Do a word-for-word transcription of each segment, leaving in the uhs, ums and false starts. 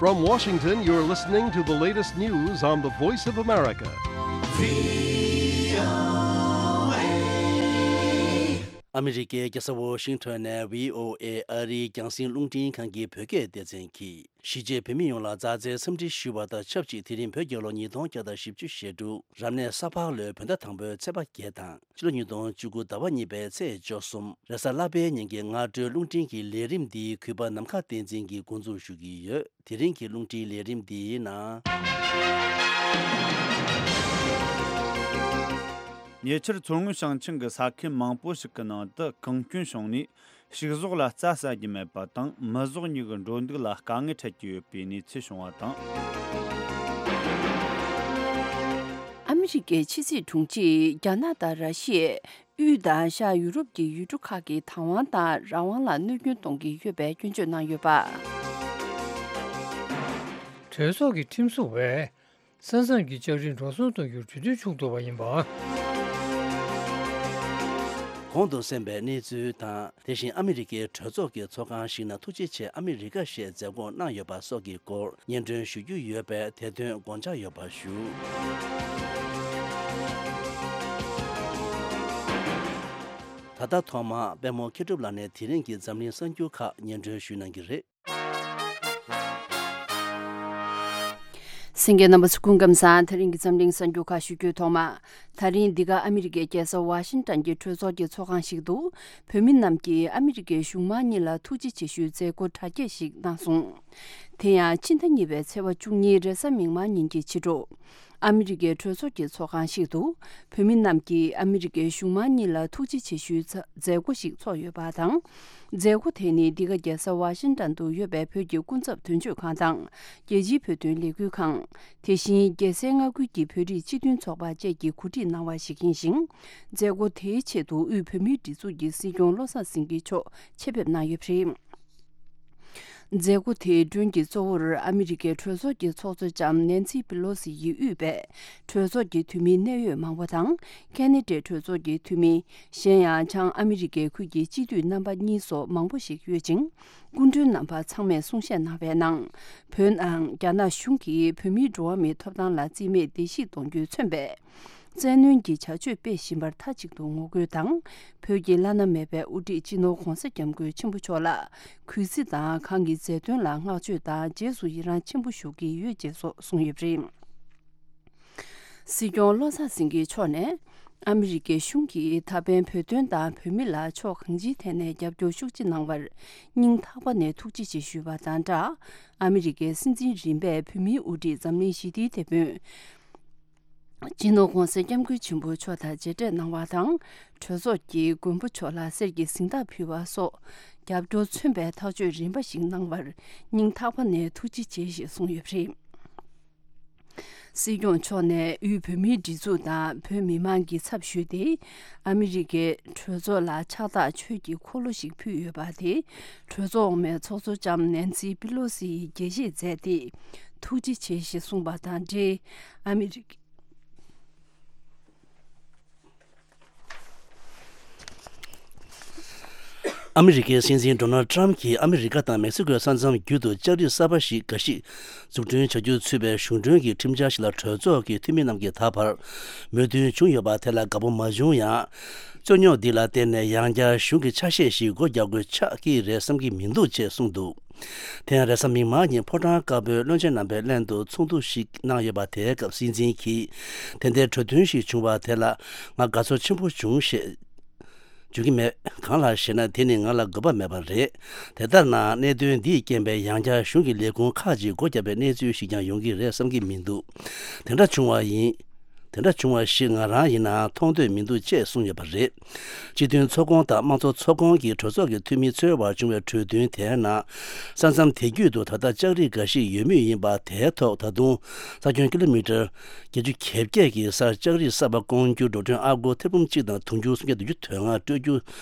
From Washington, you're listening to the latest news on the Voice of America. ཨ་མི་རི་ཀའི་རྒྱལ་ས་ཝོ་ཤིང་ཊོན་ནས་བྷི་ཨོ་ཨེ་ཨ་རིའི་རྒྱང་སྲིང་རླུང་འཕྲིན་ཁང་གི་བོད་སྐད་སྡེ་ཚན་གྱིས། གཞིས་བྱེས་བོད་མི་ཡོངས་ལ་མཛའ་བརྩེའི་འཚམས་འདྲི་ཞུ་བ་དང་ཆབས་ཅིག་དེ་རིང་བོད་རྒྱལ་ལོ་ཉིས་སྟོང་བརྒྱ་དང་བཞི་བཅུ་ཞེ་དྲུག་རབ་གནས་ས་ཕག་ལོའི་བོད་ཟླ་དང་པོའི་ཚེས་པ་བརྒྱད་དང་ཕྱི་ལོ་ཉིས་སྟོང་བཅུ་དགུ་ཟླ་བ་གཉིས་པའི་ཚེས་བཅུ་གསུམ་རེས་གཟའ་ལྷག་པའི་ཉིན་གྱི་སྔ་དྲོའི་རླུང་འཕྲིན་གྱི་ལས་རིམ་འདི་གུས་པ་ནམ་མཁའ་བསྟན་འཛིན་གྱིས་འགོ་འཛུགས་ཞུ་གི་ཡོད། དེ་རིང་གི་རླུང་འཕྲིན་ལས་རིམ་འདིའི་ནང་། ཉེ་ཆར་མཚོ་སྔོན་ཞིང་ཆེན་གྱི་ས་ཁུལ་མང་པོ་ཞིག་གི་ནང་དུ་གངས་སྐྱོན་བྱུང་ནས། ཕྱུགས་ཟོག་ལ་རྩྭ་ཟ་རྒྱུ་མེད་པ་དང་། མི་ཟོག་གཉིས་ཀྱི་འགྲོ་འདུག་ལ་དཀའ་ངལ་འཕྲད་ཀྱི་ཡོད་པའི་གནས་ཚུལ་བྱུང་བ་དང་། ཨ་མི་རི་ཀའི་ཕྱི་སྲིད་དྲུང་ཆེས་རྒྱ་ནག་དང་ར་ཤི་ཡས་དབུས་དང་ཤར་ཡུ་རོབ་ཀྱི་ཡུལ་གྲུ་ཁག་གིས་བདག་དབང་དང་རང་དབང་ལ་གནོད་སྐྱོན་གཏོང་གི་ཡོད་པའི་སྐྱོན་བརྗོད་གནང་ཡོད་པ། གྲོས་ཚོགས་ཀྱི་ཁྲིམས་བཟོ་བས། ས་མཚམས་ཀྱི་ལྕགས་རིའི་འགྲོ་སོང་གཏོང་རྒྱུར་གྲོས་མཐུན་བྱུང་ཐུབ་པ་ཡིན་པ། གོང་དུ་གསན་པའི་གནས་ཚུལ་དང་། དེ་བཞིན་ཨ་མི་རི་ཀའི་གྲོས་ཚོགས་ཀྱི་ཚོགས་ཁང་ཞིག་ནང་ཐུགས་རྗེ་ཆེ་ཨ་མི་རི་ཀ་ཞེས་མཛད་སྒོ་གནང་ཡོད་པ་སོགས་ཀྱི་སྐོར་སྙན་སྒྲོན་ཞུ་རྒྱུ་ཡོད་པས་དེ་དོན་དགོངས་འཇགས་ཡོད་པ་ཞུ། ད་ལྟ་ཐོག་མར་པད་མོ་མཁས་གྲུབ་ལགས་ནས་དེ་རིང་གི་འཛམ་གླིང་གསར་འགྱུར་ཁག་སྙན་སྒྲོན་ཞུ་གནང་གི་རེད། གསན་མཁན་རྣམ་པ་ཚོ་སྐུ་ཁམས་བཟང་། དེ་རིང་གི་འཛམ་གླིང་གསར་འགྱུར་ཁག་ཞུ་རྒྱུའི་ཐོག་མ། ད་རིང་འདི་ག་ཨ་མི་རི་ཀའི་རྒྱལ་ས་ཝ་ཤིང་ཏན་གྱི་གྲོས་ཚོགས་ཀྱི་ཚོགས་ཁང་ཞིག་ཏུ། བོད་མི་རྣམས་ཀྱིས་ཨ་མི་རི་ཀའི་གཞུང་མང་གཉིས་ལ་ཐུགས་རྗེ་ཆེ་ཞུའི་མཛད་སྒོ་གྲ་རྒྱས་ཤིག་གནང་སོང་། དེ་ཡང་ཕྱི་ཟླ་གཉིས་པའི་ཚེས་པ་བཅུ་གཉིས་རེས་གཟའ་མིག་དམར་ཉིན་གྱི་ཕྱི་དྲོ། ཨ་མི་རི་ཀའི་གྲོས་ཚོགས་ཀྱི་ཚོགས་ཁང་ཞིག་ཏུ། བོད་མི་རྣམས་ཀྱིས་ཨ་མི་རི་ཀའི་གཞུང་མང་གཉིས་ལ་ཐུགས་རྗེ་ཆེ་ཞུའི་མཛད་སྒོ་ཞིག་ཚོགས་ཡོད་པ་དང་། མཛད་སྒོ་དེ་ནི་འདི་ག་རྒྱལ་ས་ཝ་ཤིང་ཏན་དུ་ཡོད་པའི་བོད་ཀྱི་སྐུ་ཚབ་དོན་གཅོད་ཁང་དང་། རྒྱལ་སྤྱིའི་བོད་དོན་ལས་འགུལ་ཁང་། དེ་བཞིན་རྒྱལ་སའི་མངའ་ཁུལ་གྱི་བོད་རིགས་སྤྱི་མཐུན་ཚོགས་པ་བཅས་ཀྱིས་གོ་སྒྲིག་གནང་བ་ཞིག་ཡིན་ཞིང་། མཛད་སྒོ་དེའི་ཆེད་དུ་དབུས་བོད་མིའི་སྒྲིག་འཛུགས་ཀྱི་སྲིད་སྐྱོང་བློ་བཟང་སེང་གེ་མཆོག་ཆེད་ཕེབས་གནང་ཡོད་པ་རེད། མཛད་སྒོ་དེའི་མགྲོན་གྱི་གཙོ་བོར་ཨ་མི་རི་ཀའི་གྲོས་ཚོགས་ཀྱི་ཚོགས་གཙོ་ལྕམ་ནན་སི་པི་ལོ་སི་ཡིས་དབུས་པའི་གྲོས་ཚོགས་ཀྱི་འཐུས་མི་གནད་ཡོད་མང་པོ་དང་། ཁེ་ན་ཌའི་གྲོས་ཚོགས་ཀྱི་འཐུས་མི། གཞན་ཡང་བྱང་ཨ་མི་རི་ཀའི་ཁུལ་གྱི་སྤྱི་འཐུས་རྣམ་པ་གཉིས་སོགས་མང་པོ་ཞིག་ཡོད་ཅིང་། སྐུ་མགྲོན་རྣམ་པ་ཚང་མས་གསུང་བཤད་གནང་བའི་ནང་། བོད་ནང་རྒྱ་ནག་གཞུང་གིས་བོད་མིའི་འགྲོ་བ་མིའི་ཐོབ་ཐང་ལ་རྩིས་མེད་བརྡལ་བཤིག་གཏོང་རྒྱུས་མཚོན་པའི། བཙན་གནོན་གྱི་བྱ་སྤྱོད་སྤེལ་བཞིན་པར་མཐའ་གཅིག་ཏུ་ངོ་རྒོལ་དང་། བོད་ཀྱི་བླ་ན་མེད་པའི་དབུ་ཁྲིད་སྤྱི་ནོར་༧གོང་ས་༧སྐྱབས་མགོན་ཆེན་པོ་མཆོག་ལ་གུས་བརྩི་དང་། ཁོང་གི་མཛད་དོན་ལ་བསྔགས་བརྗོད་དང་། རྗེས་སུ་ཡི་རང་ཆེན་པོ་ཞུ་གི་ཡོད་ཅེས་སོགས་གསུངས་ཡོད་པ་རེད། སྲིད་སྐྱོང་བློ་བཟང་སེང་གེ་མཆོག་ནས། ཨ་མི་རི་ཀའི་གཞུང་གིས་ད་ཕན་བོད་དོན་དང་བོད་མི་ལ་ཕྱོགས་གང་ཅིའི་ཐད་ནས་རྒྱབ་སྐྱོར་ཤུགས་ཆེ་གནང་བར་སྙིང་ཐག་པ་ནས་ཐུགས་རྗེ་ཆེ་ཞུས་པ་དང་སྦྲགས། ཨ་མི་རི་ཀའི་སྲིད་འཛིན་རིམ་པས་བོད་མིའི་དབུ་ཁྲིད་འཛམ་གླིང་ཞི་བདེའི་དེད་དཔོན། སྤྱི་ནོར་༧གོང་ས་༧སྐྱབས་མགོན་ཆེན་པོ་མཆོག་དང་མཇལ་འཕྲད་གནང་བ་དང་། གྲོས་ཚོགས་ཀྱི་མགོན་པོ་མཆོག་ལ་གསེར་གྱི་གཟེངས་རྟགས་ཕུལ་བ་སོགས། རྒྱབ་སྐྱོར་མཚོན་པའི་ཐག་གཅོད་རིམ་པ་ཞིག་གནང་བར་སྙིང་ཐག་པ་ནས་ཐུགས་རྗེ་ཆེ་ཞེས་གསུངས་ཡོད་པ་རེད། སྲིད་སྐྱོང་མཆོག་ནས་དབུས་བོད་མིའི་སྒྲིག་འཛུགས་དང་བོད་མི་མང་གི་ཚབ་ཞུས་ཏེ། ཨ་མི་རི་ཀའི་གྲོས་ཚོགས་ལ་ཕྱག་རྟགས་ཆོས་ཀྱི་འཁོར་ལོ་ཞིག་ཕུལ་ཡོད་པ་དེ། གྲོས་ཚོགས་འོག་མའི་ཚོགས་གཙོ་ལྕམ་ནན་སི་པི་ལོ་སི་ཡིས་དགྱེས་བཞེས་མཛད་དེ། ཐུགས་རྗེ་ཆེ་ཞེས་གསུངས་པ་དང་འབྲེལ། ཨ་མི་རི་ཀའི། ཨ་མི་རི་ཀའི་སྲིད་འཛིན་ཌོ་ནལ་ཌི་ཊརམ་གྱིས་ཨ་མི་རི་ཀ་དང་མེག་སི་ཀོའི་ས་མཚམས་བརྒྱུད་དུ་ལྕགས་རིགས་གསར་པ་ཞིག་འགའ་ཞིག་འཛུགས་སྐྲུན་བྱ་རྒྱུ་ཚུད་པའི་གཞུང་གྲོན་གྱི་ཁྲིམས་འཆར་ཞིག་ལ་གྲོས་ཚོགས་ཀྱི་འཐུས་མི་རྣམས་ཀྱིས་ད་བར་མོས་མཐུན་བྱུང་ཡོད་པ་དེ་ལ་དགའ་པོ་མ་བྱུང་ཡང་། རྩོད་རྙོག་འདི་ལ་བརྟེན་ནས་ཡང་བསྐྱར་གཞུང་གི་ཆ་ཤས་ཤིག་སྒོ་རྒྱག་དགོས་ཆགས་ཀྱི་རེད་བསམ་གྱི་མི་འདུག་ཅེས་གསུངས་འདུག་དེ་ཡང་རེས་གཟའ་མིག་དམར་ཉིན་ཕོ་བྲང་དཀར་པོའི་བློན་ཆེན་རྣམ་པའི་གླེང་སྟེགས་ཚོགས་འདུ་ཞིག་གནང་ཡོད་པ་དེའི་སྐབས་སྲིད་འཛིན་གྱིས། དེ་འདྲའི་གྲོས་མཐུན་ཞིག་བྱུང་བ་དེ་ལ་ང་དགའ་ཚོར་ཆེན་པོ་བྱུང་ཞེས་བརྗོད་ཀྱི་མེད། གང་ལགས་ཞེ་ན། དེ་ནི་ང་ལ་དགོས་པ་མེད་པ་རེད། དེ་ལྟར་ན་གནད་དོན་འདིས་རྐྱེན་པས་ཡང་བསྐྱར་གཞུང་གི་ལས་ཁུངས་ཁག་ཅིག་སྒོ་བརྒྱབ་པའི་གནས་ཚུལ་ཞིག་ཀྱང་ཡོང་གི་རེད་བསམ་གྱི་མི་འདུག་དེ་འདྲ་བྱུང་བ་ཡིན། དེ་འདྲ་བྱུང་བ་ཞིག་ང་རང་ཡིན་ནའང་མཐོང་འདོད་མི་འདུག་ཅེས་གསུངས་ཡོད་པ་རེད། སྤྱི་མཐུན་ཚོགས་ཁོངས་དང་དམངས་གཙོ་ཚོགས་ཁོངས་ཀྱི་གྲོས་ཚོགས་ཀྱི་འཐུས་མི་ཚོའི་བར་བྱུང་བའི་གྲོས་མཐུན་དེའི་ནང་། ས་མཚམས་དེ་བརྒྱུད་དུ་ད་ལྟ་ལྕགས་རིགས་འགའ་ཞིག་ཡོད་མུས་ཡིན་པ་དེའི་ཐོག་ད་དུང་ས་ཁྱོན་ཀི་ལོ་མི་ཊར་བརྒྱད་ཅུ་གྱ་བརྒྱད་ཀྱི་སར་ལྕགས་རིགས་གསར་པ་སྐོང་རྒྱུར་འགྲོ་གྲོན་ཨ་སྒོར་ཐེར་འབུམ་གཅིག་དང་དུང་ཕྱུར་སུམ་བརྒྱ་བདུན་ཅུ་དོན་ལྔ་སྤྲོད་རྒྱུ་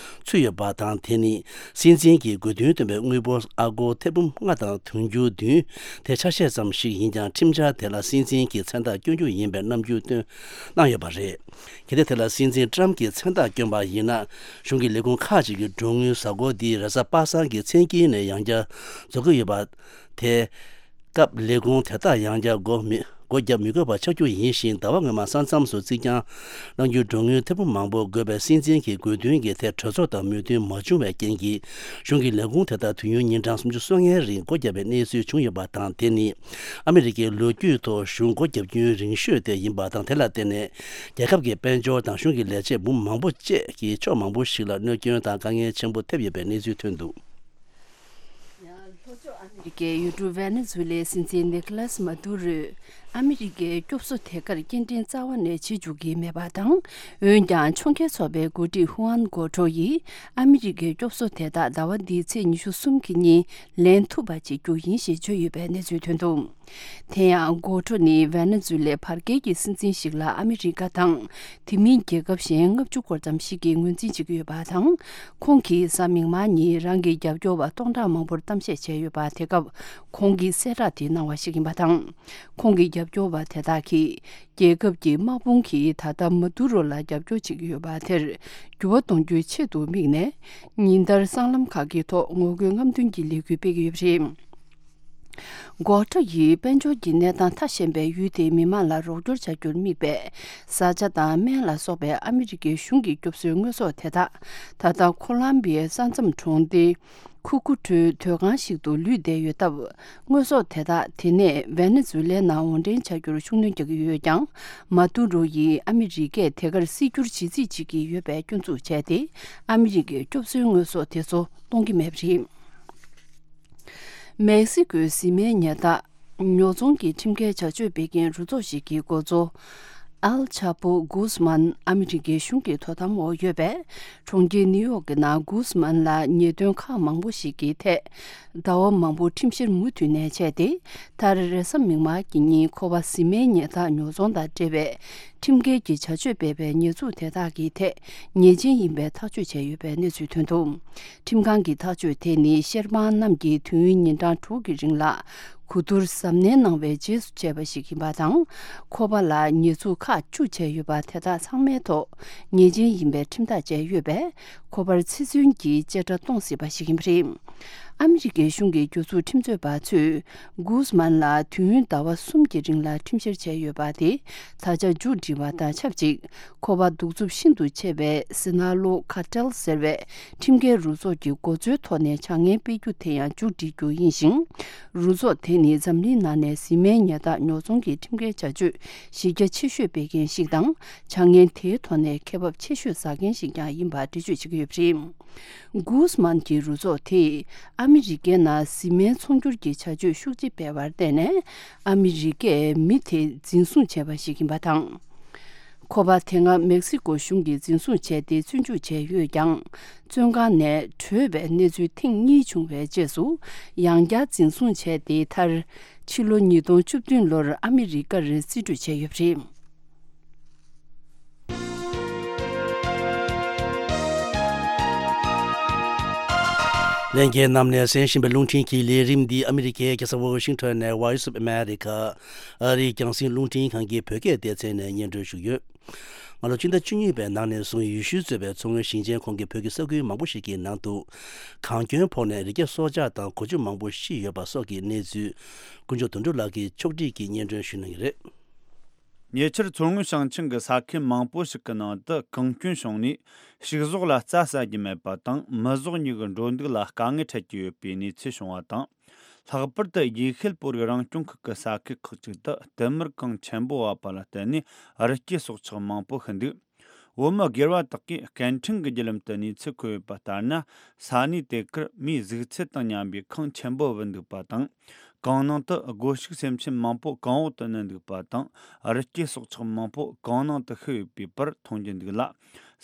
ཚུད་ཡོད་པ་དང་། དེ་ནི་སྲིད་འཛིན་གྱིས་དགོས་འདུན་བཏོན་པའི་དངུལ་འབོར་ཨ་སྒོར་ཐེར་འབུམ་ལྔ་དང་དུང་ཕྱུར་བདུན་དེ་ཆ་ཤས་ཙམ་ཞིག་ཡིན་ཀྱང་། ཁྲིམས་འཆར་དེ་ལ་སྲིད་འཛིན་གྱིས་མཚན་རྟགས་བསྐྱོན་རྒྱུ་ཡིན་པའི་རྣམ་འགྱུར་བཏོན་གནང་ཡོད་པ་རེད། གལ་ཏེ་དེ་ལ་སྲིད་འཛིན་ཊརམ་གྱིས་མཚན་རྟགས་བསྐྱོན་པ་ཡིན་ན། གཞུང་གི་ལས་ཁུངས་ཁག་ཅིག་གི་འགྲོ་དངུལ་གཟའ་འཁོར་འདིའི་རེས་གཟའ་པ་སངས་ཀྱི་མཚན་དཀྱིལ་ནས་ཡང་བསྐྱར་རྫོགས་ཀྱི་ཡོད་པ་དེ། སྐབས་ལས་ཁུངས་དེ་དག་ཡང་བསྐྱར་སྒོ་མི་སྒོ་བརྒྱབ་མི་དགོས་པ་ཆགས་རྒྱུ་ཡིན་ཞིང་། ཟླ་བ་སྔོན་མ་ས་མཚམས་སུ་རྩིག་གྱང་བསླང་རྒྱུའི་མགྲོན་དངུལ་ཐེར་འབུམ་མང་པོ་དགོས་པའི་སྲིད་འཛིན་གྱི་དགོས་འདུན་གྱི་ཐད་གྲོས་ཚོགས་དང་མོས་མཐུན་མ་བྱུང་བའི་རྐྱེན་གྱིས། གཞུང་གི་ལས་ཁུངས་དེ་དག་དུས་ཡུན་ཉིན་གྲངས་སུམ་ཅུ་སོ་ལྔའི་རིང་སྒོ་བརྒྱབ་པའི་གནས་ཚུལ་བྱུང་ཡོད་པ་དང་། དེ་ནི་ཨ་མི་རི་ཀའི་ལོ་རྒྱུས་ཐོག་གཞུང་སྒོ་བརྒྱབ་རྒྱུན་རིང་ཤོས་དེ་ཡིན་པ་དང་། དེ་ལ་བརྟེན་ནས་རྒྱལ་ཁབ་ཀྱི་དཔལ་འབྱོར་དང་གཞུང་གི་ལས་བྱེད་འབུམ་མང་པོ་བཅས་ཀྱི་ཕྱོགས་མང་པོ་ཞིག་ལ་གནོད་སྐྱོན་དང་དཀའ་ངལ་ཆེན་པོ་ཐེབས་ཡོད་པའི་གནས་ཚུལ་ཐོན་འདུག། ལྷོ་ཕྱོགས་ཨ་མི་རི་ཀའི་ཡུལ་གྲུ་ཝེ་ནེ་ཛུ་ལའི་སྲིད་འཛིན་ནི་ཀོ་ལཱས་མ་ཏུ་རོས་ཨ་མི་རི་ཀའི་སྐྱོབ་གསོ་དེ་གར་སྐྱེལ་འདྲེན་རྩ་བ་ནས་བྱེད་འཇུག་གི་མེད་པ་དང་། འོན་ཀྱང་ཕྱོགས་འགལ་ཚོགས་པའི་འགོ་ཁྲིད་ཧུའན་གོ་ཁྲོ་ཡིས་ཨ་མི་རི་ཀའི་སྐྱོབ་གསོ་དེ་དག་ཟླ་བ་འདིའི་ཚེས་ཉི་ཤུ་གསུམ་གྱི་ཉིན་ལེན་ཐུབ་པ་བྱེད་རྒྱུ་ཡིན་ཞེས་བརྗོད་ཡོད་པའི་གནས་ཚུལ་ཐོན་འདུག། དེ་ཡང་གོ་ཁྲོ་ནི་ཝེ་ནེ་ཛུ་ལའི་བར་བརྒལ་གྱི་སྲིད་འཛིན་ཞིག་ལ་ཨ་མི་རི་ཀ་དང་དེ་མིན་རྒྱལ་ཁབ་གཞན་ལྔ་བཅུ་སྐོར་ཙམ་ཞིག་གིས་ངོས་འཛིན་བྱེད་ཀྱི་ཡོད་པ་དང་། ཁོང་གིས་གཟའ་མིག་དམར་ཉིན་རང་གི་རྒྱབ་སྐྱོར་བ་སྟོང་ཕྲག་མང་པོར་གཏམ་བཤད་བྱས་ཡོད་པ། དེ་སྐབས་ཁོང་གིས་གསལ་བསྒྲགས་དེ་གནང་བ་ཞིག་ཡིན་པ་དང་། ཁོང་གི་རྒྱབ་སྐྱོར་བ་དེ་དག་གིས་རྒྱལ་ཁབ་ཀྱི་དམག་དཔུང་གིས་ད་ལྟ་མ་ཏུ་རོ་ལ་རྒྱབ་སྐྱོར་བྱེད་ཀྱི་ཡོད་པ་དེར་འགྱུར་བ་གཏོང་རྒྱུའི་ཆེད་དུ་དམིགས་ནས། ཉིན་ལྟར་སྲང་ལམ་ཁག་གི་ཐོག་ངོ་རྒོལ་རྔམ་སྟོན་གྱི་ལས་འགུལ་སྤེལ་གྱི་ཡོད་པ་རེད། གོ་ཁྲོ་ཡིས་དཔལ་འབྱོར་གྱི་གནས་སྟངས་ཐ་ཞན་པའི་ཡུལ་དེའི་མི་མང་ལ་རོགས་སྐྱོར་བྱ་རྒྱུར་དམིགས་པའི་བཟའ་བཅའ་དང་སྨན་ལ་སོགས་པའི་ཨ་མི་རི་ཀའི་གཞུང་གི་སྐྱོབ་གསོའི་དངོས་ཟོག་དེ་དག་ད་ལྟ་ཁོ་ལམ་བི་ཡའི་ས་མཚམས་གྲོང་སྡེ་ཁུ་ཁུ་ཁྲོའི་སྡོད་ཁང་ཞིག་ཏུ་ལུས་བསྡད་ཡོད་སྟབས། དངོས་ཟོག་དེ་དག་དེ་ནས་ཝེ་ནེ་ཛུ་ལའི་ནང་འོར་འདྲེན་བྱ་རྒྱུར་ཤུགས་སྣོན་རྒྱག་གི་ཡོད་ཀྱང་། མ་ཏུ་རོ་ཡིས་ཨ་མི་རི་ཀས་དེ་གར་སྲིད་སྒྱུར་བྱེད་རྩིས་བྱེད་ཀྱི་ཡོད་པའི་སྐྱོན་འཛུགས་བྱས་ཏེ། ཨ་མི་རི་ཀའི་སྐྱོབ་གསོའི་དངོས་ཟོག་དེ་ཚོ་གཏོང་གི་མེད་པ་རེད། མེག་སི་ཀོའི་བཟི་སྨན་ཉལ་ཐ་ཉོ་ཚོང་གི་ཁྲིམས་འགལ་བྱ་སྤྱོད་སྤེལ་མཁན་རུ་ཚོགས་ཤིག་གི་འགོ་གཙོ་ཨལ་ཆ་པོ་གུས་མན་ཨ་མི་རི་ཀའི་གཞུང་གི་དོ་དམ་འོག་ཡོད་པས། གྲོང་ཁྱེར་ནིའུ་ཡོག་གི་ནང་གུས་མན་ལ་ཉེས་དོན་ཁག་མང་པོ་ཞིག་གི་ཐད་ཟླ་བ་མང་པོ་ཁྲིམས་བཤེར་མུ་མཐུད་ནས་བྱས་ཏེ། མཐར་རེས་གཟའ་མིག་དམར་གྱི་ཉིན་ཁོ་པ་བཟི་སྨན་ཉལ་ཐ་ཉོ་ཚོང་དང་འབྲེལ་བའི་ཁྲིམས་འགལ་གྱི་བྱ་སྤྱོད་སྤེལ་བའི་ཉེས་འཛུགས་དེ་དག་གི་ཐད་ཉེས་ཅན་ཡིན་པའི་ཐག་གཅོད་བྱས་ཡོད་པའི་གནས་ཚུལ་ཐོན་འདུག། ཁྲིམས་ཁང་གི་ཐག་གཅོད་དེ་ནི་བཤེར་དཔང་རྣམས་ཀྱིས་དུས་ཡུན་ཉིན་གྲངས་དྲུག་གི་རིང་ལ་གོ་བསྡུར་གཟབ་ནན་གནང་བའི་རྗེས་སུ་བྱས་པ་ཞིག་ཡིན་པ་དང་། ཁོ་པ་ལ་ཉེས་འཛུགས་ཁག་བཅུ་བྱས་ཡོད་པ་དེ་དག་ཚང་མའི་ཐོག་ཉེས་ཅན་ཡིན་པའི་ཁྲིམས་ཐག་བཅད་ཡོད་པས། ཁོ་པར་ཚེ་བཙོན་གྱི་བཅད་ཁྲ་གཏོང་སྲིད་པ་ཞིག་ཡིན་པ་རེད། ཨ་མི་རི་ཀའི་གཞུང་གི་རྒྱུ་ཚོགས་ཁྲིམས་རྩོད་པ་ཚོས་གུས་མན་ལ་དུས་ཡུན་ཟླ་བ་གསུམ་གྱི་རིང་ལ་ཁྲིམས་བཤེར་བྱས་ཡོད་པ་དེ་ད་ཆ་མཇུག་སྒྲིལ་བ་དང་ཆབས་ཅིག། ཁོ་པ་གདུག་རྩུབ་ཤིན་ཏུ་ཆེ་བའི་སི་ན་ལོ་ཁ་ཏེལ་ཟེར་བའི་ཁྲིམས་འགལ་རུ་ཚོགས་ཀྱི་འགོ་གཙོའི་ཐོག་ནས་བྱ་ངན་སྤེལ་རྒྱུ་དེ་ཡང་མཇུག་སྒྲིལ་རྒྱུ་ཡིན་ཞིང་། རུ་ཚོགས་དེ་ནི་འཛམ་གླིང་ནང་ནས་བཟི་སྨན་ཉལ་ཐ་ཉོ་ཚོང་གི་ཁྲིམས་འགལ་བྱ་སྤྱོད་གཞི་རྒྱ་ཆེ་ཤོས་སྤེལ་མཁན་ཞིག་དང་། བྱ་ངན་དེའི་ཐོག་ནས་ཁེ་བབ་ཆེ་ཤོས་ཟ་མཁན་ཞིག་ཀྱང་ཡིན་པ་འགྲེལ་བརྗོད་བྱེད་ཀྱི་ཡོད་པ་རེད། གུས་མན་གྱི་རུ་ཚོགས་དེས་ཨ་མི་རི་ཀའི་ནང་བཟི་སྨན་ཚོང་སྒྱུར་གྱི་བྱ་སྤྱོད་ཤུགས་ཆེ་སྤེལ་བར་བརྟེན་ནས། ཨ་མི་རི་ཀས་མི་དེ་འཛིན་བཟུང་བྱས་པ་ཞིག་ཡིན་པ་དང་། ཁོ་པ་དེ་སྔ་མེག་སི་ཀོ་གཞུང་གིས་འཛིན་བཟུང་བྱས་ཏེ་བཙོན་འཇུག་བྱས་ཡོད་ཀྱང་། བཙོན་ཁང་ནས་བྲོས་པའི་གནས་ཚུལ་ཐེངས་གཉིས་བྱུང་བའི་རྗེས་སུ། ཡང་བསྐྱར་འཛིན་བཟུང་བྱས་ཏེ། མཐར་ཕྱི་ལོ་ཉིས་སྟོང་བཅུ་བདུན་ལོར་ཨ་མི་རི་ཀར་རྩིས་སྤྲོད་བྱས་ཡོད་པ་རེད། ལྷན་རྒྱས་རྣམས་ནས་གསན་བཞིན་པའི་རླུང་འཕྲིན་གྱི་ལས་རིམ་འདི་ཨ་མི་རི་ཀའི་རྒྱལ་ས་ཝོ་ཤིང་ཊོན་ནས་Voice of America ཨ་རིའི་རྒྱང་སྲིང་རླུང་འཕྲིན་ཁང་གི་བོད་སྐད་སྡེ་ཚན་ནས་སྙན་སྒྲོན་ཞུས་ཡོད། སྔ་ལོ་སྤྱི་ཟླ་བཅུ་གཉིས་པའི་ནང་ནས་བཟུང་ཡུལ་ཤུལ་གཙོས་པའི་མཚོ་སྔོན་ཞིང་ཆེན་ཁོངས་ཀྱི་བོད་ཀྱི་ས་ཁུལ་མང་པོ་ཞིག་གི་ནང་དུ་གངས་སྐྱོན་ཕོག་ནས་རི་སྐྱེས་སྲོག་ཆགས་དང་གོ་ཆུ་མང་པོ་ཤི་ཡོད་པ་སོགས་ཀྱི་གནས་ཚུལ། དཀོན་མཆོག་དོན་གྲུབ་ལགས་ཀྱིས་ཕྱོགས་སྒྲིག་གིས་སྙན་སྒྲོན་ཞུ་གནང་གི་རེད། ཉེ་ཆར་མཚོ་སྔོན་ཞིང་ཆེན་གྱི་ས་ཁུལ་མང་པོ་ཞིག་གི་ནང་དུ་གངས་སྐྱོན་བྱུང་ནས། ཕྱུགས་ཟོག་ལ་རྩྭ་ཟ་རྒྱུ་མེད་པ་དང་། མི་ཟོག་གཉིས་ཀྱི་འགྲོ་འདུག་ལ་དཀའ་ངལ་འཕྲད་ཀྱི་ཡོད་པའི་གནས་ཚུལ་བྱུང་བ་དང་། ལྷག་པར་དུ་ཡེ་ཤུའི་ལྷོ་རི་རང་སྐྱོང་ཁུལ་གྱི་ས་ཁུལ་ཁག་ཅིག་ཏུ་དུད་སྨུག་གངས་ཆེན་པོ་བབས་པ་ལ་བརྟེན་ནས་རི་སྐྱེས་སྲོག་ཆགས་མང་པོ་ཤི་འདུག། བོད་མི་སྒེར་བ་དག་གིས་སྐད་འཕྲིན་གྱི་བརྒྱུད་ལམ་དུ་གནས་ཚུལ་འཁོད་ཡོད་པ་ལྟར་ན། ས་གནས་དེ་གར་མིའི་གཟུགས་ཚད་དང་མཉམ་པའི་ཁངས་ཆེན་པོ་བུད་འདུག་པ་དང་། གངས་ནང་དུ་སྒོ་ཕྱུགས་སེམས་ཅན་མང་པོ་གངས་འོག་ཏུ་བསྣུན་འདུག་པ་དང་། རི་སྐྱེས་སྲོག་ཆགས་མང་པོ་གངས་ནང་དུ་ཤི་ཡོད་པའི་པར་མཐོང་རྒྱུ་འདུག་ལ།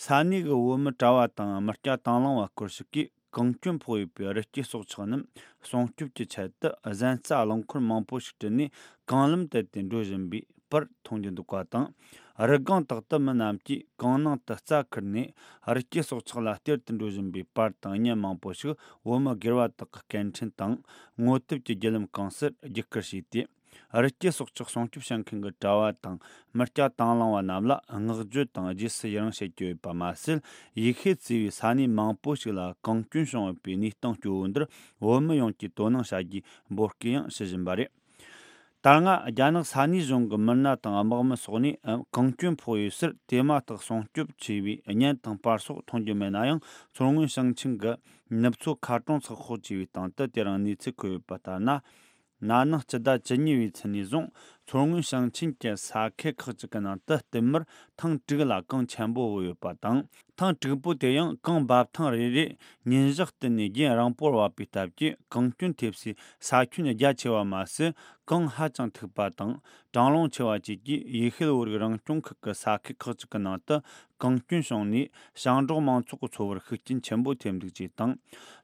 ས་གནས་ཀྱི་བོད་མི་གྲྭ་བ་དང་མི་སྐྱ་དང་བླངས་པ་སྐོར་ཞིག་གིས། གངས་སྐྱོན་ཕོག་ཡོད་པའི་རི་སྐྱེས་སྲོག་ཆགས་རྣམས་སྲུང་སྐྱོབ་ཀྱི་ཆེད་དུ་གཟན་རྩྭ་རླངས་འཁོར་མང་པོ་ཞིག་ཁྲིད་ནས་གངས་ལམ་དེད་དེ་འགྲོ་བཞིན་པའི་པར་མཐོང་རྒྱུ་འདུག་པ་དང་། རི་སྒང་དག་ཏུ་མི་རྣམས་ཀྱིས་གངས་ནང་དུ་རྩྭ་ཁུར་ནས་རི་སྐྱེས་སྲོག་ཆགས་ལ་སྟེར་དུ་འགྲོ་བཞིན་པའི་པར་དང་བརྙན་མང་པོ་ཞིག་བོད་མི་སྒེར་བ་དག་གི་སྐད་འཕྲིན་དང་ངོ་དེབ་ཀྱི་བརྒྱུད་ལམ་གང་སར་བརྒྱུད་སྐུར་བྱས་ཏེ། རི་སྐྱེས་སྲོག་ཆགས་སྲུང་སྐྱོབ་བྱེད་མཁན་གྱི་གྲྭ་བ་དང་མི་སྐྱ་དང་བླངས་པ་རྣམས་ལ་བསྔགས་བརྗོད་དང་རྗེས་སུ་ཡི་རང་བྱེད་ཀྱི་ཡོད་པ་མ་ཟད། ཡེ་ཤུ་གཙོས་པའི་ས་གནས་མང་པོ་ཞིག་ལ་གངས་སྐྱོན་བྱུང་ཡོད་པའི་གནས་སྟངས་སྐྱོ་བོ་འདིར་བོད་མི་ཡོངས་ཀྱིས་དོ་སྣང་བྱ་རྒྱུའི་འབོད་སྐུལ་ཡང་ཞུ་བཞིན་པ་རེད། ད་སྔ་རྒྱ་ནག་ས་གནས་གཞུང་གི་མི་སྣ་དང་དམག་མི་སོགས་ནས་ཨ་གངས་སྐྱོན་ཕོག་ཡོད་སར་དེ་མ་ཐག་སྲུང་སྐྱོབ་བྱས་པའི་བརྙན་དང་པར་སོགས་མཐོང་རྒྱུ་མེད་ན་ཡང་། མཚོ་སྔོན་ཞིང་ཆེན་གྱི་ནུབ་མཚོ་མཁར་གྲོང་ཚགས་ཁོག་ཅེས་པའི་སྟེང་དུ་དེ་རིང་གནས་ཚུལ་འཁོད་ཡོད་པ་ལྟར་ན། ན་ནིང་སྤྱི་ཟླ་བཅུ་གཉིས་པའི་ཚེས་ནས་བཟུང་མཚོ་སྔོན་ཞིང་ཆེན་གྱི་ས་ཁུལ་ཁག་ཅིག་གི་ནང་དུ་བསྟུད་མར་ཐེངས་དྲུག་ལ་གངས་ཆེན་པོ་བབས་ཡོད་པ་དང་། ཐེངས་དྲུག་པོ་དེ་ཡང་གངས་འབབ་ཐེངས་རེ་རེར་ཉིན་ཞག་བསྟུད་ནས་རྒྱུན་རིང་པོར་བབས་པའི་སྟབས་ཀྱིས་གངས་སྐྱོན་ཐེབས་སའི་ས་ཁྱོན་རྒྱ་ཆེ་བ་མ་ཟད། གངས་ཧ་ཅང་མཐུག་པ་དང་གྲང་རླུང་ཆེ་བ་བཅས་ཀྱིས་ཡེ་ཤུ་བོད་རིགས་རང་སྐྱོང་ཁུལ་གྱི་ས་ཁུལ་ཁག་ཅིག་གི་ནང་དུ་གངས་སྐྱོན་བྱུང་ནས། ཞིང་འབྲོག་མང་ཚོགས་ཀྱི་འཚོ་བར་ཤུགས་རྐྱེན་ཆེན་པོ་ཐེབས་འདུག་ཅེས་དང་།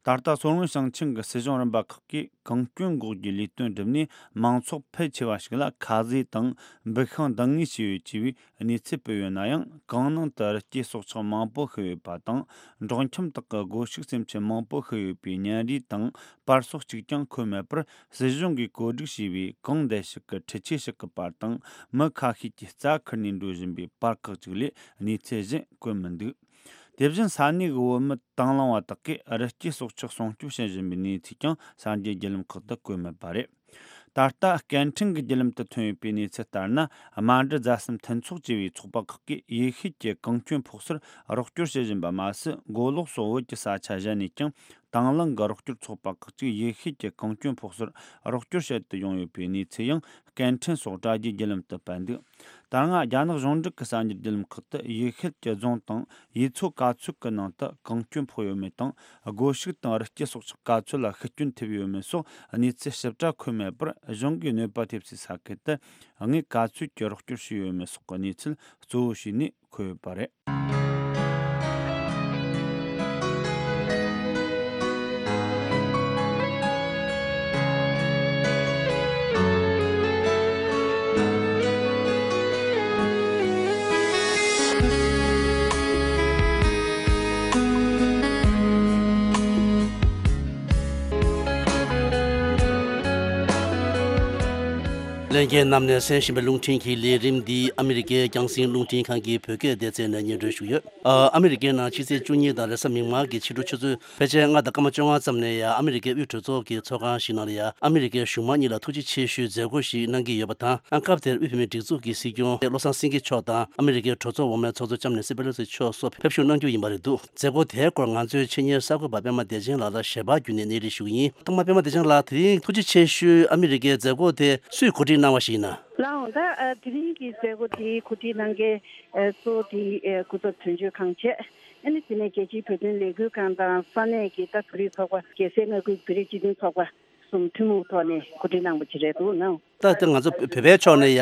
ད་ལྟ་མཚོ་སྔོན་ཞིང་ཆེན་གྱི་སྲིད་གཞུང་རིམ་པ་ཁག་གིས་གངས་སྐྱོན་འགོག་རྒྱུའི་ལས་དོན་བསྒྲུབས་ནས། མང་ཚོགས་ཕལ་ཆེ་བ་ཞིག་ལ་ཁ་ཟས་དང་འབུ་ཤིང་འདང་ངེས་བྱས་ཡོད་ཅེས་པའི་གནས་ཚུལ་སྤེལ་ཡོད་ན་ཡང་། གངས་ནང་དུ་རི་སྐྱེས་སྲོག་ཆགས་མང་པོ་ཤི་ཡོད་པ་དང་། འབྲོག་ཁྱིམ་དག་གི་སྒོ་ཕྱུགས་སེམས་ཅན་མང་པོ་ཤི་ཡོད་པའི་བརྙན་རིས་དང་པར་སོགས་གཅིག་ཀྱང་འཁོད་མེད་པར། སྲིད་གཞུང་གིས་བཀོད་སྒྲིག་བྱས་པའི་གངས་འདྲེན་ཞིག་གི་འཕྲུལ་ཆས་ཞིག་གི་པར་དང་། མི་ཁ་ཤས་ཀྱིས་རྩྭ་ཁུར་ནས་འགྲོ་བཞིན་པའི་པར་ཁག་ཅིག་ལས་གནས་ཚུལ་གཞན་བཀོད་མི་འདུག། དེ་བཞིན་ས་གནས་ཀྱི་བོད་མི་དང་བླངས་པ་དག་གིས་རི་སྐྱེས་སྲོག་ཆགས་སྲུང་སྐྱོབ་བྱེད་བཞིན་པའི་གནས་ཚུལ་ཀྱང་གསར་འགྱུར་བརྒྱུད་ལམ་ཁག་ཏུ་བཀོད་མེད་པ་རེད། ད་ལྟ་སྐད་འཕྲིན་གྱི་བརྒྱུད་ལམ་དུ་ཐོན་ཡོད་པའི་གནས་ཚུལ་ལྟར་ན། རྨ་འབྲི་རྫ་གསུམ་མཐུན་ཚོགས་ཅེས་པའི་ཚོགས་པ་ཁག་གིས་ཡེ་ཤུ་གྱི་གངས་སྐྱོན་ཕོག་སར་རོགས་སྐྱོར་བྱེད་བཞིན་པ་མ་ཟད། མགོ་ལོག་སོགས་བོད་ཀྱི་ས་ཆ་གཞན་ནས་ཀྱང་དང་བླངས་ཀྱི་རོགས་སྐྱོར་ཚོགས་པ་ཁག་ཅིག་ཡེ་ཤུ་གྱི་གངས་སྐྱོན་ཕོག་སར་རོགས་སྐྱོར་བྱེད་དུ་ཡོང་ཡོད་པའི་གནས་ཚུལ་ཡང་སྐད་འཕྲིན་སོགས་དྲ་རྒྱའི་བརྒྱུད་ལམ་དུ་སྤེལ་འདུག། ད་སྔ་རྒྱ་ནག་གཞུང་འབྲེལ་གྱི་གསར་འགྱུར་བརྒྱུད་ལམ་ཁག་ཏུ་ཡེ་ཤུ་གྱི་རྫོང་དང་ཡུལ་ཚོ་ག་ཚོད་ཀྱི་ནང་དུ་གངས་སྐྱོན་ཕོག་ཡོད་མེད་དང་། སྒོ་ཕྱུགས་དང་རི་སྐྱེས་སྲོག་ཆགས་ག་ཚོད་ལ་ཤི་སྐྱོན་ཐེབས་ཡོད་མེད་སོགས་གནས་ཚུལ་ཞིབ་ཕྲ་འཁོད་མེད་པར། གཞུང་གིས་གནོད་པ་ཐེབས་སའི་ས་ཁུལ་དུ་དངུལ་ག་ཚོད་ཀྱི་རོགས་སྐྱོར་བྱས་ཡོད་མེད་སོགས་ཀྱི་གནས་ཚུལ་གཙོ་བོ་བྱས་ནས་འཁོད་ཡོད་པ་རེད། ལྷན་རྒྱས་རྣམས་ནས་གསན་བཞིན་པའི་རླུང་འཕྲིན་གྱི་ལས་རིམ་འདི་ཨ་མི་རི་ཀའི་རྒྱང་སྲིང་རླུང་འཕྲིན་ཁང་གི་བོད་སྐད་སྡེ་ཚན་ནས་སྙན་སྒྲོན་ཞུས་ཡོད། ཨ་ཨ་མི་རི་ཀའི་ནང་ཕྱི་ཚེས་བཅུ་གཉིས་དང་རེས་གཟའ་མིག་དམར་གྱི་ཕྱི་དྲོ་ཆུ་ཚོད་ཕལ་ཆེར་ལྔ་དང་སྐར་མ་བཅོ་ལྔ་ཙམ་ནས་ཡང་ཨ་མི་རི་ཀའི་དབུས་གྲོས་ཚོགས་ཀྱི་ཚོགས་ཁང་ཞིག་ནང་ལ་ཡང་ཨ་མི་རི་ཀའི་གཞུང་མང་གཉིས་ལ་ཐུགས་རྗེ་ཆེ་ཞུའི་མཛད་སྒོ་ཞིག་གནང་གི་ཡོད་པ་དང་། སྐབས་དེར་དབུས་བོད་མིའི་སྒྲིག་འཛུགས་ཀྱི་སྲིད་སྐྱོང་བློ་བཟང་སེང་གེ་མཆོག་དང་ཨ་མི་རི་ཀའི་གྲོས་ཚོགས་འོག་མའི་ཚོགས་གཙོ་ལྕམ་ནེན་སི་པེ་ལོ་སི་མཆོག་སོགས་ཕེབས་ཞུགས་གནང་རྒྱུ་ཡིན་པ་རེད་འདུག། མཛད་སྒོ་དེའི་སྐོར་ང་ཚོའི་ཆེད་གཉེར་གསར་འགོད་པ་པད་མ་བདེ་ཆེན་ལགས་ལ་ཞལ་པར་བརྒྱུད་ནས་གནས་རིམ་ཞུ་གི་ཡིན། ཐོག་མར་པད་མ་བདེ་ཆེན་ལགས། དེ་རིང་ཐུགས་རྗེ་ཆེ་ཞུའི་ཨ་མི་རི་ཀའི་མཛད་སྒོ་དེ་སུས་གོ་སྒྲིག་གནང་བ་ཞིག་ཡིན་ན། ལགས་འོང་། ད་ཨ་དེ་རིང་གི་མཛད་སྒོ་དེ་གོ་སྒྲིག་གནང་མཁན་ཨ་གཙོ་བོ་དེ་ཨ་སྐུ་ཚབ་དོན་གཅོད་ཁང་བྱས། ཨ་ནི་དེ་ནས་རྒྱལ་སྤྱིའི་བོད་དོན་ལས་འགུལ་ཁང་དང་ས་གནས་ཀྱི་ད་བོད་རིགས་ཚོགས་པ། རྒྱལ་སའི་མངའ་ཁུལ་བོད་རིགས་སྤྱི་མཐུན་ཚོགས་པ་གསུམ་ཐུན་མོང་ཐོག་ནས་གོ་སྒྲིག་གནང་བ་ཅིག་རེད་འདུག་ན། ད་ལྟ་ང་ཚོ་བོད་པའི་ཕྱོགས་ནས་ཡ་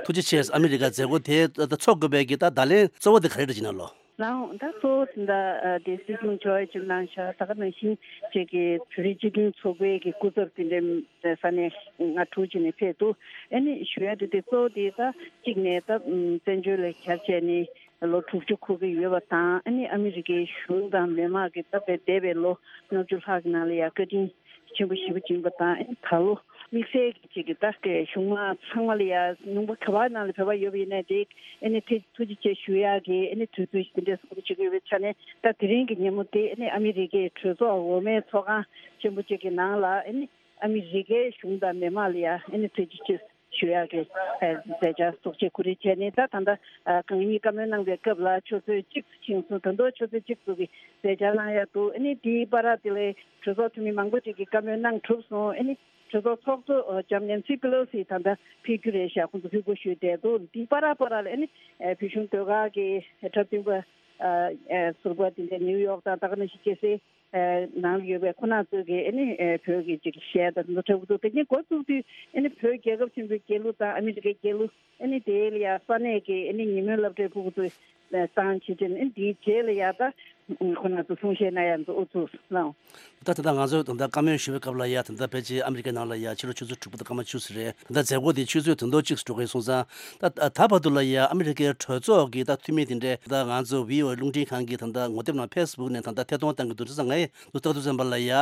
ཐུགས་རྗེ་ཆེ། ཨ་མི་རི་ཀ་མཛད་སྒོ་དེ་ད་ཚོགས་དགོས་པའི་གི་ད་བརྡ་ལན་གཙོ་བོ་དེ་ག་རེ་རེད་ཅེ་ན་ལོ། ལགས་འོང་། ད་གཙོ་བོ་དེ་འདྲ་ཨ་དེ་སྲིད་སྐྱོང་མཆོག་ཡ་ཅིག་གནང་ཤག། ད་ག་ནང་བཞིན་ཅིག་གི་བོད་རིགས་སྤྱི་མཐུན་ཚོགས་པའི་གི་སྐུ་ཚབ་དེ་འདྲའི་ས་གནས་ལྔ་དྲུག་ཅིག་ནས་ཕེབས་འདུག། ཨ་ནི་ཞུ་ཡ་དེ་དེ་གཙོ་བོ་དེ་ད་གཅིག་ནས་ད་བཙན་བྱོལ་ལ་གྱར་བྱས་ནས་ལོ་དྲུག་ཅུ་འཁོར་གྱི་ཡོད་པ་དང་། ཨ་ནི་ཨ་མི་རི་ཀའི་གཞུང་དང་མི་དམངས་ཀྱིས་ད་བའི་འདས་པའི་ལོ་ལྔ་བཅུ་ལྷག་གི་ནང་ལ་ཡ་བཀའ་དྲིན་ཆེན་པོ་ཞེ་པོ་བྱིན་པ་དང་། ཨ་ནི་ད་ལོ་དམིགས་བསལ་གྱི་ཅིག་གི་ད་གི་གཞུང་མང་ཚང་མ་ལ་ཡ་ཉུང་པ་ག་བ་ནང་ལ་བོད་པ་ཡོད་པ་ཡིན་ནའི་དེ་ཨ་ནི་ཐུགས་ཐུགས་རྗེ་ཆེ་ཞུ་ཡག་གི་ཨ་ནི་དུས་ཚོད་ཞིག་དེ་འདྲ་བཟོ་འདྲ་བྱེད་ཀྱི་ཡོད་པའི་ཆ་ནས། ད་དེ་རིང་གི་ཉིན་མོ་དེ་ཨ་ནི་ཨ་མི་རི་ཀའི་གྲོས་ཚོགས་འོག་མའི་ཚོགས་ཁང་ཆེན་པོ་ཅིག་གི་ནང་ལ་ཨ་ནི་ཨ་མི་རི་ཀའི་གཞུང་དང་མི་དམངས་ལ་ཡ་ཨ་ནི་ཐུགས་རྗེ་ཆེ་ཞུ་ཡག་གི་ཨ་མཛད་འཆར་ཚོགས་ཆེན་གོ་སྒྲིག་བྱས་ནས། ད་ད་ལྟ་ཨ་གང་ཉིད་བཀའ་མོལ་གནང་བའི་སྐབས་ལ་ཆུ་ཚོད་གཅིག་ཙམ་ཕྱིན་སོང་། ད་དུང་ཆུ་ཚོད་གཅིག་ཙམ་གྱི་མཛད་འཆར་གནང་ཡག་འདུག། ཨ་ནི་དེའི་བར་དེ་ལ་གྲོས་ཚོགས་འཐུས་མི་མང་པོ་ཅིག་གིས་བཀའ་མོལ་གནང་གྲུབ་སོང་། ཨ་ནི་གྲོས་ཚོགས་ཚོགས་གཙོ་ལྕམ་ནེན་སི་པེ་ལོ་སི་ད་ལྟ་ཕེབས་རྒྱུ་རེད་ཤག། ཁོང་ཚོ་ཕེབས་དགོས་ཞུས་བསྡད་འདུག། དེའི་བར་བར་ལ་ཨ་ནི་ཨ་བོད་གཞུང་ཟློས་གར་གྱི་འཁྲབ་སྟོན་པ་ཨ་ཨ་ཟུར་པ་དེ་འདྲ་ནིའུ་ཡོག་དང་ད་ག་ནང་བཞིན་རྒྱལ་སའི་ཨ་ནང་ལ་ཡོད་པའི་ཁོང་རྣམ་ཚོ་གིས་ཨ་ནི་ཨ་བོད་ཀྱི་ཅིག་གཞས་དང་དེ་ཚོ་འཁྲབ་ཀྱི་འདུག། དེ་ནས་འགོ་བཙུགས་དུས་ཨ་ནི་བོད་རྒྱལ་ཁབ་ཆེན་པོའི་རྒྱལ་གླུ་དང་ཨ་མི་རི་ཀའི་རྒྱལ་གླུ། ཨ་ནི་དེ་ལ་ཡ་ས་གནས་ཀྱི་ཨ་ནི་ཉིན་མོའི་སློབ་གྲྭའི་ཕྲུ་གུ་ཚོས་བཏང་བྱས་བྱས་ནས། ཨ་ནི་དེའི་རྗེས་ལ་ཡ་ད་ཁོང་རྣམ་ཚོ་གསུང་བཤད་གནང་ཡ་འདུག། ཨུ་ཚུགས་ལགས། ད་ད་ལྟ་ང་ཚོས་ད་ལྟ་བཀའ་མོལ་ཞུ་བའི་སྐབས་ལ་ཡ་ད་ལྟ་ཕལ་ཆེར་ཨ་མི་རི་ཀའི་ནང་ལ་ཡ་ཕྱི་ལོ་ཆུ་ཚོད་དྲུག་པ་དང་སྐར་མ་བཅུ་ཙམ་རེད། ད་ལྟ་མཛད་སྒོ་དེ་ཆུ་ཚོད་དོན་ཐོག་གཅིག་ཙམ་འགྲོ་གི་ཡོད་སོང་ཙང་། ད་ད་བར་དུ་ལ་ཡ་ཨ་མི་རི་ཀའི་གྲོས་ཚོགས་ཀྱི་ད་འཐུས་མི་དེ་འདྲས་ད་ང་ཚོ་བྷི་ཨོ་ཨེ་རླུང་འཕྲིན་ཁང་གི་ད་ལྟ་ངོ་དེབ་ནང་ཕེ་སི་བུག་ནས་ད་ལྟ་ཐད་གཏོང་གཏང་གི་འདུག། དེ་ཙང་ངས་འདུག་ལྟ་དུས་ཙམ་པ་ལ་ཡ་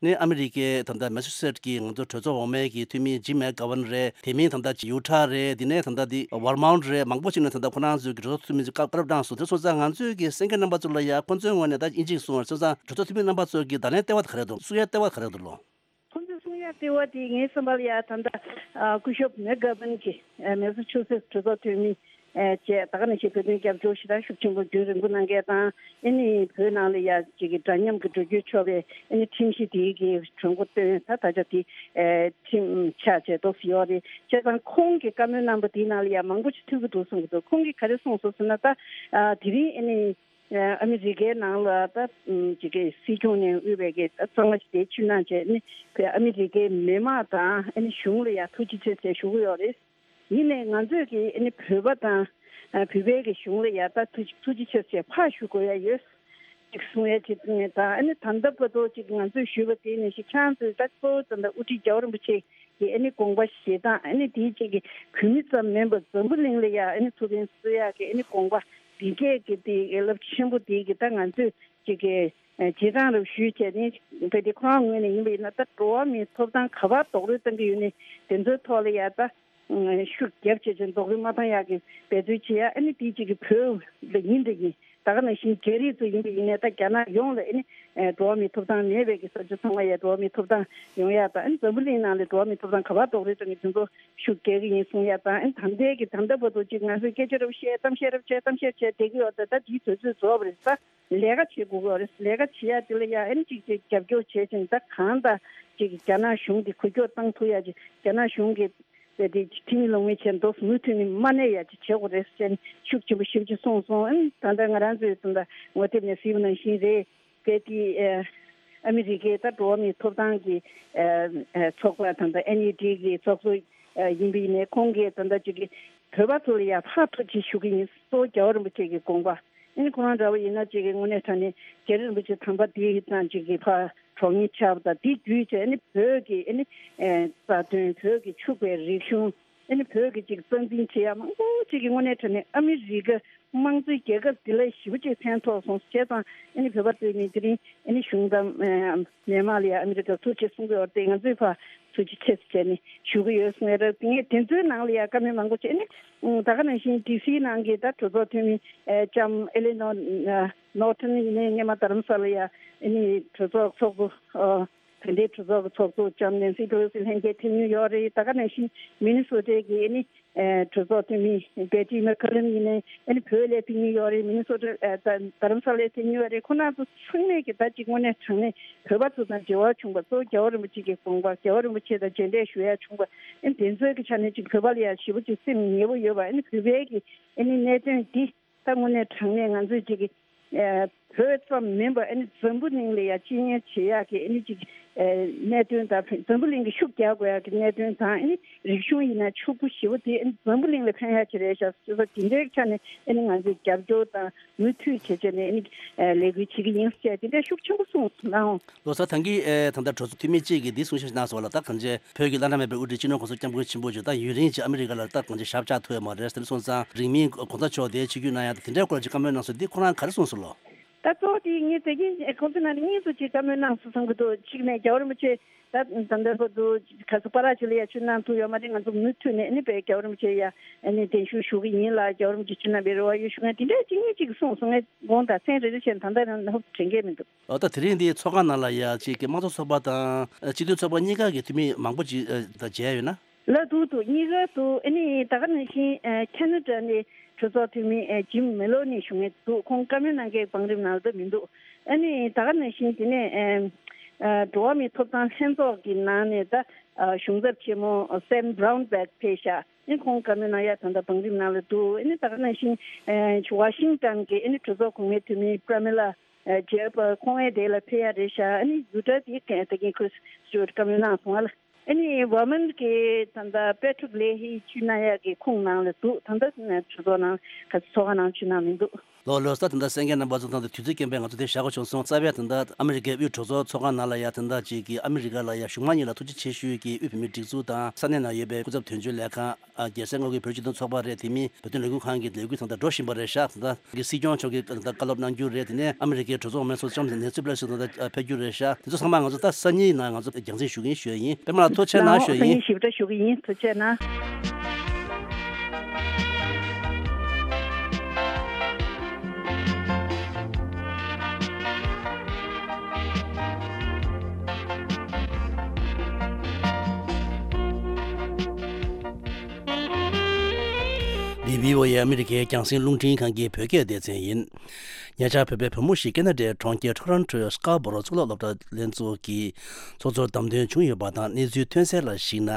ནི་ཨ་མི་རི་ཀའི་ད་ལྟ་མེ་སི་ཆུ་སེཊ་ཀྱི་ང་ཚོ་གྲོས་ཚོགས་འོག་མའི་གི་འཐུས་མི་ཇིམ་མེག་གྷ་ཝན་རེད། དེ་མིན་ད་ལྟ་ཡུ་ཊ་རེད། དེ་ནས་ད་ལྟ་དེ་ཝར་མོན་ཊ་རེད། མང་པོ་ཞིག་ནས་ད་ལྟ་ཁོ་རང་ཚོའི་གི་གྲོས་ཚོགས་འཐུས་མི་ཚོ་བཀའ་བཀའ་སློབ་གནང་སོང་། དེ་སོང་ཙང་ང་ཚོའི་གི་གསན་མཁན་རྣམ་པ་ཚོ་ལ་ཡ་ཁོ་ཚོའི་ངོས་ནས་ད་ཨིན་ཇིའི་གསུང་བ་སོང་ཙང་གྲོས་ཚོགས་འཐུས་མི་རྣམ་པ་ཚོའི་གི་བརྡ་ལན་ལྟེ་བ་ག་རེ་འདུག། གསུང་ཡ་ལྟེ་བ་ག་རེ་འདུག་ལོ། ཁོ་ཚོའི་གསུང་ཡ་ ལྟེ་བ་དེ་ངའི་བསམ་པ་ལ་ཡ་ད་ལྟ་སྐུ་ཞབས་མེག་གྷར་བྷན་གྱིས་མེ་སཱ་ཆུ་སེ་གྲོས་ཚོགས་འཐུས་མི་བཅས་ད་ག་ནང་བཞིན་བོད་དོན་རྒྱབ་སྐྱོར་ཞེ་དྲག་ཤུགས་ཆེན་པོ་རྒྱུན་རིང་པོ་གནང་མཁན་དང་། ཨེ་ནི་བོད་ནང་ལ་ཡ་ཅིག་གི་འདྲ་མཉམ་གྱི་འགྲོ་རྒྱུ་ཆོག་པའི་ཨེ་ནི་ཁྲིམས་གཞི་དེའི་གི་གྲོས་འགོ་བཏོན། ད་ད་ཆ་དེ་ཨེ་ཁྲིམས་ཆགས་བྱས་ཏོག་ཙམ་ཡོད་རེད། བྱས་ཙང་ཁོང་གི་བཀའ་མོལ་གནང་པ་དེའི་ནང་ལ་ཡ་མང་པོ་ཞིག་ཐུག་གི་འདུག་གསུང་གི་འདུག་ཁོང་གིས་ག་རེ་གསུངས་སོང་ཟེར་ན། ད་ཨ་དེ་རིང་ཨེ་ནི་ཨ་མི་རི་ཀའི་ནང་ལ་ད་ཅིག་གི་སྲིད་སྐྱོང་ནས་དབུས་པའི་གི་ད་གཙང་མ་ཞིག་དེ་ཕྱིར་གནང་བྱས་ནི་བོད་ཨ་མི་རི་ཀའི་མི་མང་དང་ཨ་ནི་གཞུང་ལ་ཡ་ཐུགས་རྗེ་ཆེ་ཟེར་ཞུ་གི་ཡོད་རེད། ཡིན་ནའི་ང་ཚོས་ཀྱི་ཨ་ནི་བོད་པ་དང་ཨ་བོད་པའི་གི་གཞུང་ལ་ཡ་ད་ཐུགས་ཐུགས་རྗེ་ཆེ་ཟེར་ཕར་ཞུ་དགོས་ཡ་ཡོད། ཅིག་གསུང་ཡ་ཅིག་ནས་ད་ཨ་ནི་ད་ལྟ་བར་དུ་ཅིག་ང་ཚོས་ཞུས་པ་དེ་ནས་ཤིག་ཁྱེད་རང་ཚོས་ད་གཙོ་བོ་ད་ལྟ་དབུ་ཁྲིད་རྒྱལ་བ་རིན་པོ་ཆེ་གི་ཨ་ནི་དགོངས་པ་བཞེས་སྟངས། ཨ་ནི་དེའི་ཅིག་གི་བོད་མི་ཙམ་མིན་པར་འཛམ་བུ་གླིང་ལ་ཡ་ཨ་ནི་ཐུགས་ཕན་གསོས་ཡག་གི་ཨ་ནི་དགོངས་པ་འདི་སྐད་ཀྱི་དེ་རླབས་ཆེན་པོ་དེ་གི་ད་ང་ཚོས་ཅིག་གི་ཨ་རྗེས་འབྲང་རབ་ཞུས་བྱས་ནས་བོད་དེ་ཁོ་རང་ངོས་ནས་ཡིན་པ་ཡིན་ན་ད་འགྲོ་བ་མིའི་ཐོབ་ཐང་ག་པར་རྡོག་རོལ་བཏང་གི་ཡོད་ནས་དེ་ཚོའི་ཐོག་ལ་ཡ་ད་ཤུགས་རྒྱབ་བྱས་བྱས་རྡོག་རོལ་མ་བཏང་ཡག་གི་འབད་རྩོལ་བྱེད་ཡ། ཨ་ནི་དེ་གཅིག་གི་བོད་ལ་ཡིན་འདྲ་ཡིན། ད་ག་ནང་བཞིན་རྒྱ་རིགས་ཚོ་ཡིན་པ་ཡིན་ནའི་ད་རྒྱ་ནག་ཡོངས་ལ་ཨ་ནི་འགྲོ་བ་མིའི་ཐོབ་ཐང་མེད་པའི་གི་ས་ཆ་ཚང་མ་ཡ་འགྲོ་བ་མིའི་ཐོབ་ཐང་ཡོང་ཡ་དང་། ཨ་ནི་འཛམ་བུ་གླིང་ནང་ལ་འགྲོ་བ་མིའི་ཐོབ་ཐང་ག་པར་རྡོག་རོལ་བཏང་གི་དེ་ཚོ་ཤུགས་རྒྱག་གི་ཡིན་གསུང་ཡ་དང་། ཨ་ནི་ད་ལྟའི་གི་ད་ལྟ་བར་དུ་ཅིག་ང་ཚོས་སྐད་ཆ་རབ་བཤད་གཏམ་བཤད་རབ་བྱས་གཏམ་བཤད་བྱས་བསྡད་ཀྱི་ཡོད། ད་ད་དེའི་དུས་ཚོད་རྫོགས་པ་རེད། ད་ལས་ཀ་བྱེད་དགོས་ཀྱི་ཡོད་རེད། ལས་ཀ་བྱེད་ཡ་དེ་ལ་ཡ་ཨ་ནི་ཅིག་ཅིག་རྒྱབ་སྐྱོར་བྱས་ཅིང་ད་གང་ལྟར་ཅིག་རྒྱ་ནག་གཞུང་གི་འགུལ་སྐྱོད་བཏང་ཐུབ་ཡ་ཅིག་རྒྱ་ནག་གཞུང་གི་དེ་དེ་ཁྲིམས་ལུགས་མི་བྱེད་མདོག་མུ་མཐུད་ནས་མ་གནས་ཡ་ཅིག་བྱེད་དགོས་རེད་ཟེར་ནས་ཤུགས་ཆེན་པོ་ཞེ་པོ་ཅིག་གསུངས་སོང་། ཨ་ནི་ད་ལྟ་ང་རང་ཚོའི་ད་ལྟ་ངོ་དེབ་ནས་གཟིགས་པ་ནང་བཞིན་རེད། གལ་ཏེ་ཨ་ཨ་མི་རི་ཀའི་ད་འགྲོ་བ་མིའི་ཐོབ་ཐང་གི་ཨ་ཨ་ཚོགས་པ་དང་ད་ཨེན་ཡུ་ཌི་གི་ཚོགས་གཙོ་ཨ་ཡིན་པ་ཡིན་ནའི་ཁོང་གིས་ད་ལྟ་ཅིག་གི་བོད་པ་ཚོ་ལ་ཡ་ཕར་ཐུགས་རྗེ་ཆེ་ཞུ་གི་ཡིན། གཙོ་བོ་རྒྱལ་བ་རིན་པོ་ཆེ་གི་དགོངས་པ། ཨ་ནི་ཁོ་རང་འདྲ་བོ་ཡིན་ན་ཅིག་གི་དངོས་གནས་དྲང་གནས་རྒྱལ་བ་རིན་པོ་ཆེ་དམ་པ་དེ་དང་ཅིག་གི་ཕར་གྲོགས་ཉེ་ཆགས་པ་དང་དེ་བརྒྱུད་བྱས་ཨ་ནི་བོད་ཀྱི་ཨ་ནི་ཨ་རྩ་དོན། བོད་ཀྱི་ཕྱུག་པའི་རིག་གཞུང་། ཨ་ནི་བོད་ཀྱི་ཅིག་རྩ་འཛིན་བྱེད་ཡ་མང་པོ་ཅིག་གི་དངོས་གནས་དྲང་གནས་ཨ་མི་རི་ཀ་དམངས་གཙོའི་རྒྱལ་ཁབ་འདི་ལ་ཞེ་པོ་ཅིག་ཕན་ཐོགས་སོང་། བྱས་ཙང་ཨ་ནི་བོད་པ་ཚོས་ནི་དེ་རིང་ཨ་ནི་གཞུང་དང་ཨ་མི་མང་ལ་ཡ་ཨ་མི་རི་ཀར་ཐུགས་རྗེ་གསུང་གི་ཡོད་རེད་དེ། ང་ཚོས་ཕར་ཐུགས་རྗེ་ཆེ་ཟེར་བྱས་ནས་ཞུ་གི་ཡོད་གསུང་ཡ་རེད། ངས་དེ་ཚོའི་ནང་ལ་ཡ་བཀའ་མོལ་མང་པོ་བྱས་ནས་ད་ག་ནང་བཞིན་ཌི་སི་ནང་གི་ད་གྲོས་ཚོགས་འཐུས་མི་ཨ་ལྕམ་ཨེ་ལེ་ནོར་ནོར་ཊོན་ཡིན་ནའི་སྔོན་མ་རྡ་རམ་ས་ལ་ཡ་ཨ་ནི་གྲོས་ཚོགས་ཚོགས་གཙོ་ཨ་བོད་འདྲའི་གྲོས་ཚོགས་ཀྱི་ཚོགས་གཙོ་ལྕམ་ནེན་སི་པེ་ལོ་སི་ལྷན་རྒྱས་ཕེབས་མྱོང་ཡོད་རེད། ད་ག་ནང་བཞིན་མི་ནི་སོ་ཊའི་གི་ཨ་ནི་ཨ་གྲོས་ཚོགས་འཐུས་མི་བེ་ཊི་མེག་ཀར་ལིན་ཡིན་ནའི་ཨ་ནི་བོད་ལ་ཕེབས་མྱོང་ཡོད་རེད། མི་ནི་སོ་ཊ་ཨ་ད་རྡ་རམ་ས་ལ་ཕེབས་མྱོང་ཡོད་རེད། ཁོ་རང་ཚོ་ཚང་མས་ཀྱི་ད་ཅིག་དངོས་གནས་དྲང་གནས་བོད་པ་ཚོ་དང་འབྲེལ་བ་བྱུང་བ། གཙོ་བོ་རྒྱལ་བ་རིན་པོ་ཆེ་གི་དགོངས་པ། རྒྱལ་བ་རིན་པོ་ཆེ་དང་མཇལ་འཕྲད་ཞུ་ཡ་བྱུང་བ། ཨ་ནི་དེ་ཚོའི་གི་ཆ་ནས་ཅིག་བོད་པ་ལ་ཡ་ཞེ་པོ་ཅིག་སེམས་ཉེ་པོ་ཡོད་པ། ཨ་ནི་བོད་པའི་གི་ཨ་ནི་གནད་དོན་འདི་ད་དངོས་གནས་དྲང་གནས་ང་ཚོས་ཅིག་གི་ཨ་བོད་ཙམ་མིན་པར་ཨ་ནི་འཛམ་བུ་གླིང་ལ་ཡ་སྤྱི་ཉེན་བྱེད་ཡག་གི་ཨ་ནི་ཅིག་ཨ་གནད་དོན་དང་འཛམ་བུ་གླིང་གི་ཤུགས་རྒྱག་དགོས་ཡག་གི་གནད་དོན་དང་། ཨ་ནི་རིག་གཞུང་ཡིན་ན་ཕྱུག་པོ་ཞེ་པོ་དེ་ཨ་ནི་འཛམ་བུ་གླིང་ལ་ཕན་ཡག་ཅིག་རེད་ཤག་ཟེར་བ་དེ་འདྲའི་ཆ་ནས་ཨ་ནི་ང་ཚོས་རྒྱབ་སྐྱོར་དང་མུ་མཐུད་བྱས་བྱས་ནས་ཨ་ནི་ཨ་ལས་འགུལ་བྱེད་ཀྱི་ཡིན་ཟེར་དེ་འདྲའི་ཤུགས་ཆེན་པོ་གསུངས་གནང་། ལོ་གསར་ཐང་གི་ཨེ་ད་ལྟ་གྲོས་ཚོགས་འཐུས་མི་གཅིག་གིས་འདི་གསུང་བཤད་གནང་སོང་ལ། ད་གང་ཅི་བོད་ཀྱི་བླ་ན་མེད་པའི་དབུ་ཁྲིད་སྤྱི་ནོར་གོང་ས་སྐྱབས་མགོན་ཆེན་པོ་མཆོག་ད་ཡུན་རིང་ཅིག་ཨ་མི་རི་ཀ་ལ་ད་གང་ཅི་ཞབས་བཅགས་ཐུབ་ཡོད་མ་རེད། དེ་སོང་ཙང་རིང་མིན་གོང་ས་མཆོག་དེ་ཆིབས་བསྒྱུར་གནང་ཡ་དེ་འདྲའི་སྐོར་ལ་ཅིག་བཀའ་མོལ་གནང་སོང་། འདི་ཁོ་རང་ག་རེ་གསུངས་སོང་ལོ། ད་གཙོ་བོ་དེ་ངས་དེ་གིན་ཁོང་ཚོ་ནང་གཉིས་སུ་ཅིག་བཀའ་མོལ་གནང་སོང་བསམ་གྱི་འདུག་གཅིག་ནས་རྒྱལ་བ་རིན་པོ་ཆེ་ད་ད་ལྟ་བར་དུ་ག་ཚོད་པ་ར་ཅིག་ལ་ཡ་ཆུ་གནང་ཐུབ་ཡོད་མ་རེད། ང་ཚོ་མུ་མཐུད་ནས་ཨ་ནི་བའི་རྒྱལ་བ་རིན་པོ་ཆེ་ཡ་ཨ་ནི་གདན་ཞུ་ཞུ་གི་ཡིན་ལ། རྒྱལ་བ་རིན་པོ་ཆེ་ཆུ་གནང་བའི་རེ་བ་ཡོད་ཞུ་མཁན་དེ་འདྲའི་གཅིག་གཉིས་གཅིག་གསུངས་སོང་། ངས་དགོངས་དག་མཚན་རེ་རེ་བྱས་ད་ལྟ་ཡང་ཧོབ་དྲན་གྱི་མི་འདུག་ཨོ་ད་དེ་རིང་འདི་ཚོགས་ཁང་ནང་ལ་ཡ་ཅིག་གི་དམངས་གཙོ་ཚོགས་པ་དང་ཨ་སྤྱི་མཐུན་ཚོགས་པ་གཉིས་ཀ་གི་འཐུས་མི་མང་པོ་ཅིག་ཨ་ད་མཇལ་ཡོད་ན། ལ་འདུག་འདུག་གཉིས་ཀ་འདུག་ཨ་ནི་ད་ག་ནང་བཞིན་ཨ་ཁ་ན་ཌ་ནས་གྲོས་ཚོགས་འཐུས་མི་ཨ་ཇིམ་མེ་ལོ་ནི་ཞུ་མཁན་འདུག་ཁོང་བཀའ་མོལ་གནང་མཁན་བང་རིམ་ནང་ལ་ད་མི་འདུག་ཨ་ནི་ད་ག་ནང་བཞིན་དེ་ནས་ཨ་ཨ་འགྲོ་བ་མིའི་ཐོབ་ཐང་ལྷན་ཚོགས་ཀྱི་ནང་ནས་ད་ཨ་གཞུང་ཚབ་ཆེན་མོ་སེམ་བྷ་རའུན་བྷེག་ཕེབས་ཤག་ཨ་ནི་ཁོང་བཀའ་མོལ་གནང་ཡ་ད་ལྟ་བང་རིམ་ནང་ལ་འདུག་ཨ་ནི་ད་ག་ནང་བཞིན་ཨ་ཝ་ཤིང་ཊོན་གྱི་ཨ་ནི་གྲོས་ཚོགས་གོང་མའི་འཐུས་མི་པྲ་མི་ལ་ཨ་ཇེབ་ཁོང་ཨེ་དེ་ལ་ཕེབས་ཡ་རེད་ཤག་ཨ་ནི་ཡུ་ཊ་དེ་ད་གིན་ཁྲིས་སི་ཊི་ཝར་ཊི་བཀའ་མོལ་གནང་སོང་ཨ་ལ། ཨ་ནི་ཝ་མན་གྱི་ད་ལྟ་པེ་ཊྲིག་ལེ་ཧི་ཆུ་ན་ཡ་གི་ཁོང་ནང་ལ་འདུག་ད་ལྟ་གྲོས་ཚོགས་ནང་ག་ཚོགས་ཁང་ནང་ཆུ་ནང་མི་འདུག་ལོ་ལོ་ས་ད་ལྟ་གསན་མཁན་རྣམ་པ་ཚོ་དང་དུས་ཚོད་རྐྱེན་པས་ང་ཚོ་དེ་བཞག་དགོས་བྱུང་སོང་། རྩ་བའི་ད་ལྟ་ཨ་མི་རི་ཀའི་དབུས་གྲོས་ཚོགས་ཚོགས་ཁང་ནང་ལ་ཡ་ད་ལྟ་ཅིག་གི་ཨ་མི་རི་ཀ་ལ་ཡ་གཞུང་མང་གཉིས་ལ་ཐུགས་རྗེ་ཆེ་ཞུ་ཡི་གི་དབུས་བོད་མིའི་སྒྲིག་འཛུགས་དང་ས་གནས་ནང་ཡོད་པའི་སྐུ་ཚབ་དོན་གཅོད་ལས་ཁང་། ཨ་རྒྱལ་སའི་མངའ་ཁུལ་བོད་སྤྱི་མཐུན་ཚོགས་པ་རེད། དེ་མིན་བོད་དོན་ལས་འགུལ་ཁང་གི་ལས་འགུལ་ཚང་ད་འགྲོ་བཞིན་པ་རེད་ཤག་ད་ལྟ་གི་སྲིད་སྐྱོང་མཆོག་གིས་ད་ལྟ་བཀའ་སློབ་གནང་རྒྱུ་རེད། དེ་ནས་ཨ་མི་རི་ཀའི་གྲོས་ཚོགས་མང་ཚོགས་ལྕམ་ནེན་སི་པེ་ལོ་སི་ད་ལྟ་ཕེབས་རྒྱུ་རེད་ཤག་དེ་ཚོ་ཚང་མ་ང་ཚོ་ད་སང་ཉིན་ནང་ང་ཚོ་རྒྱང་སྲིང་ཞུ་གི་ཡིན་ཞུ་ཡ་ཡིན། པད་མ་ལགས་ཐུགས་རྗེ་གནང་ཞུ་ཡ་ཡིན། ཐུགས་རྗེ་གནང་། བྷི་ཨོ་ཨེ་ཨ་མི་རི་ཀའི་རྒྱང་སྲིང་རླུང་འཕྲིན་ཁང་གི་བོད་སྐད་སྡེ་ཚན་ཡིན། ཉེ་ཆར་བོད་པའི་བུ་མོ་ཞིག་ཁེ་ན་ཌའི་གྲོང་ཁྱེར་ཊོ་རོན་ཊོའི་སྐར་བོ་རོ་གཙུག་ལག་སློབ་གྲྭ་ལྷན་ཚོགས་ཀྱི་ཚོགས་གཙོར་བདམས་ཐོན་བྱུང་ཡོད་པ་དང་། གནས་ཚུལ་ཐོན་གསལ་ལ་གཞིགས་ན།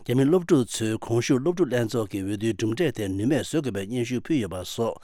རྒྱ་མི་སློབ་ཕྲུག་ཚོས་གོང་ཞུས་སློབ་ཕྲུག་ལྷན་ཚོགས་ཀྱི་འོས་བསྡུའི་གྲུབ་འབྲས་དེ་ནུས་མེད་བཟོ་དགོས་པའི་སྙན་ཞུ་ཕུལ་ཡོད་པ་སོགས།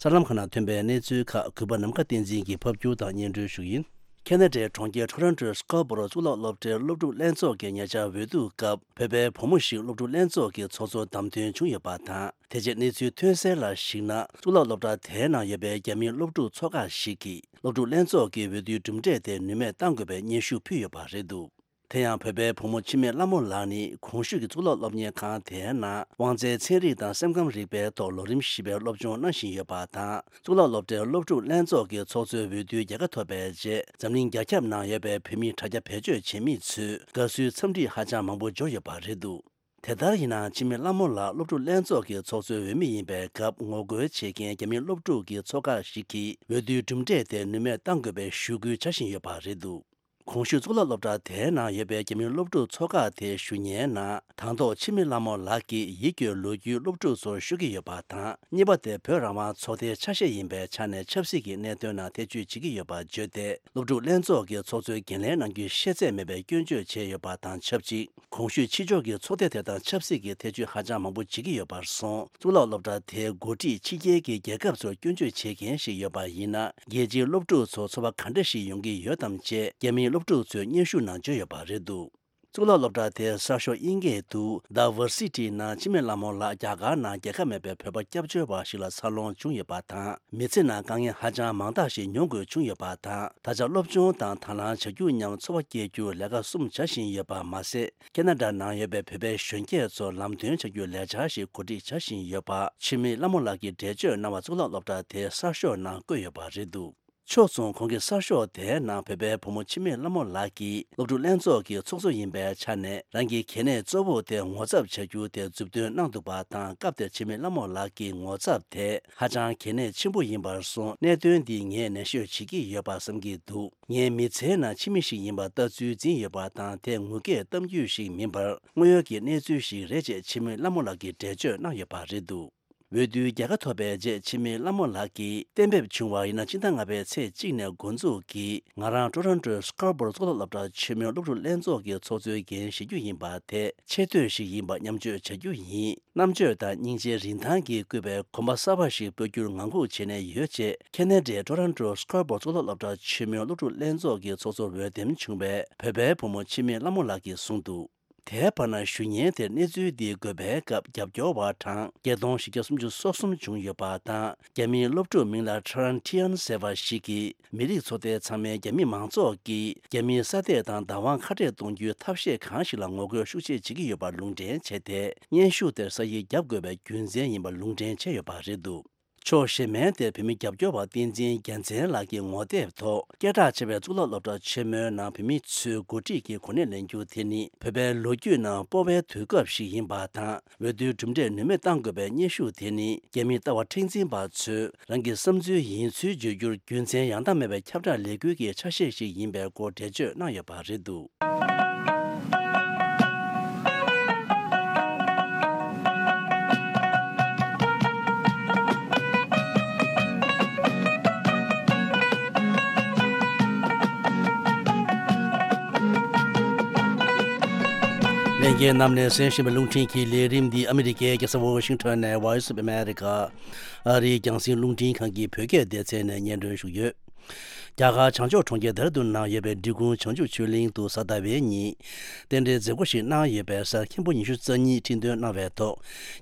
གསར་ལམ་ཁག་ནང་ཐོན་པའི་གནས་ཚུལ་ཁག་གུས་པ་ནམ་མཁའ་བསྟན་འཛིན་གྱིས་ཕབ་སྒྱུར་དང་སྙན་སྒྲོན་ཞུ་གི་ཡིན། ཁེ་ན་ཌའི་གྲོང་ཁྱེར་ཊོ་རོན་ཊོའི་སྐར་བོ་རོ་གཙུག་ལག་སློབ་གྲྭའི་སློབ་ཕྲུག་ལྷན་ཚོགས་ཀྱི་ཉེ་ཆར་འོས་བསྡུ་སྐབས། བོད་པའི་བུ་མོ་ཞིག་སློབ་ཕྲུག་ལྷན་ཚོགས་ཀྱི་ཚོགས་གཙོར་བདམས་ཐོན་བྱུང་ཡོད་པ་དང་། དེ་རྗེས་གནས་ཚུལ་ཐོན་གསལ་ལ་གཞིགས་ན། གཙུག་ལག་སློབ་གྲྭ་དེའི་ནང་ཡོད་པའི་རྒྱ་མིའི་སློབ་ཕྲུག་ཚོགས་ཁག་ཞིག་གིས་སློབ་ཕྲུག་ལྷན་ཚོགས་ཀྱི་འོས་བསྡུའི་གྲུབ་འབྲས་དེ་ནུས་མེད་གཏང་དགོས་པའི་སྙན་ཞུ་ཕུལ་ཡོད་པ་རེད་འདུག་དེ་ཡང་བོད་པའི་བུ་མོ་འཆི་མེད་ལྷ་མོ་ལགས་ནི་གོང་ཞུས་ཀྱི་གཙུག་ལག་སློབ་གཉེར་ཁང་དེའི་ནང་དབང་རྩའི་ཚན་རིག་དང་སེམས་ཁམས་རིག་པའི་ཐོག་ལོ་རིམ་བཞི་པའི་སློབ་སྦྱོང་གནང་བཞིན་ཡོད་པ་དང་། གཙུག་ལག་སློབ་གྲྭའི་སློབ་ཕྲུག་ལྷན་ཚོགས་ཀྱི་ཚོགས་གཙོའི་འོས་བསྡུའི་རྒྱལ་ཁ་ཐོབ་པའི་རྗེས། འཛམ་གླིང་རྒྱ་ཁྱབ་ནང་ཡོད་པའི་བོད་མི་དྲ་རྒྱ་བེད་སྤྱོད་བྱེད་མི་ཚོས་དགའ་བསུའི་འཚམས་འདྲི་ཧ་ཅང་མང་པོ་འབྱོར་ཡོད་པ་རེད་འདུག་དེ་ལྟར་ཡིན་ན། འཆི་མེད་ལྷ་མོ་ལགས་སློབ་ཕྲུག་ལྷན་ཚོགས་ཀྱི་ཚོགས་གཙོའི་འོས་མི་ཡིན་པའི་སྐབས་ངོ་རྒོལ་བྱེད་མཁན་རྒྱ་མིའི་སློབ་ཕྲུག་གི་ཚོགས་ཁག་ཞིག་གིས་འོས་བསྡུའི་གྲུབ་འབྲས་དེ་ནུས་མེད་གཏང་དགོས་པའི་ཞུ་སྐུལ་བྱ་བཞིན་ཡོད་པ་རེད་འདུག་གོང་ཞུས་གཙུག་ལག་སློབ་གྲྭ་དེའི་ནང་ཡོད་པའི་རྒྱ་མིའི་སློབ་ཕྲུག་ཚོགས་ཁག་དེས་ཞུ་སྙན་ནང་། དང་ཐོག་འཆི་མེད་ལྷ་མོ་ལགས་ཀྱིས་ཡིད་སྐྱོའི་ལོ་རྒྱུས་སློབ་ཕྲུག་ཚོར་ཤོད་ཀྱི་ཡོད་པ་དང་། གཉིས་པ་དེ་བོད་རང་དབང་ཚོགས་སྡེའི་ཆ་ཤས་ཡིན་པའི་ཆ་ནས་ཆབ་སྲིད་ཀྱི་གནད་དོན་ནང་ཐེ་བྱུས་བྱེད་ཀྱི་ཡོད་པ་བརྗོད་དེ། སློབ་ཕྲུག་ལྷན་ཚོགས་ཀྱི་ཚོགས་གཙོའི་འགན་ལེན་གནང་རྒྱུའི་ཤེས་ཚད་མེད་པའི་སྐྱོན་བརྗོད་བྱས་ཡོད་པ་དང་ཆབས་ཅིག་གོང་ཞུས་ཕྱི་ཕྱོགས་ཀྱི་ཚོགས་སྡེ་དེ་དང་ཆབ་སྲིད་ཀྱི་ཐེ་བྱུས་ཧ་ཅང་མང་པོ་བྱེད་ཀྱི་ཡོད་པར་སོང་། གཙུག་ལག་སློབ་གྲྭ་དེའི་འགོ་ཁྲིད་ཕྱི་རྒྱལ་གྱི་རྒྱལ་ཁབ་ཚོར་སྐྱོན་བརྗོད་བྱེད་མཁན་ཞིག་ཡོད་པ་ཡིན་ན། རྒྱལ་སྤྱིའི་སློབ་ཕྲུག་ཚོ་ཚོར་བ་ག་འདྲ་ཞིག་ཡོང་གི་ཡོད་དམ་ཅེས་རྒྱ་མིའི་སློབ་ཕྲུག་ཚོས་སྙན་ཞུ་ནང་བརྗོད་ཡོད་པ་རེད་འདུག་གཙུག་ལག་སློབ་གྲྭ་དེའི་གསར་ཤོག་དབྱིན་སྐད་དུ་The Varsity ནང་འཆི་མེད་ལྷ་མོ་ལགས་རྒྱ་གར་ནང་རྒྱལ་ཁ་མེད་པའི་བོད་པ་སྐྱབས་བཅོལ་བ་ཞིག་ལ་འཚར་ལོངས་བྱུང་ཡོད་པ་དང་། མི་ཚེ་ནང་དཀའ་ངལ་ཧ་ཅང་མང་དག་ཞིག་མྱོང་དགོས་བྱུང་ཡོད་པ་དང་། ད་ཆ་སློབ་སྦྱོང་དང་དང་བླངས་བྱ་རྒྱུ་མཉམ་འཚོ་བ་སྐྱེལ་རྒྱུར་ལས་ཀ་གསུམ་བྱ་བཞིན་ཡོད་པ་མ་ཟད། ཁེ་ན་ཌ་ནང་ཡོད་པའི་བོད་པའི་གཞོན་སྐྱེས་ཚོར་ལམ་སྟོན་བྱ་རྒྱུའི་ལས་འཆར་ཞིག་གོ་སྒྲིག་བྱ་བཞིན་ཡོད་པ། འཆི་མེད་ལྷ་མོ་ལགས་ཀྱིས་འགྲེལ་བརྗོད་གནང་བ་གཙུག་ལག་སློབ་གྲྭ་དེའི་གསར་ཤོག་ནང་བཀོད་ཡོད་པ་རེད་འདུག་ཕྱོགས་མཚུངས། ཁོང་གི་གསར་ཤོག་དེའི་ནང་བོད་པའི་བུ་མོ་འཆི་མེད་ལྷ་མོ་ལགས་ཀྱིས་སློབ་ཕྲུག་ལྷན་ཚོགས་ཀྱི་ཚོགས་གཙོ་ཡིན་པའི་ཆ་ནས། རང་གི་གལ་གནད་གཙོ་བོ་དེ་ངོ་ཚབ་བྱ་རྒྱུ་དེ་མཛུབ་སྟོན་གནང་འདུག་པ་དང་། སྐབས་དེར་འཆི་མེད་ལྷ་མོ་ལགས་ཀྱི་ངོ་ཚབ་དེ་ཧ་ཅང་གལ་གནད་ཆེན་པོ་ཡིན་པར་སོང་། གནད་དོན་འདི་ངས་ནན་ཤོས་བྱེད་ཀྱི་ཡོད་པ་བསམ་གྱི་འདུག་ངའི་མི་ཚེའི་ནང་འཆི་མེད་ཞིག་ཡིན་པ་ལྟ་ཚུལ་འཛིན་ཡོད་པ་དང་། དེ་ངུ་སྐད་གཏམ་རྒྱུད་ཞིག་མིན་པར་དངོས་ཡོད་ཀྱི་གནས་ཚུལ་ཞིག་རེད་ཅེས་འཆི་མེད་ལྷ་མོ་ལགས་ཀྱིས་འགྲེལ་བརྗོད་གནང་ཡོད་པ་རེད་འདུག་འོས་བསྡུའི་རྒྱལ་ཁ་ཐོབ་པའི་རྗེས་འཆི་མེད་ལྷ་མོ་ལགས་ཀྱིས་གཏན་འབེབས་བྱུང་བ་ཡིན་ན། སྤྱི་ཟླ་ལྔ་པའི་ཚེས་གཅིག་ནས་འགོ་འཛུགས་ཀྱིས་ང་རང་ཊོ་རོན་ཊོའི་སྐར་བོར་གཙུག་ལག་སློབ་གྲྭ་ཆེན་མོའི་སློབ་ཕྲུག་ལྷན་ཚོགས་ཀྱི་ཚོགས་གཙོའི་འགན་བཞེས་རྒྱུ་ཡིན་པ་དེ་ཆེ་བསྟོད་ཞིག་ཡིན་པ་མཉམ་སྤྱོད་བྱ་རྒྱུ་ཡིན། རྣམ་དཔྱོད་དང་སྙིང་རྗེའི་རིན་ཐང་གིས་བཀོད་པའི་གོམ་པ་གསར་པ་ཞིག་སྤོ་རྒྱུར་ངང་སྒུག་བྱས་ནས་ཡོད་ཅེས་ཁེ་ན་ཌའི་ཊོ་རོན་ཊོའི་སྐར་བོར་གཙུག་ལག་སློབ་གྲྭ་ཆེན་མོའི་སློབ་ཕྲུག་ལྷན་ཚོགས་ཀྱི་ཚོགས་གཙོར་འོས་འདེམས་བྱུང་བའི་བོད་པའི་བུ་མོ་འཆི་མེད་ལྷ་མོ་ལགས་ཀྱིས་གསུངས་འདུག་དེའི་བར་ན་ཞུ་སྙན་དེར་གནས་ཚུལ་འདི་འགོད་པའི་སྐབས་རྒྱབ་སྐྱོར་བ་གྲངས་བརྒྱད་སྟོང་བཞི་བརྒྱ་སུམ་ཅུ་སོ་གསུམ་བྱུང་ཡོད་པ་དང་། རྒྱ་མིའི་སློབ་ཕྲུག་མིང་ལ་ཁྲ་རན་ཐི་ཡན་ཟེར་བ་ཞིག་གིས། མི་རིགས་ཚོགས་སྡེ་ཚང་མས་རྒྱ་མི་མང་ཚོགས་ཀྱིས་རྒྱ་མིའི་ས་སྟེགས་དང་བདག་དབང་ཁ་བྲལ་གཏོང་རྒྱུའི་ཐབས་ཤེས་གང་ཞིག་ལ་ངོ་རྒོལ་ཤུགས་ཆེ་བྱེད་ཀྱི་ཡོད་པར་ལུང་འདྲེན་བྱས་ཏེ། སྙན་ཞུ་དེར་ས་ཡིག་བརྒྱབ་དགོས་པའི་རྒྱུ་མཚན་ཡིན་པ་ལུང་འདྲེན་བྱས་ཡོད་པ་རེད་འདུག་ཕྱོགས་གཞན་མའི་དེར་བོད་མི་རྒྱབ་སྐྱོར་བ་བསྟན་འཛིན་རྒྱལ་མཚན་ལགས་ཀྱིས་ངོ་དེབ་ཐོག་སྐད་གྲགས་ཆེ་བའི་གཙུག་ལག་སློབ་གྲྭ་ཆེན་མོའི་ནང་བོད་མི་ཚོས་འགོ་ཁྲིད་ཀྱི་གོ་གནས་ལེན་རྒྱུ་དེ་ནི་བོད་པའི་ལོ་རྒྱུས་ནང་སྤོ་བའི་དུས་སྐབས་ཤིག་ཡིན་པ་དང་། འོས་བསྡུའི་གྲུབ་འབྲས་ནུས་མེད་གཏང་དགོས་པའི་སྙན་ཞུ་དེ་ནི་རྒྱ་མིའི་ལྟ་བ་མཁྲེགས་འཛིན་པ་ཚོས་རང་གི་བསམ་ཚུལ་ཡིན་ཚུལ་བརྗོད་རྒྱུར་རྒྱུ་མཚན་ཡང་དག་མེད་པའི་ཁྱབ་བསྒྲགས་ལས་འགུལ་གྱི་ཆ་ཤས་ཤིག་ཡིན་པའི་སྐོར་འགྲེལ་བརྗོད་གནང་ཡོད་པ་རེད་འདུག་ལྷན་རྒྱས་རྣམས་ནས་གསན་བཞིན་པའི་རླུང་འཕྲིན་གྱི་ལས་རིམ་འདི་ཨ་མི་རི་ཀའི་རྒྱལ་ས་ཝ་ཤིང་ཊོན་ནས་Voice of America ཨ་རིའི་རྒྱང་སྲིང་རླུང་འཕྲིན་ཁང་གི་བོད་སྐད་སྡེ་ཚན་ནས་སྙན་སྒྲོན་ཞུས་ཡོད། རྒྱ་གར་བྱང་ཕྱོགས་གྲོང་ཁྱེར་ལྡེ་ར་ལྡུན་ནང་ཡོད་པའི་འབྲི་གུང་བྱང་ཆུབ་ཆོས་གླིང་དུ་གཟའ་ཟླ་བའི་ཉིན། རྟེན་འབྲེལ་མཛད་སྒོ་ཞིག་གནང་ཡོད་པའི་སར་མཁན་པོ་ཉི་ཤུ་རྩ་གཉིས་ཁྲི་འདོན་གནང་བའི་ཐོག་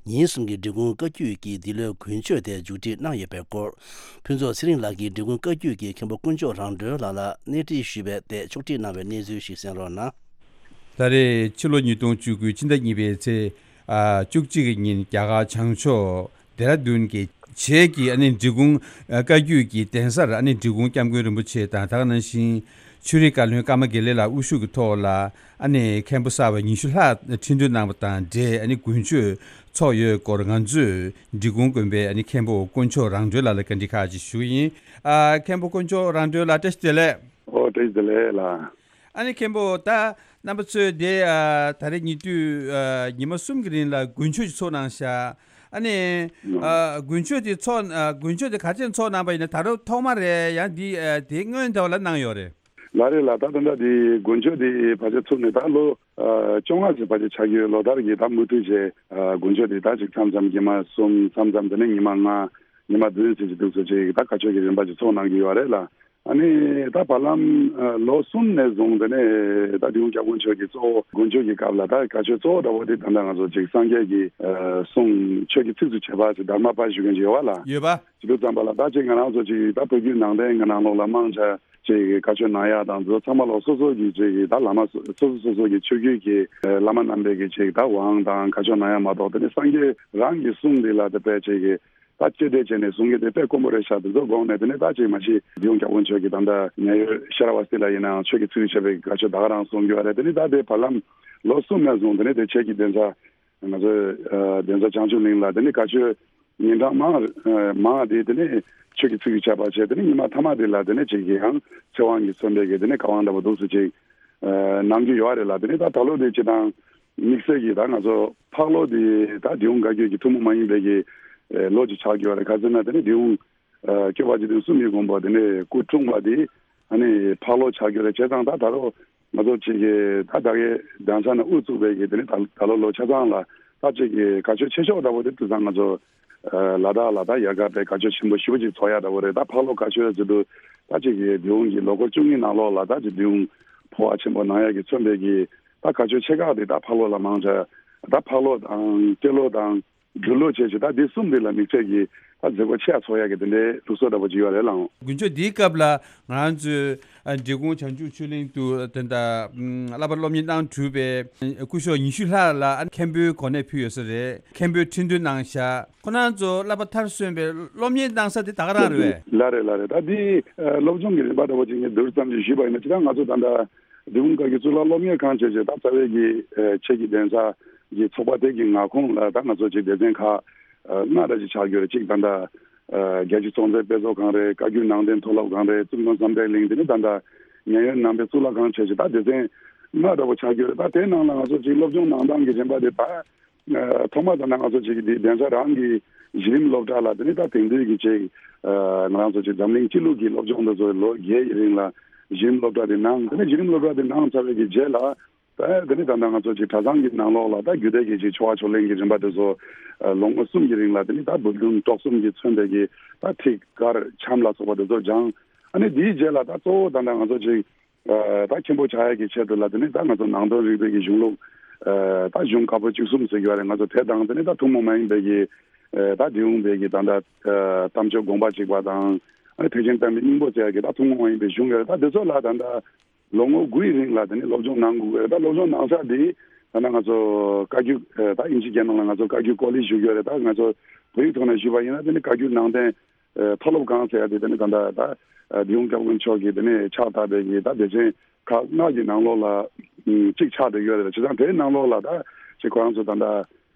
ཉིན་གསུམ་གྱི་འབྲི་གུང་བཀའ་བརྒྱུད་ཀྱི་འདི་ལོའི་དགུན་ཆོས་དེ་མཇུག་སྒྲིལ་གནང་ཡོད་པའི་སྐོར། ཕུན་ཚོགས་ཚེ་རིང་ལགས་ཀྱིས་འབྲི་གུང་བཀའ་བརྒྱུད་ཀྱི་མཁན་པོ་དཀོན་མཆོག་རང་གྲོལ་ལགས་ལ་གནས་འདྲི་ཞུས་པའི་ཐད་ཕྱོགས་སྒྲིག་གནང་བའི་གནས་ཚུལ་ཞིག་གསན་རོགས་གནང་། ད་རེས་ཕྱི་ལོ་ཉིས་སྟོང་བཅུ་དགུ་ཕྱི་ཟླ་གཉིས་པའི་ཚེས་ཨ་བཅུ་གཅིག་གི་ཉིན་རྒྱ་གར་བྱང་ཕྱོགས་ལྡེ་ར་ལྡུན་གྱི་བྱེས་ཀྱི་ཨ་ནི་འབྲི་གུང་ཨ་བཀའ་བརྒྱུད་ཀྱི་གདན་སར་ཨ་ནི་འབྲི་གུང་སྐྱབས་མགོན་རིན་པོ་ཆེ་དང་། ད་ག་ནང་བཞིན་ཆོས་རིག་བཀའ་བློན་ཀརྨ་དགེ་ལེགས་ལགས་དབུ་བཞུགས་ཀྱི་ཐོག་ལ་ཨ་ནི་མཁན་པོ་གསར་པ་ཉི་ཤུ་ལྷག་ཁྲི་འདོན་གནང་བ་དང་འབྲེལ་ཨ་ནི་དགུན་ཆོས་ཚོགས་ཡོད་སྐོར་ང་ཚོས་འབྲི་གུང་དགོན་པའི་ཨ་ནི་མཁན་པོ་དཀོན་མཆོག་རང་གྲོལ་ལགས་ལ་བཀའ་འདྲི་ཁག་ཅིག་ཞུ་གི་ཡིན། ཨ་མཁན་པོ་དཀོན་མཆོག་རང་གྲོལ་ལགས་བཀྲ་ཤིས་བདེ་ལེགས། ཨོ་བཀྲ་ཤིས་བདེ་ལེགས་ལགས། ཨ་ནི་མཁན་པོ་ད་རྣམ་པ་ཚོས་དེ་ཨ་ད་རེས་ཉེ་དུས་ཨ་ཉི་མ་གསུམ་གྱི་རིང་ལ་དགུན་ཆོས་ཅིག་ཚོགས་གནང་ཤག་ཨ་ནི་ཨ་དགུན་ཆོས་དེ་ཚོགས་ཨ་དགུན་ཆོས་དེ་ག་ཚོད་ཚོགས་གནང་པ་ཡིན་ན། ད་རུང་ཐོག་མ་རེད། ཡང་འདི་ཨ་དེ་སྔོན་དེ་བ་ལ་གནང་ཡོད་རེད། ལགས་རེད་ལགས། ད་ད་ལྟ་དེ་དགུན་ཆོས་དེ་ཕལ་ཆེར་ཚུགས་ནས་ད་ལོ་ཨ་བཅོ་ལྔ་ཙམ་ཕལ་ཆེར་ཆགས་ཀྱི་ཡོད། ལོ་ལྟར་གྱི་ད་མུ་མཐུད་བྱས་ཨ་དགུན་ཆོས་དེ་ད་ཅིག་མཚམས་མཚམས་ཉི་མ་གསུམ། མཚམས་མཚམས་དེ་ནས་ཉི་མ་ལྔ། ཉི་མ་བདུན་ཙམ་ཅིག་འདུག་སེ་ཅིག་ད་ག་ཆོས་ཀྱི་རིམ་པ་ཅིག་ཚོགས་གནང་གི་ཡོད་རེད་ལགས། ཨ་ནི་ད་བར་ལམ་ཨ་ལོ་གསུམ་ནས་བཟུང་དེ་ནས་ད་འབྲི་གུང་སྐྱབས་མགོན་ཆོས་ཀྱི་གཙོ་བོ་དགུན་ཆོས་ཀྱི་སྐབས་ལ་ད་ག་ཆོས་གཙོ་བོ་འདྲ་བོ་དེ་ད་ལྟ་ང་ཚོ་ཅིག་སངས་རྒྱས་ཀྱི་ཨ་གསུང་ཆོས་ཀྱི་ཚིགས་སུ་བཅད་པ་ཅིག་དྷརྨ་པ་ཞུ་མཁན་ཅིག་ཡོད་པ་ལགས། ཡོད་པ། ཅིག་འདུག་ཙམ་པ་ལ་ད་ཅིག་ང་རང་ཚོ་ཅིག་ད་བོད་བརྒྱུད་ནང་བསྟན་གྱི་ནང་ལོགས་ལ་མང་ཆེ་ཅིག་གི་བཀའ་ཆོས་གནང་ཡག་དང་དེ་ཚོ་ཚང་མ་ལོ་སོ་སོ་གི་ཅིག་གི་ད་བླ་མ་སོ་སོ་སོ་སོ་གི་ཆོས་བརྒྱུད་ཀྱི་ཨ་བླ་མ་རྣམ་པས་ཀྱི་ཅིག་ད་དབང་དང་བཀའ་ཆོས་གནང་ཡག་མ་གཏོགས། དེ་ནས་སངས་རྒྱས་རང་གི་གསུང་འདི་ལ་དེ་དཔེ་ཅིག་གི་ད་གཅེས་སྤྲས་བྱས་ནས་གསུང་གི་དེ་དཔེ་དཀོན་པོ་རེད་ཤག་དེ་ཚོ་དགོངས་ནས། དེ་ནས་ད་ཅིག་མ་གཞི་འབྲི་གུང་སྐྱབས་མགོན་ཆོས་ཀྱི་ད་ལྟ་ཉེ་ཡོད་ཤེས་རབ་དབང་སྟེང་ལ་ཡིན་ནའང་ཆོས་ཀྱི་ཚིགས་སུ་བཅད་པའི་བཀའ་ཆོས་ད་ག་རང་གསུང་གི་ཡོད་རེད། དེ་ནས་ད་དེ་བར་ལམ་ལོ་གསུམ་ནས་བཟུང་དེ་ནས་དེ་ཁྱེད་ཀྱི་གདན་ས་ང་ཚོའི་ཨ་གདན་ས་བྱང་ཆུབ་གླིང་ལ་དེ་ནས་བཀའ་ཆོས་ཉིན་གྲངས་མང་ཨ་མང་དེ་དེ་ནས་ཆོས་ཀྱི་ཚིགས་སུ་བཅད་པ་བྱས། དེ་ནས་ཉི་མ་མཐའ་མ་དེ་ལ་དེ་ནས་ཅིག་གི་ཡང་ཚེ་དབང་གིས་མཚོན་པའི་གི་དེ་ནས་བཀའ་དབང་འདྲ་པོ་འདུག་སེ་ཅིག་ཨ་གནང་རྒྱུ་ཡོད་རེད་ལགས། དེ་ནས་ད་ད་ལོ་དེ་སྤྱིར་བཏང་དམིགས་བསལ་གྱི་ད་ང་ཚོ་ཕག་ལོ་དེ་ད་འབྲི་གུང་བཀའ་བརྒྱུད་ཀྱི་ཐུན་མོང་མ་ཡིན་པའི་གི་ཨ་ལོ་ཅིག་ཆགས་ཀྱི་ཡོད་རེད། ག་ཟེར་ན་དེ་ནས་འབྲི་གུང་ཨ་སྐྱོབ་པ་འཇིག་རྟེན་གསུམ་གྱི་མགོན་པོ་དེ་ནས་སྐུ་འཁྲུངས་པ་དེ་ཨ་ནི་ཕག་ལོ་ཆགས་ཀྱི་རེད། བྱས་ཙང་ད་ད་རུང་ང་ཚོ་ཅིག་གི་ད་ད་གའི་གདན་ས་ནས་དབུ་བཙུགས་པའི་གི་དེ་ནི་ད་ད་ལོ་ལོ་ཆ་ཚང་ལ་ད་ཅིག་གི་བཀའ་ཆོས་ཆེ་ཤོས་འདྲ་པོ་དེ་དུས་ཚང་ང་ཚོ་ཨ་ལ་དྭགས་ལ་ད་ཡལ་ག་པའི་བཀའ་ཆོས་ཆེན་པོ་ཞེ་པོ་ཅིག་ཚོགས་ཡག་འདྲ་པོ་རེད། ད་ཕག་ལོ་བཀའ་ཆོས་ཟེར་དུས་ད་ཅིག་གི་འབྲི་གུང་གི་ལོ་འཁོར་བཅུ་གཉིས་ནང་ལོགས་ལ་ད་ཅིག་འབྲི་གུང་འཕོ་བ་ཆེན་པོ་གནང་ཡག་གི་མཚོན་པའི་གི་ད་བཀའ་ཆོས་ཆེ་ཁག་དེ་ད་ཕག་ལོ་ལ་མང་ཆེ་ད་ཕག་ལོ་དང་སྤྲེལ་ལོ་དང་། སྦྲུལ་ལོ་བཅས་ཀྱི་ད་འདི་གསུམ་འདི་ལ་དམིགས་བསལ་གྱི་ད་མཛད་སྒོ་ཆེ་ཡ་ཚོགས་ཡ་གི་དེ་འདྲའི་ལུགས་སྲོལ་འདྲ་པོ་ཅིག་ཡོད་རེད་ལགས། དགུན་ཆོས་འདིའི་སྐབས་ལ་ང་རང་ཚོའི་ཨ་འབྲི་གུང་བྱང་ཆུབ་ཆོས་གླིང་དུ་ད་ལྟ་ཨམ་བསླབ་པ་སློབ་གཉེར་གནང་གྲུབ་པའི་སྐུ་ཞབས་ཉི་ཤུ་ལྷག་ལ་ཨ་མཁན་པོའི་གོ་གནས་ཕུལ་ཡོད་ས་རེད། མཁན་པོའི་ཁྲི་འདོན་གནང་བཞག་ཁོང་རྣམ་ཚོ་བསླབ་པ་མཐར་སོན་པའི་སློབ་གཉེར་གནང་ས་དེ་ད་ག་རང་རེད་པས། ལགས་རེད་ལགས་རེད། ད་འདི་ཨ་སློབ་སྦྱོང་གི་རིམ་པ་འདྲ་པོ་ཅིག་ངས་བསྡུར་ཙམ་ཅིག་ཞུས་པ་ཡིན་ན། ཅི་ད་ང་ཚོ་ད་ལྟ་འབྲི་གུང་བཀའ་བརྒྱུད་གཙུག་ལག་སློབ་གཉེར་ཁང་བཅས་ཀྱི་ད་རྩ་བའི་གི་ཨ་ཆོས་ཀྱི་གདན་ས་གི་ཚོགས་པ་དེ་གི་མངའ་ཁོངས་ལ་ད་ང་ཚོ་ཅིག་སྡེ་ཚན་ཁག་ཨ་ལྔ་འདྲ་ཅིག་ཆགས་ཡོད་རེད། གཅིག་ད་ལྟ་ཨ་རྒྱལ་སྤྱིའི་ཚོང་རྫས་དཔེ་ཚོགས་ཁང་རེད། བཀའ་བརྒྱུད་ནང་བསྟན་མཐོ་སློབ་ཁང་རེད། ཙུང་ཐུང་བསམ་གྲུབ་གླིང་། དེ་ནས་ད་ལྟ་ཉེ་ཡོད་ནང་པའི་གཙུག་ལག་ཁང་བཅས་ཀྱི་ད་སྡེ་ཚན་ལྔ་འདྲ་པོ་ཆགས་ཡོད་རེད། ད་དེའི་ནང་ལ་ང་ཚོ་ཅིག་སློབ་སྦྱོང་གནང་སྟངས་ཀྱི་རིམ་པ་དེ་ད་ཨ་ཐོག་མ་ད་ལྟ་ང་ཚོ་ཅིག་གི་འདི་གདན་ས་རང་གི་གཞི་རིམ་སློབ་གྲྭ་ལ་དེ་ནས་ད་དེང་དུས་ཀྱི་ཅིག་ཨ་ང་རང་ཚོ་ཅིག་འཛམ་གླིང་སྤྱི་ལུགས་ཀྱི་སློབ་སྦྱོང་འདི་ཚོ་ལོ་བརྒྱད་ཀྱི་རིང་ལ་གཞི་རིམ་སློབ་གྲྭ་དེ་གནང་། དེ་ནས་གཞི་རིམ་སློབ་གྲྭ་དེ་གནང་ཚར་བའི་གི་རྗེས་ལ་ད་དེ་ནས་ད་ལྟ་ང་ཚོ་ཅིག་གྲྭ་ཚང་གི་ནང་ལོགས་ལ་ད་རྒྱུད་སྡེ་གི་ཅིག་ཆོ་ག་ཕྱག་ལེན་གྱི་རིམ་པ་དེ་ཚོ་ཨ་ལོ་ངོ་གསུམ་གྱི་རིང་ལ་དེ་ནས་ད་འབུམ་སྡོམ་གྲོགས་གསུམ་གྱིས་མཚོན་པའི་གི་ད་ཐིག་དཀར་འཆམ་ལ་སོགས་པ་དེ་ཚོ་སྦྱངས། ཨ་ནི་དེའི་རྗེས་ལ་ད་གཙོ་བོ་ད་ལྟ་ང་ཚོ་ཅིག་ཨ་ད་མཁན་པོ་ཆགས་ཡག་གི་ཆེད་དུ་ལ་དེ་ནས་ད་ང་ཚོ་ནང་དོན་རིག་པའི་གི་གཞུང་ལུགས་ཨ་ད་གཞུང་བཀའ་པོད་བཅུ་གསུམ་ཟེར་གྱི་ཡོད་རེད། ང་ཚོ་དེ་དང་དེ་ནས་ད་ཐུན་མོང་མ་ཡིན་པའི་གི་ཨ་ད་འབྲི་གུང་པའི་གི་ད་ལྟ་ཨ་གཏམ་བརྗོད་དགོངས་པ་གཅིག་པ་དང་། ཨ་ནི་ཐེག་ཆེན་བསྟན་པའི་སྙིང་པོ་ཟེར་ཡག་གི་ད་ཐུན་མོང་མ་ཡིན་པའི་གཞུང་ཡོད་རེད། ད་དེ་ཚོ་ལ་ད་ལྟ་ལོ་ངོ་དགུའི་རིང་ལ་དེ་ནས་སློབ་སྦྱོང་གནང་དགོས་ཀྱི་རེད། ད་སློབ་སྦྱོང་གནང་ས་དེ་ད་ལྟ་ང་ཚོ་བཀའ་བརྒྱུད་ཨ་ད་དབྱིན་ཇི་སྐད་ནང་ལ་ང་ཚོ་བཀའ་བརྒྱུད་ཀོ་ལེཇ་ཞུ་གི་ཡོད་རེད། ད་ང་ཚོ་བོད་ཡིག་ཐོག་ནས་ཞུས་པ་ཡིན་ན་དེ་ནི་བཀའ་བརྒྱུད་ནང་བསྟན་ཨ་མཐོ་སློབ་ཁང་ཟེར་ཡ་དེ་དེ་ནི་ད་ལྟ་ད་ཨ་འབྲི་གུང་སྐྱབས་མགོན་མཆོག་གིས་དེ་ནི་ཕྱག་བཏབ་པའི་གི་ད་སྡེ་ཚན་ཁག་ལྔ་གི་ནང་ལོགས་ལ་ཨ་གཅིག་ཆགས་བསྡད་ཡོད་རེད། བྱས་ཙང་དེའི་ནང་ལོགས་ལ་ད་ཅིག་ཁོ་རང་ཚོ་ད་ལྟ་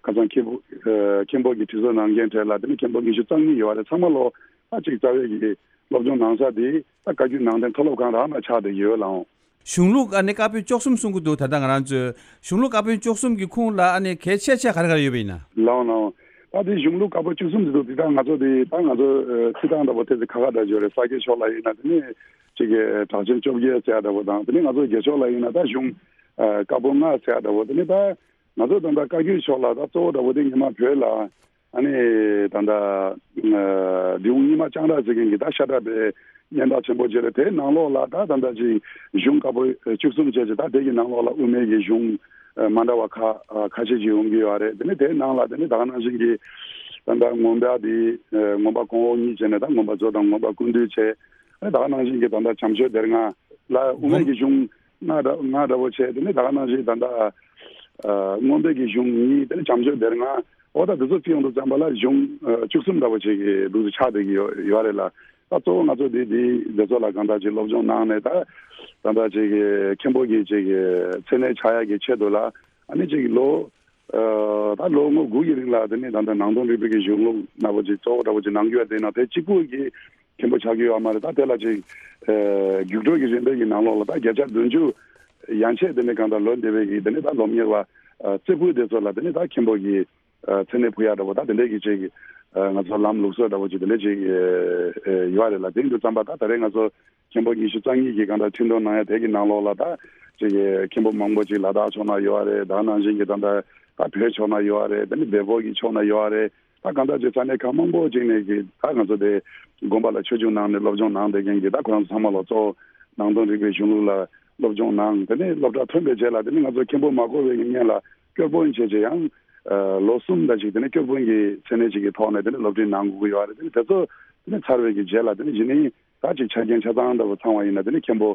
ཁ་སང་མཁན་པོ་ཨ་མཁན་པོ་གིས་ཁྲི་གསོལ་གནང་མཁན་གྲས་ལ་དེ་ནི་མཁན་པོ་ཉི་ཤུ་རྩ་གཉིས་ཡོད་རེད། ཚང་མ་ལོ་ད་ཅིག་རྩ་བའི་གི་སློབ་སྦྱོང་གནང་ས་དེ་ད་བཀའ་བརྒྱུད་ནང་བསྟན་མཐོ་སློབ་ཁང་རང་ལ་ཆགས་བསྡད་ཡོད་ལགས། གཞུང་ལུགས་ཨ་ནི་བཀའ་པོད་བཅུ་གསུམ་གསུང་གི་འདུག་ད་ལྟ་ང་རང་ཚོའི་གཞུང་ལུགས་བཀའ་པོད་བཅུ་གསུམ་གྱི་ཁུངས་ལ་ཨ་ནི་གལ་ཆེ་ཆེ་ག་རེ་ག་རེ་ཡོད་པ་ཡིན་ན། ལགས་ལགས། ད་དེ་གཞུང་ལུགས་བཀའ་པོད་བཅུ་གསུམ་ཟེར་དུས་དེ་ད་ང་ཚོ་དེ་ད་ང་ཚོ་ཨ་ཚིག་ཐང་འདྲ་པོ་ཏོག་ཙམ་ཁག་ཁག་འདྲ་ཡོད་རེད། ས་སྐྱ་ཕྱོགས་ལ་ཡིན་ན་དེ་ནི་ཅིག་གི་གྲགས་ཆེན་བཅོ་བརྒྱད་ཟེར་ཡ་འདྲ་པོ་དང་། དེ་ནི་ང་ཚོ་རྒྱ་ཕྱོགས་ལ་ཡིན་ན་ད་གཞུང་ཨ་བཀའ་པོད་ལྔ་ཟེར་ཡ་འདྲ་པོ། དེ་ནི་ད་ང་ཚོ་ད་ལྟ་བཀའ་བརྒྱུད་ཕྱོགས་ལ་ད་གཙོ་བོ་འདྲ་པོ་དེ་ཉི་མ་བོད་ལ་ཨ་ནི་ད་ལྟ་ཨ་འབྲི་གུང་རྙིང་མ་ལྕང་སྦྲ་ཟེར་མཁན་གྱི་ད་ཤ་ཁྲག་པའི་སྙན་གྲགས་ཆེན་པོ་ཅིག་རེད། དེའི་ནང་ལོགས་ལ་ད་ད་ལྟ་ཅིག་གཞུང་བཀའ་པོད་བཅུ་གསུམ་བཅས་ཀྱི་ད་དེ་གི་ནང་ལོགས་ལ་དབུ་མའི་གི་གཞུང་ཨ་མ་འདྲ་བ་ཁ་ཨ་ཁ་ཤས་ཅིག་ཡོང་གི་ཡོད་རེད། དེ་ནས་དེའི་ནང་ལ་དེ་ནས་ད་ག་ནང་བཞིན་གྱི་ད་ལྟ་མངོན་པ་དེ་ཨ་མངོན་པ་གོང་འོག་གཉིས་བྱས་ནས་ད་མངོན་པ་མཛོད་དང་མངོན་པ་ཀུན་བཏུས་བྱས། ཨ་ནི་ད་ག་ནང་བཞིན་གྱི་ད་ལྟ་བྱམས་ཆོས་སྡེ་ལྔ་ལ་དབུ་མའི་གི་གཞུང་ལྔ་འདྲ་ལྔ་འདྲ་པོ་བྱས། དེ་ནས་ད་ག་ནང་བཞིན་ད་ལྟ་ཨ་མངོན་པའི་གི་གཞུང་གཉིས། དེ་ནས་བྱམས་ཆོས་སྡེ་ལྔ། འོ་ད་དེ་ཚོ་བརྩི་ཡོང་དུས་ཙམ་པ་ལ་གཞུང་ཨ་བཅུ་གསུམ་འདྲ་པོ་ཅིག་གི་ལུགས་སུ་ཆགས་བསྡད་ཀྱི་ཡོད་ཡོད་རེད་ལགས། ད་གཙོ་བོ་ང་ཚོ་འདི་འདི་འདི་ཚོ་ལ་གང་ལྟར་ཅིག་སློབ་སྦྱོང་གནང་ནས་ད་ད་ལྟ་ཅིག་གི་མཁན་པོ་གི་ཅིག་གི་མཚན་གནས་ཆགས་ཡག་གི་ཆེད་དུ་ལ་ཨ་ནི་ཅིག་ལོ་ཨ་ད་ལོ་ངོ་དགུ་ཡི་རིང་ལ་དེ་ནས་ད་ལྟ་ནང་དོན་རིག་པའི་གི་གཞུང་ལུགས་འདྲ་པོ་ཅིག་གཙོ་བོ་འདྲ་པོ་ཅིག་གནང་རྒྱུ་ཡོད། དེ་ན་དེ་གཅིག་པུ་གི་མཁན་པོ་ཆགས་ཀྱི་ཡོད་མ་རེད། ད་དེ་ལ་ཅིག་ཨ་རྒྱུགས་སྤྲོད་ཀྱི་རིམ་པའི་གི་ནང་ལོགས་ལ་ད་བརྒྱ་ཆ་བདུན་ཅུ་ཡན་ཆད་དེ་ནས་གང་ལྟར་ལོ་འདས་པའི་གི་དེ་ནས་ད་སློབ་གཉེར་བ་ཨ་རྩེ་ཕུད་དེ་ཚོ་ལ་དེ་ནས་ད་མཁན་པོ་གི་ མཚན་གནས་ཕུལ་ཡག་འདྲ་པོ་ད་དེ་འདྲས་ཀྱི་ཅིག་ང་ཚོ་ལམ་ལུགས་སྲོལ་འདྲ་པོ་ཅིག་དེ་འདྲས་ཅིག་ཡོད་རེད་ལ། དེ་ཡིན་དུས་ཙམ་པ་ད་ད་རེས་ང་ཚོ་མཁན་པོ་ཉི་ཤུ་རྩ་གཉིས་ཀྱི་གང་ལྟར་ཁྲི་འདོན་གནང་ཡ་དེ་གི་ནང་ལོགས་ལ་ད་ཅིག་མཁན་པོ་མང་པོ་ཅིག་ལ་དྭགས་ཕྱོགས་ན་ཡོད་རེད། ད་ནང་བཞིན་གྱི་ད་ལྟ་ད་བོད་ཕྱོགས་ན་ཡོད་རེད། དེ་ནི་བལ་པོ་གི་ཕྱོགས་ན་ཡོད་རེད། ད་གང་ལྟར་ཅིག་ས་གནས་ཁག་མང་པོ་ཅིག་ནས་ཀྱི་ད་ང་ཚོ་དེ་དགོན་པ་ལ་ཆོས་ཞུགས་གནང་ནས་སློབ་སྦྱོང་གནང་བསྡད་མཁན་གྱི་ད་ཁོ་རང་ཚོ་ཚང་མ་ལ་གཙོ་བོ་ནང་དོན་རིག་པའི་གཞུང་ལུགས་ལ་སློབ་སྦྱོང་གནང་། དེ་ནས་སློབ་གྲྭ་ཐོན་པའི་རྗེས་ལ་དེ་ནི་ང་ཚོ་མཁན་པོ་མ་གོ་བའི་གི་སྔོན་ལ་སྐྱོར་དཔོན་བྱས་བྱས་ཡང་ལོ་གསུམ་ད་ཅིག་དེ་ནི་སྐྱོར་དཔོན་གྱི་མཚན་གནས་ཅིག་གི་ཐོག་ནས་དེ་ནི་སློབ་ཁྲིད་གནང་དགོས་ཀྱི་ཡོད་རེད། དེ་ནི་དེ་ཚོ་དེ་ནི་ཚར་བའི་གི་རྗེས་ལ་དེ་ནི་གཞི་ནས་ད་ཅིག་ཆ་རྐྱེན་ཆ་ཚང་འདྲ་པོ་ཚང་བ་ཡིན་ན་དེ་ནི་མཁན་པོ་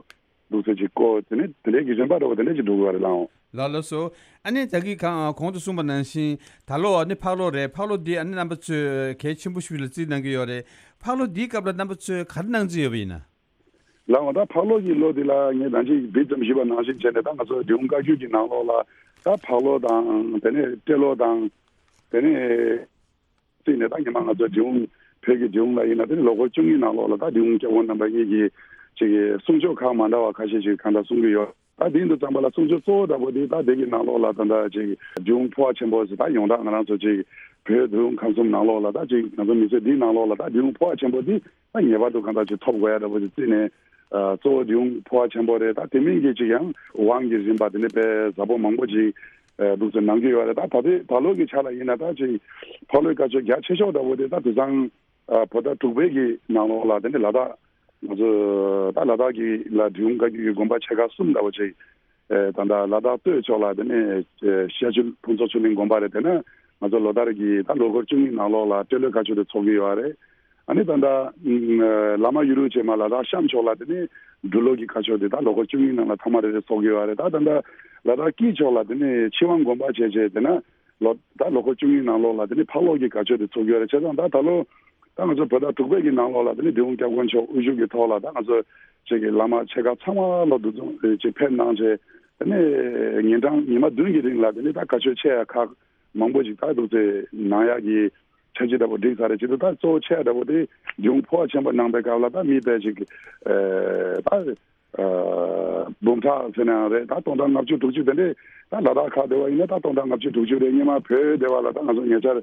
འདུག་ཟེར་ཅིག་བསྐོ། དེ་ནི་དེ་འདྲའི་གི་རིམ་པ་འདྲ་པོ་དེ་འདྲ་ཅིག་འགྲོ་གི་ཡོད་རེད་ལགས། ལགས་ལགས་སོ། ཨ་ནི་ད་གིན་གང་གོང་དུ་གསུངས་པ་ནང་བཞིན་ད་ལོ་ཨ་ནི་ཕག་ལོ་རེད། ཕག་ལོ་འདི་ཨ་ནི་རྣམ་པ་ཚོས་གལ་ཆེན་པོ་ཞིག་ལ་བརྩིས་གནང་གི་ཡོད་རེད། ཕག་ལོ་འདིའི་སྐབས་ལ་རྣམ་པ་ཚོས་ག་རེ་གནང་རྩིས་ཡོད་པ་ཡིན་ན། ལགས་འོང་། ད་ཕག་ལོ་གི་ལོ་འདི་ལ་ངས་ད་ཅིག་འདི་ཙམ་ཞུས་པ་ནང་བཞིན་བྱས་ནས་ད་ང་ཚོ་འབྲི་གུང་བཀའ་བརྒྱུད་ཀྱི་ནང་ལོགས་ལ་ད་ཕག་ལོ་དང་དེ་ནས་སྤྲེལ་ལོ་དང་དེ་ནས་བརྩིས་ནས་ད་ཉི་མ་ང་ཚོ་འབྲི་གུང་བོད་ཀྱི་འབྲི་གུང་ལ་ཡིན་ན་དེ་ནི་ལོ་འཁོར་བཅུ་གཉིས་ནང་ལོགས་ལ་ད་འབྲི་གུང་སྐྱབས་མགོན་རྣམ་པ་གཉིས་ཀྱི་ཅིག་གསུང་ཆོས་ཁག་མ་འདྲ་བ་ཁ་ཤས་ཤིག་གང་འདྲ་གསུང་གི་ཡོད། ད་དེ་འདུག་ཙམ་པ་ལ་གསུང་ཆོས་གཙོ་བོ་འདྲ་པོ་དེ་ད་དེ་གི་ནང་ལོགས་ལ་ད་ད་ཅིག་འབྲི་གུང་འཕོ་བ་ཆེན་པོ་ཟེར་ད་ཡོངས་གྲགས་ང་རང་ཚོ་ཅིག་བོད་འབྲི་གུང་ཁམས་གསུམ་ནང་ལོགས་ལ་ད་ཅིག་ང་ཚོ་མི་ཚེ་འདིའི་ནང་ལོགས་ལ་ད་འབྲི་གུང་འཕོ་བ་ཆེན་པོ་དེ་ད་ངེས་པར་དུ་གང་ལྟར་ཅིག་ཐོབ་དགོས་ཡ་འདྲ་པོ་ཅིག་བརྩིས་ནས། ཨ་གཙོ་བོ་འབྲི་གུང་འཕོ་བ་ཆེན་པོ་རེད། ད་དེ་མིན་གྱི་ཅིག་ཡང་དབང་གི་རིམ་པ་དེ་འདྲ་དཔེ་ཟབ་པོ་མང་པོ་ཅིག་ཨ་འདུག་ཟེར་གནང་གི་ཡོད་རེད། ད་ད་ལྟའི་ད་ལོ་གི་ཆ་ལ་ཡིན་ན་ད་ཅིག་ཕག་ལོའི་བཀའ་ཆོས་རྒྱ་ཆེ་ཤོས་འདྲ་པོ་དེ་ད་དེང་སང་ཨ་བོད་ཟླ་དྲུག་པའི་གི་ནང་ལོགས་ལ་དེ་འདྲ་ལ་དྭགས་ང་ཚོ་ད་ལ་དྭགས་ཀྱི་ལ་འབྲི་གུང་བཀའ་བརྒྱུད་ཀྱི་དགོན་པ་ཆེ་ཁག་གསུམ་འདྲ་པོ་ཅིག་ཨ་ད་ལྟ་ལ་དྭགས་སྟོད་ཕྱོགས་ལ་དེ་ནས་ཨ་ཤར་ཆུ་ཕུན་ཚོགས་ཆོས་གླིང་དགོན་པ་རེད། དེ་ནས་ང་ཚོ་ལོ་ལྟར་གྱི་ད་ལོ་འཁོར་བཅུ་གཉིས་ནང་ལོགས་ལ་སྤྲེལ་ལོའི་བཀའ་ཆོས་དེ་ཚོགས་ཀྱི་ཡོད་རེད། ཨ་ནི་ད་ལྟ་ཨ་བླ་མ་ཡུལ་ལུགས་བྱེ་མ་ལ་དྭགས་གཤམ་ཕྱོགས་ལ་དེ་ནས་འབྲི་ལོ་གི་བཀའ་ཆོས་དེ་ད་ལོ་འཁོར་བཅུ་གཉིས་ནང་ལ་ཐ་མ་རེ་རེ་ཚོགས་ཀྱི་ཡོད་རེད། ད་ད་ལྟ་ལ་དྭགས་དཀྱིལ་ཕྱོགས་ལ་དེ་ནས་ཆོས་དབང་དགོན་པ་བྱས་བྱས་དེ་ན་ལོ་ད་ལོ་འཁོར་བཅུ་གཉིས་ནང་ལོགས་ལ་དེ་ནས་ཕག་ལོ་གི་བཀའ་ཆོས་དེ་ཚོགས་ཀྱི་ཡོད་རེད། བྱས་ཙང་ད་ད་ལོ་ད་ང་ཚོ་བོད་ཟླ་དྲུག་པའི་གི་ནང་ལོགས་ལ་དེ་ནས་འབྲི་གུང་སྐྱབས་མགོན་མཆོག་དབུ་བཞུགས་ཀྱི་ཐོག་ལ་ད་ང་ཚོ་ཅིག་གི་བླ་མ་ཆེ་ཁག་ཚང་མ་ལོ་འདུ་འཛོམས་ཅིག་ཕེབས་གནང་བྱས་དེ་ནས་ཉིན་གྲངས་ཉི་མ་བདུན་གྱི་རིང་ལ་དེ་ནས་ད་བཀའ་ཆོས་ཆེ་ཡ་ཁག་མང་པོ་ཅིག་ད་འདུག་སེ་གནང་ཡག་གི་འཆར་གཞི་འདྲ་པོ་བསྒྲིགས་ཚར་རེད། བྱེད་དུས་ད་གཙོ་བོ་ཆེ་འདྲ་པོ་དེ་འབྲི་གུང་འཕོ་བ་ཆེན་པོ་གནང་པའི་སྐབས་ལ་ད་མི་དཔེ་ཅིག་ཨ་ད་ཨ་འབུམ་ཕྲག་ཟེར་ན་ཡང་རེད། ད་སྟོང་ཕྲག་ལྔ་བཅུ་དྲུག་ཅུ་དེ་འདྲས་ད་ལ་དྭགས་ཁག་དེ་བ་ཡིན་ན་ད་སྟོང་ཕྲག་ལྔ་བཅུ་དྲུག་ཅུ་རེད། སྔོན་མ་བོད་དེ་བ་ལ་ད་ང་ཚོ་ཉེ་ཆར་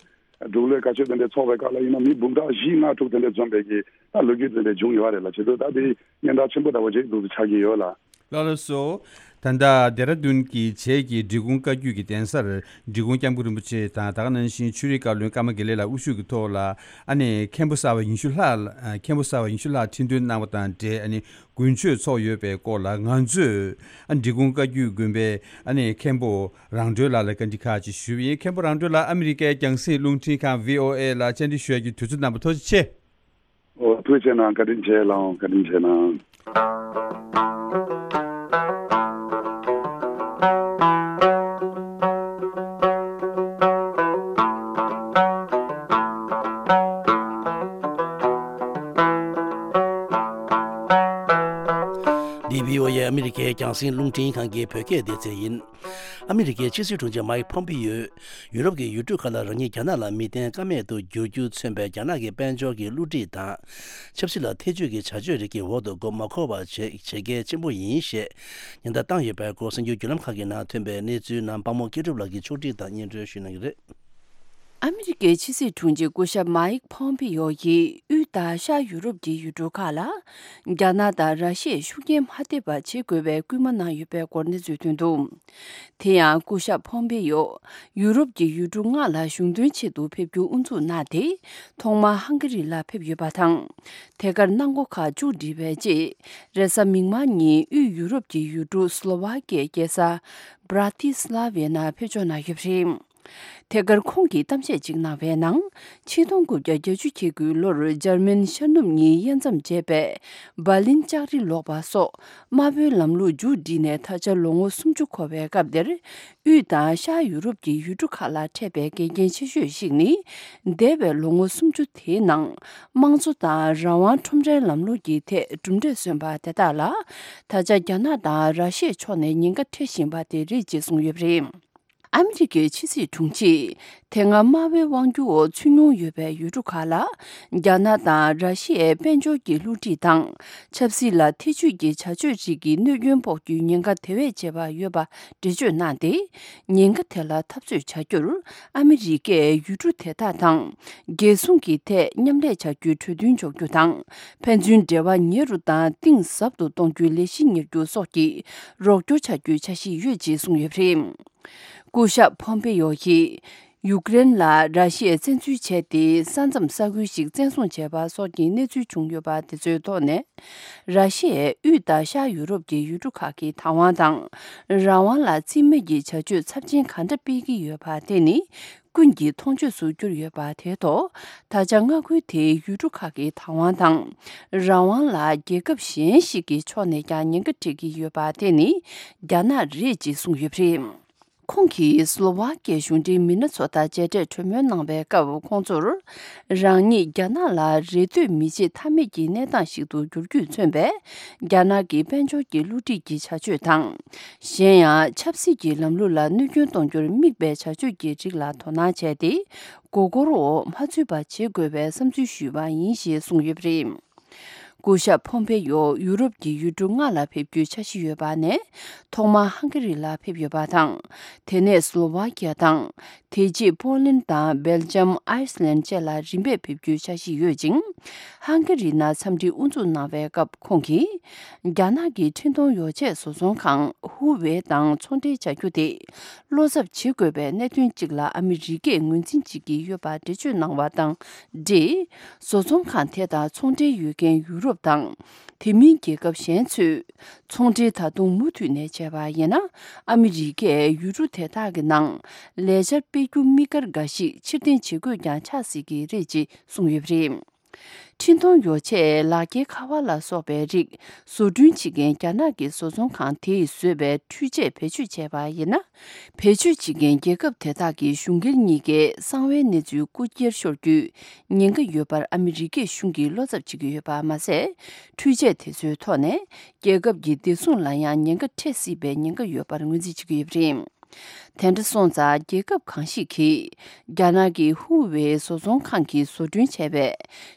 འབྲུག་ལོའི་བཀའ་ཆོས་དེ་འདྲས་ཚོགས་པའི་སྐབས་ལ་ཡིན་ན་མི་འབུམ་ཕྲག་བཞི་ལྔ་དྲུག་དེ་འདྲས་འཛོམས་པའི་གི་ད་ལོ་རྒྱུས་དེ་འདྲས་བྱུང་ཡོད་རེད་ལ། བྱེད་དུས་ད་དེ་སྙན་གྲགས་ཆེན་པོ་འདྲ་བོ་ཅིག་འདུག་སེ་ཆགས་ཀྱི་ཡོད་ལ། ལགས་ལགས་སོ། ད་ལྟ་ལྡེ་ར་ལྡུན་གྱི་བྱེས་ཀྱི་འབྲི་གུང་བཀའ་བརྒྱུད་ཀྱི་གདན་སར་འབྲི་གུང་སྐྱབས་མགོན་རིན་པོ་ཆེ་དང་ད་ག་ནང་བཞིན་ཆོས་རིག་བཀའ་བློན་ཀརྨ་དགེ་ལེགས་ལགས་དབུ་བཞུགས་ཀྱི་ཐོག་ལ་ཨ་ནེ་མཁན་པོ་གསར་པ་ཉི་ཤུ་ལྷག་ཨ་མཁན་པོ་གསར་པ་ཉི་ཤུ་ལྷག་ཁྲི་འདོན་གནང་བ་དང་འབྲེལ་ཨ་ནེ་དགུན་ཆོས་ཚོགས་ཡོད་པའི་སྐོར་ལ་ང་ཚོས་ཨ་འབྲི་གུང་བཀའ་བརྒྱུད་དགོན་པའི་ཨ་ནེ་མཁན་པོ་རང་གྲོལ་ལགས་ལ་བཀའ་འདྲི་ཁག་ཅིག་ཞུས་པ་ཡིན། མཁན་པོ་རང་གྲོལ་ལགས་ཨ་མི་རི་ཀའི་རྒྱང་སྲིང་རླུང་འཕྲིན་ཁང་བྷི་ཨོ་ཨེ་ལ་བཅར་འདྲི་ཞུ་ཡག་གི་དུས་ཚོད་གནང་བ་ཐུགས་རྗེ་ཆེ། ཨོ་ཐུགས་རྗེ་གནང་། བཀའ་དྲིན་ཆེ་ལགས། བཀའ་དྲིན་ཆེ་གནང་། འདི་བྷི་ཨོ་ཨེ་ཨ་མི་རི་ཀའི་རྒྱང་སྲིང་རླུང་འཕྲིན་ཁང་གི་བོད་སྐད་སྡེ་ཚན་ཡིན། ཨ་མི་རི་ཀའི་ཕྱི་སྲིད་དྲུང་ཆེ་མའིག་ཕོམ་པི་ཡོས། ཡུ་རོབ་ཀྱི་ཡུལ་གྲུ་ཁག་ལ་རང་ཉིད་རྒྱ་ནག་ལ་མི་བརྟེན་ཀ་མེད་དུ་འགྱུར་རྒྱུ་མཚོན་པའི་རྒྱ་ནག་གི་དཔལ་འབྱོར་གྱི་བསླུ་བྲིད་དང་། ཆབ་སྲིད་ལ་ཐེ་བྱུས་ཀྱི་བྱ་སྤྱོད་རིགས་ཀྱི་འོག་ཏུ་མགོ་མ་འཁོར་བ་བྱེད་བྱེད་གལ་ཆེན་པོ་ཡིན་ཞེས་ཉེན་བརྡ་བཏང་ཡོད་པའི་སྐོར་གསར་འགྱུར་བརྒྱུད་ལམ་ཁག་གི་ནང་ཐོན་པའི་གནས་ཚུལ་རྣམས་དཔང་མོ་སྐྱིད་གྲུབ་ལགས་ཀྱིས་ཕྱོགས་སྒྲིག་དང་སྙན་སྒྲོན་ཞུ་གནང་གི་རེད། ཨ་མི་རི་ཀའི་ཕྱི་སྲིད་དྲུང་ཆེ་སྐུ་ཞབས་མའིག་ཕོམ་པི་ཡོ་ཡིས་དབུས་དང་ཤར་ཡུ་རོབ་ཀྱི་ཡུལ་གྲུ་ཁག་ལ་རྒྱ་ནག་དང་ར་ཤི་ཡས་ཤུགས་རྐྱེན་མ་ཐེབས་པ་བྱེད་དགོས་པའི་སྐུལ་མ་གནང་ཡོད་པའི་སྐོར་གནས་ཚུལ་ཐོན་འདུག་དེ་ཡང་སྐུ་ཞབས་ཕོམ་པེ་ཡོ་ཡུ་རོབ་ཀྱི་ཡུལ་གྲུ་ལྔ་ལ་གཞུང་དོན་ཆེད་དུ་ཕེབས་རྒྱུ་དབུ་འཛུགས་གནང་སྟེ། ཐོག་མར་ཧང་ག་རི་ལ་ཕེབས་ཡོད་པ་དང་། དེ་གར་གནང་སྒོ་ཁག་མཇུག་བསྒྲིལ་བའི་རྗེས། རེས་གཟའ་མིག་དམར་ཉིན་དབུས་ཡུ་རོབ་ཀྱི་ཡུལ་གྲུ་སི་ལོ་ཝ་ཀའི་རྒྱལ་ས་བྷ་ར་ཏི་སི་ལ་ཝའི་ནང་ཕེབས་འབྱོར་གནང་ཡོད་པ་རེད། དེ་གར་ཁོང་གིས་གཏམ་བཤད་ཅིག་གནང་བའི་ནང་། ཆིག་སྟོང་དགུ་བརྒྱ་བརྒྱད་ཅུ་གྱ་དགུའི་ལོར་འཇར་མན་ཤར་ནུབ་གཉིས་དབྱེ་མཚམས་བཅད་པའི་འབར་ལིན་ལྕགས་རི་ལོག་པ་སོགས་དམར་པོའི་ལམ་ལུགས་མཇུག་བསྒྲིལ་ནས་ད་ཆ་ལོ་ངོ་སུམ་ཅུ་འཁོར་བའི་སྐབས་འདིར། དབུས་དང་ཤར་ཡུ་རོབ་ཀྱི་ཡུལ་གྲུ་ཁག་ལ་འཕྲད་པའི་འགལ་རྐྱེན་ཆེ་ཤོས་ཤིག་ནི། འདས་པའི་ལོ་ངོ་སུམ་ཅུ་དེའི་ནང་། དམངས་གཙོ་དང་རང་དབང་ཁྲོམ་རའི་ལམ་ལུགས་ཀྱི་ཐད་གྲུབ་འབྲས་སོན་པ་དེ་དག་ལ། ད་ཆ་རྒྱ་ནག་དང་ར་ཤི་ཡའི་ཕྱོགས་ནས་ཉེན་ཁ་འཕྲད་བཞིན་པ་དེ་རེད་ཅེས་གསུངས་ཡོད་པ་རེད། ཨ་མི་རི་ཀའི་ཕྱི་སྲིད་དྲུང་ཆེས་དེ་སྔ་དམར་པོའི་དབང་སྒྱུར་འོག་ཚུད་མྱོང་ཡོད་པའི་ཡུལ་གྲུ་ཁག་ལ་རྒྱ་ནག་དང་ར་ཤི་ཡའི་དཔལ་འབྱོར་གྱི་བསླུ་བྲིད་དང་ཆབ་སྲིད་ལ་ཐེ་བྱུས་ཀྱི་བྱ་སྤྱོད་རིགས་ཀྱི་གནོད་སྐྱོན་ཕོག་རྒྱུའི་ཉེན་ཁ་དེ་བས་ཆེ་བ་ཡོད་པ་འགྲེལ་བརྗོད་གནང་སྟེ། ཉེན་ཁ་དེ་ལ་འཐབ་རྩོད་བྱ་རྒྱུར་ཨ་མི་རི་ཀས་ཡུལ་གྲུ་དེ་དག་དང་རྒྱལ་སྲུང་གི་ཐད་མཉམ་ལས་བྱ་རྒྱུའི་གྲོས་མཐུན་འཇོག་རྒྱུ་དང་། ཕན་ཚུན་འབྲེལ་བ་ཉེ་རུ་དང་གཏིང་ཟབ་ཏུ་གཏོང་རྒྱུའི་ལས་གཞི་གཉེར་རྒྱུ་སོགས་ཀྱི་རོགས་སྐྱོར་བྱ་རྒྱུའི་འཆར་གཞི་ཡོད་ཅེས་གསུངས་ཡོད་པ་རེད། སྐུ་ཞབས་ཕོམ་པེ་ཡོ་ཡིས་ཡུཀ་རེན་ལ་ར་ཤི་ཡས་བཙན་འཛུལ་བྱས་ཏེ། ས་མཚམས་ས་ཁུལ་ཞིག་བཙན་བཟུང་བྱས་པ་སོགས་ཀྱི་གནས་ཚུལ་བྱུང་ཡོད་པ་དེ་ཚོའི་ཐོག་ནས། ར་ཤི་ཡས་དབུས་དང་ཤར་ཡུ་རོབ་ཀྱི་ཡུལ་གྲུ་ཁག་གི་བདག་དབང་དང་། རང་དབང་ལ་རྩིས་མེད་ཀྱི་བྱ་སྤྱོད་ཚབས་ཆེན་ག་འདྲ་སྤེལ་གྱི་ཡོད་པ་དེ་ནི་ཀུན་གྱིས་མཐོང་ཆོས་སུ་གྱུར་ཡོད་པ་དེའི་ཐོག་ད་ཆ་མངའ་ཁུལ་དེའི་ཡུལ་གྲུ་ཁག་གི་བདག་དབང་དང་། རང་དབང་ལ་རྒྱལ་ཁབ་གཞན་ཞིག་གི་ཕྱོགས་ནས་ཀྱང་ཉེན་ཁ་འཕྲད་ཀྱི་ཡོད་པ་དེ་ནི་རྒྱ་ནག་རེད་ཅེས་གསུངས་ཡོད་པ་རེད། ཁོང་གིས་སློ་ཝཱ་ཀིའི་གཞུང་འབྲེལ་མི་སྣ་ཚོ་དང་མཇལ་འཕྲད་གྲོས་མོལ་གནང་བའི་སྐབས། ཁོང་ཚོར་རང་ཉིད་རྒྱ་ནག་ལ་རེ་ལྟོས་མི་བྱེད་ཐབས་མེད་ཀྱི་གནས་སྟངས་ཤིག་ཏུ་འགྱུར་རྒྱུས་མཚོན་པའི་རྒྱ་ནག་གི་དཔལ་འབྱོར་གྱི་བསླུ་བྲིད་ཀྱི་བྱ་སྤྱོད་དང་། གཞན་ཡང་ཆབ་སྲིད་ཀྱི་ལམ་ལུགས་ལ་གནོད་སྐྱོན་གཏོང་རྒྱུར་དམིགས་པའི་བྱ་སྤྱོད་ཀྱི་རིགས་ལ་དོ་སྣང་བྱས་ཏེ། མགོ་སྐོར་འོག་མ་ཚུད་པ་བྱེད་དགོས་པའི་བསམ་ཚུལ་ཞུས་པ་ཡིན་ཞེས་གསུངས་ཡོད་པ་རེད། སྐུ་ཞབས་ཕོམ་པེ་ཡོ་ཡུ་རོབ་ཀྱི་ཡུལ་གྲུ་ལྔ་ལ་ཕེབས་རྒྱུའི་འཆར་གཞི་ཡོད་པ་ནས། ཐོག་མར་ཧང་ག་རི་ལ་ཕེབས་ཡོད་པ་དང་། དེ་ནས་སློ་ཝཱ་ཀི་ཡ་དང་། དེ་རྗེས་པོ་ལན་དང་སྦེལ་ཇམ། ཨའི་སི་ལན་བཅས་ལ་རིམ་པས་ཕེབས་རྒྱུའི་འཆར་གཞི་ཡོད་ཅིང་། ཧང་ག་རི་ནང་འཚམས་འདྲི་དབུ་འཛུགས་གནང་བའི་སྐབས། ཁོང་གིས་རྒྱ་ནག་གི་འཕྲིན་གཏོང་ཡོ་ཆས་བཟོ་ཚོང་ཁང་ཧུ་ཝེ་དང་ཚོང་འབྲེལ་བྱ་རྒྱུ་དེ་བློ་འཚབ་བྱེད་དགོས་པའི་གནད་དོན་གཅིག་ལ་ཨ་མི་རི་ཀས་ངོས་འཛིན་བྱེད་ཀྱི་ཡོད་པ་འགྲེལ་བརྗོད་གནང་བ་དང་འབྲེལ། བཟོ་ཚོང་ཁང་དེ་དང་ཚོང་འབྲེལ་ཡོད་མཁན་ཡུ་རོབ་དང་། དེ་མིན་རྒྱལ་ཁབ་གཞན་ཚོས་ཚོང་འབྲེལ་ད་དུང་མུ་མཐུད་ནས་བྱས་པ་ཡིན་ན། ཨ་མི་རི་ཀས་ཡུལ་གྲུ་དེ་དག་གི་ནང་ལས་འཆར་སྤེལ་རྒྱུ་དམིགས་བཀར་འགའ་ཞིག་ཕྱིར་འཐེན་བྱེད་དགོས་ཀྱང་ཆགས་སྲིད་ཀྱི་རེད་ཅེས་གསུངས་ཡོད་པ་རེད། འཕྲིན་གཏོང་ཡོ་ཆས། ལག་འཁྱེར། ཁ་པར་ལ་སོགས་པའི་རིགས་བཟོ་སྐྲུན་བྱེད་མཁན་རྒྱ་ནག་གི་བཟོ་ཚོང་ཁང་དེས་བཟོས་པའི་འཕྲུལ་ཆས་བེད་སྤྱོད་བྱས་པ་ཡིན་ན། བེད་སྤྱོད་བྱེད་མཁན་རྒྱལ་ཁབ་དེ་དག་གི་གཞུང་སྒེར་གཉིས་ཀའི་གསང་བའི་གནས་ཚུལ་རྐུ་འཁྱེར་ཤོར་རྒྱུའི་ཉེན་ཁ་ཡོད་པར་ཨ་མི་རི་ཀའི་གཞུང་གིས་བློ་འཚབ་བྱེད་ཀྱི་ཡོད་པ་མ་ཟད། འཕྲུལ་ཆས་དེ་ཚོའི་ཐོག་ནས་རྒྱལ་ཁབ་ཀྱི་བདེ་སྲུང་ལ་ཡང་ཉེན་ཁ་འཕྲད་སྲིད་པའི་ཉེན་ཁ་ཡོད་པར་ངོས་འཛིན་བྱེད་ཀྱི་ཡོད་པ་རེད། དེ་འདྲ་སོང་ཙང་རྒྱལ་ཁབ་གང་ཞིག་གིས་རྒྱ་ནག་གི་ཧུ་ཝེ་བཟོ་ཚོང་ཁང་གིས་བཟོ་སྐྲུན་བྱས་པའི་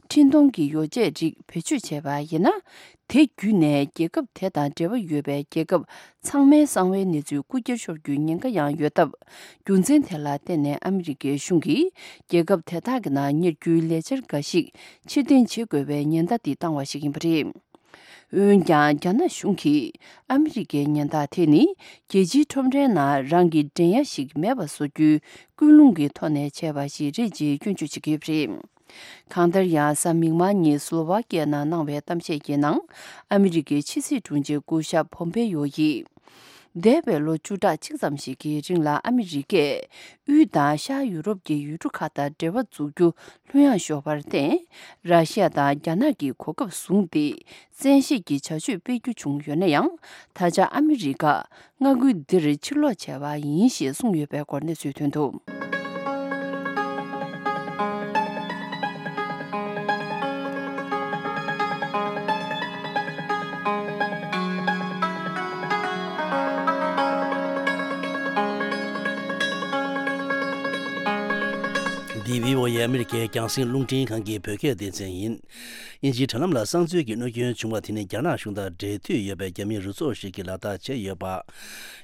འཕྲིན་གཏོང་གི་ཡོ་བྱད་རིགས་བེད་སྤྱོད་བྱས་པ་ཡིན་ན། དེ་བརྒྱུད་ནས་རྒྱལ་ཁབ་དེ་དང་འབྲེལ་བ་ཡོད་པའི་རྒྱལ་ཁབ་ཚང་མའི་གསང་བའི་གནས་ཚུལ་རྐུ་འཁྱེར་ཤོར་རྒྱུའི་ཉེན་ཁ་ཡང་ཡོད་སྟབས། རྒྱུ་མཚན་དེ་ལ་བརྟེན་ནས་ཨ་མི་རི་ཀའི་གཞུང་གིས་རྒྱལ་ཁབ་དེ་དག་གི་ནང་གཉེར་རྒྱུའི་ལས་འཆར་འགའ་ཞིག་ཕྱིར་འཐེན་བྱེད་དགོས་པའི་ཉེན་བརྡ་དེ་བཏང་བ་ཞིག་ཡིན་པ་རེད། འོན་ཀྱང་། རྒྱ་ནག་གཞུང་གིས་ཨ་མི་རི་ཀའི་ཉེན་བརྡ་དེ་ནི་རྒྱལ་སྤྱིའི་ཁྲོམ་རའི་ནང་རང་གི་འགྲན་ཡ་ཞིག་མེད་པ་བཟོ་རྒྱུའི་ཀུན་སློང་གི་ཐོག་ནས་བྱས་པ་ཞིག་རེད་ཅེས་སྐྱོན་བརྗོད་བྱེད་ཀྱི་ཡོད་པ་རེད། གང་ལྟར་ཡང་། གཟའ་མིག་དམར་ཉིན་སློ་ཝཱ་ཀི་ཡ་ནང་གནང་བའི་གཏམ་བཤད་ཀྱི་ནང་། ཨ་མི་རི་ཀའི་ཕྱི་སྲིད་དྲུང་ཆེ་སྐུ་ཞབས་ཕོམ་པེ་ཡོ་ཡིས། འདས་པའི་ལོ་བཅུ་ཕྲག་གཅིག་ཙམ་ཞིག་གི་རིང་ལ་ཨ་མི་རི་ཀས་དབུས་དང་ཤར་ཡུ་རོབ་ཀྱི་ཡུལ་གྲུ་ཁག་དང་འབྲེལ་བ་འཛུགས་རྒྱུ་ལྷོད་ཡངས་ཤོར་བར་བརྟེན། ར་ཤི་ཡ་དང་རྒྱ་ནག་གིས་གོ་སྐབས་བཟུང་སྟེ། བཙན་ཤེད་ཀྱི་བྱ་སྤྱོད་སྤེལ་རྒྱུ་བྱུང་ཡོད་ན་ཡང་། ད་ཆ་ཨ་མི་རི་ཀ་མངའ་ཁུལ་འདིར་ཕྱིར་ལོག་བྱས་པ་ཡིན་ཞེས་གསུངས་ཡོད་པའི་སྐོར་གནས་ཚུལ་ཐོན་འདུག། འདི་བྷི་ཨོ་ཨེ་ཨ་མི་རི་ཀའི་རྒྱང་སྲིང་རླུང་འཕྲིན་ཁང་གི་བོད་སྐད་སྡེ་ཚན་ཡིན། དབྱིན་ཇིའི་དྲ་ལམ་ལ་གསང་འཛུལ་གྱི་གནོད་སྐྱོན་བྱུང་བ་དེ་ནི་རྒྱ་ནག་གཞུང་དང་འབྲེལ་མཐུད་ཡོད་པའི་རྒྱ་མིའི་རུ་ཚོགས་ཤིག་གིས་ལག་བསྟར་བྱས་ཡོད་པ།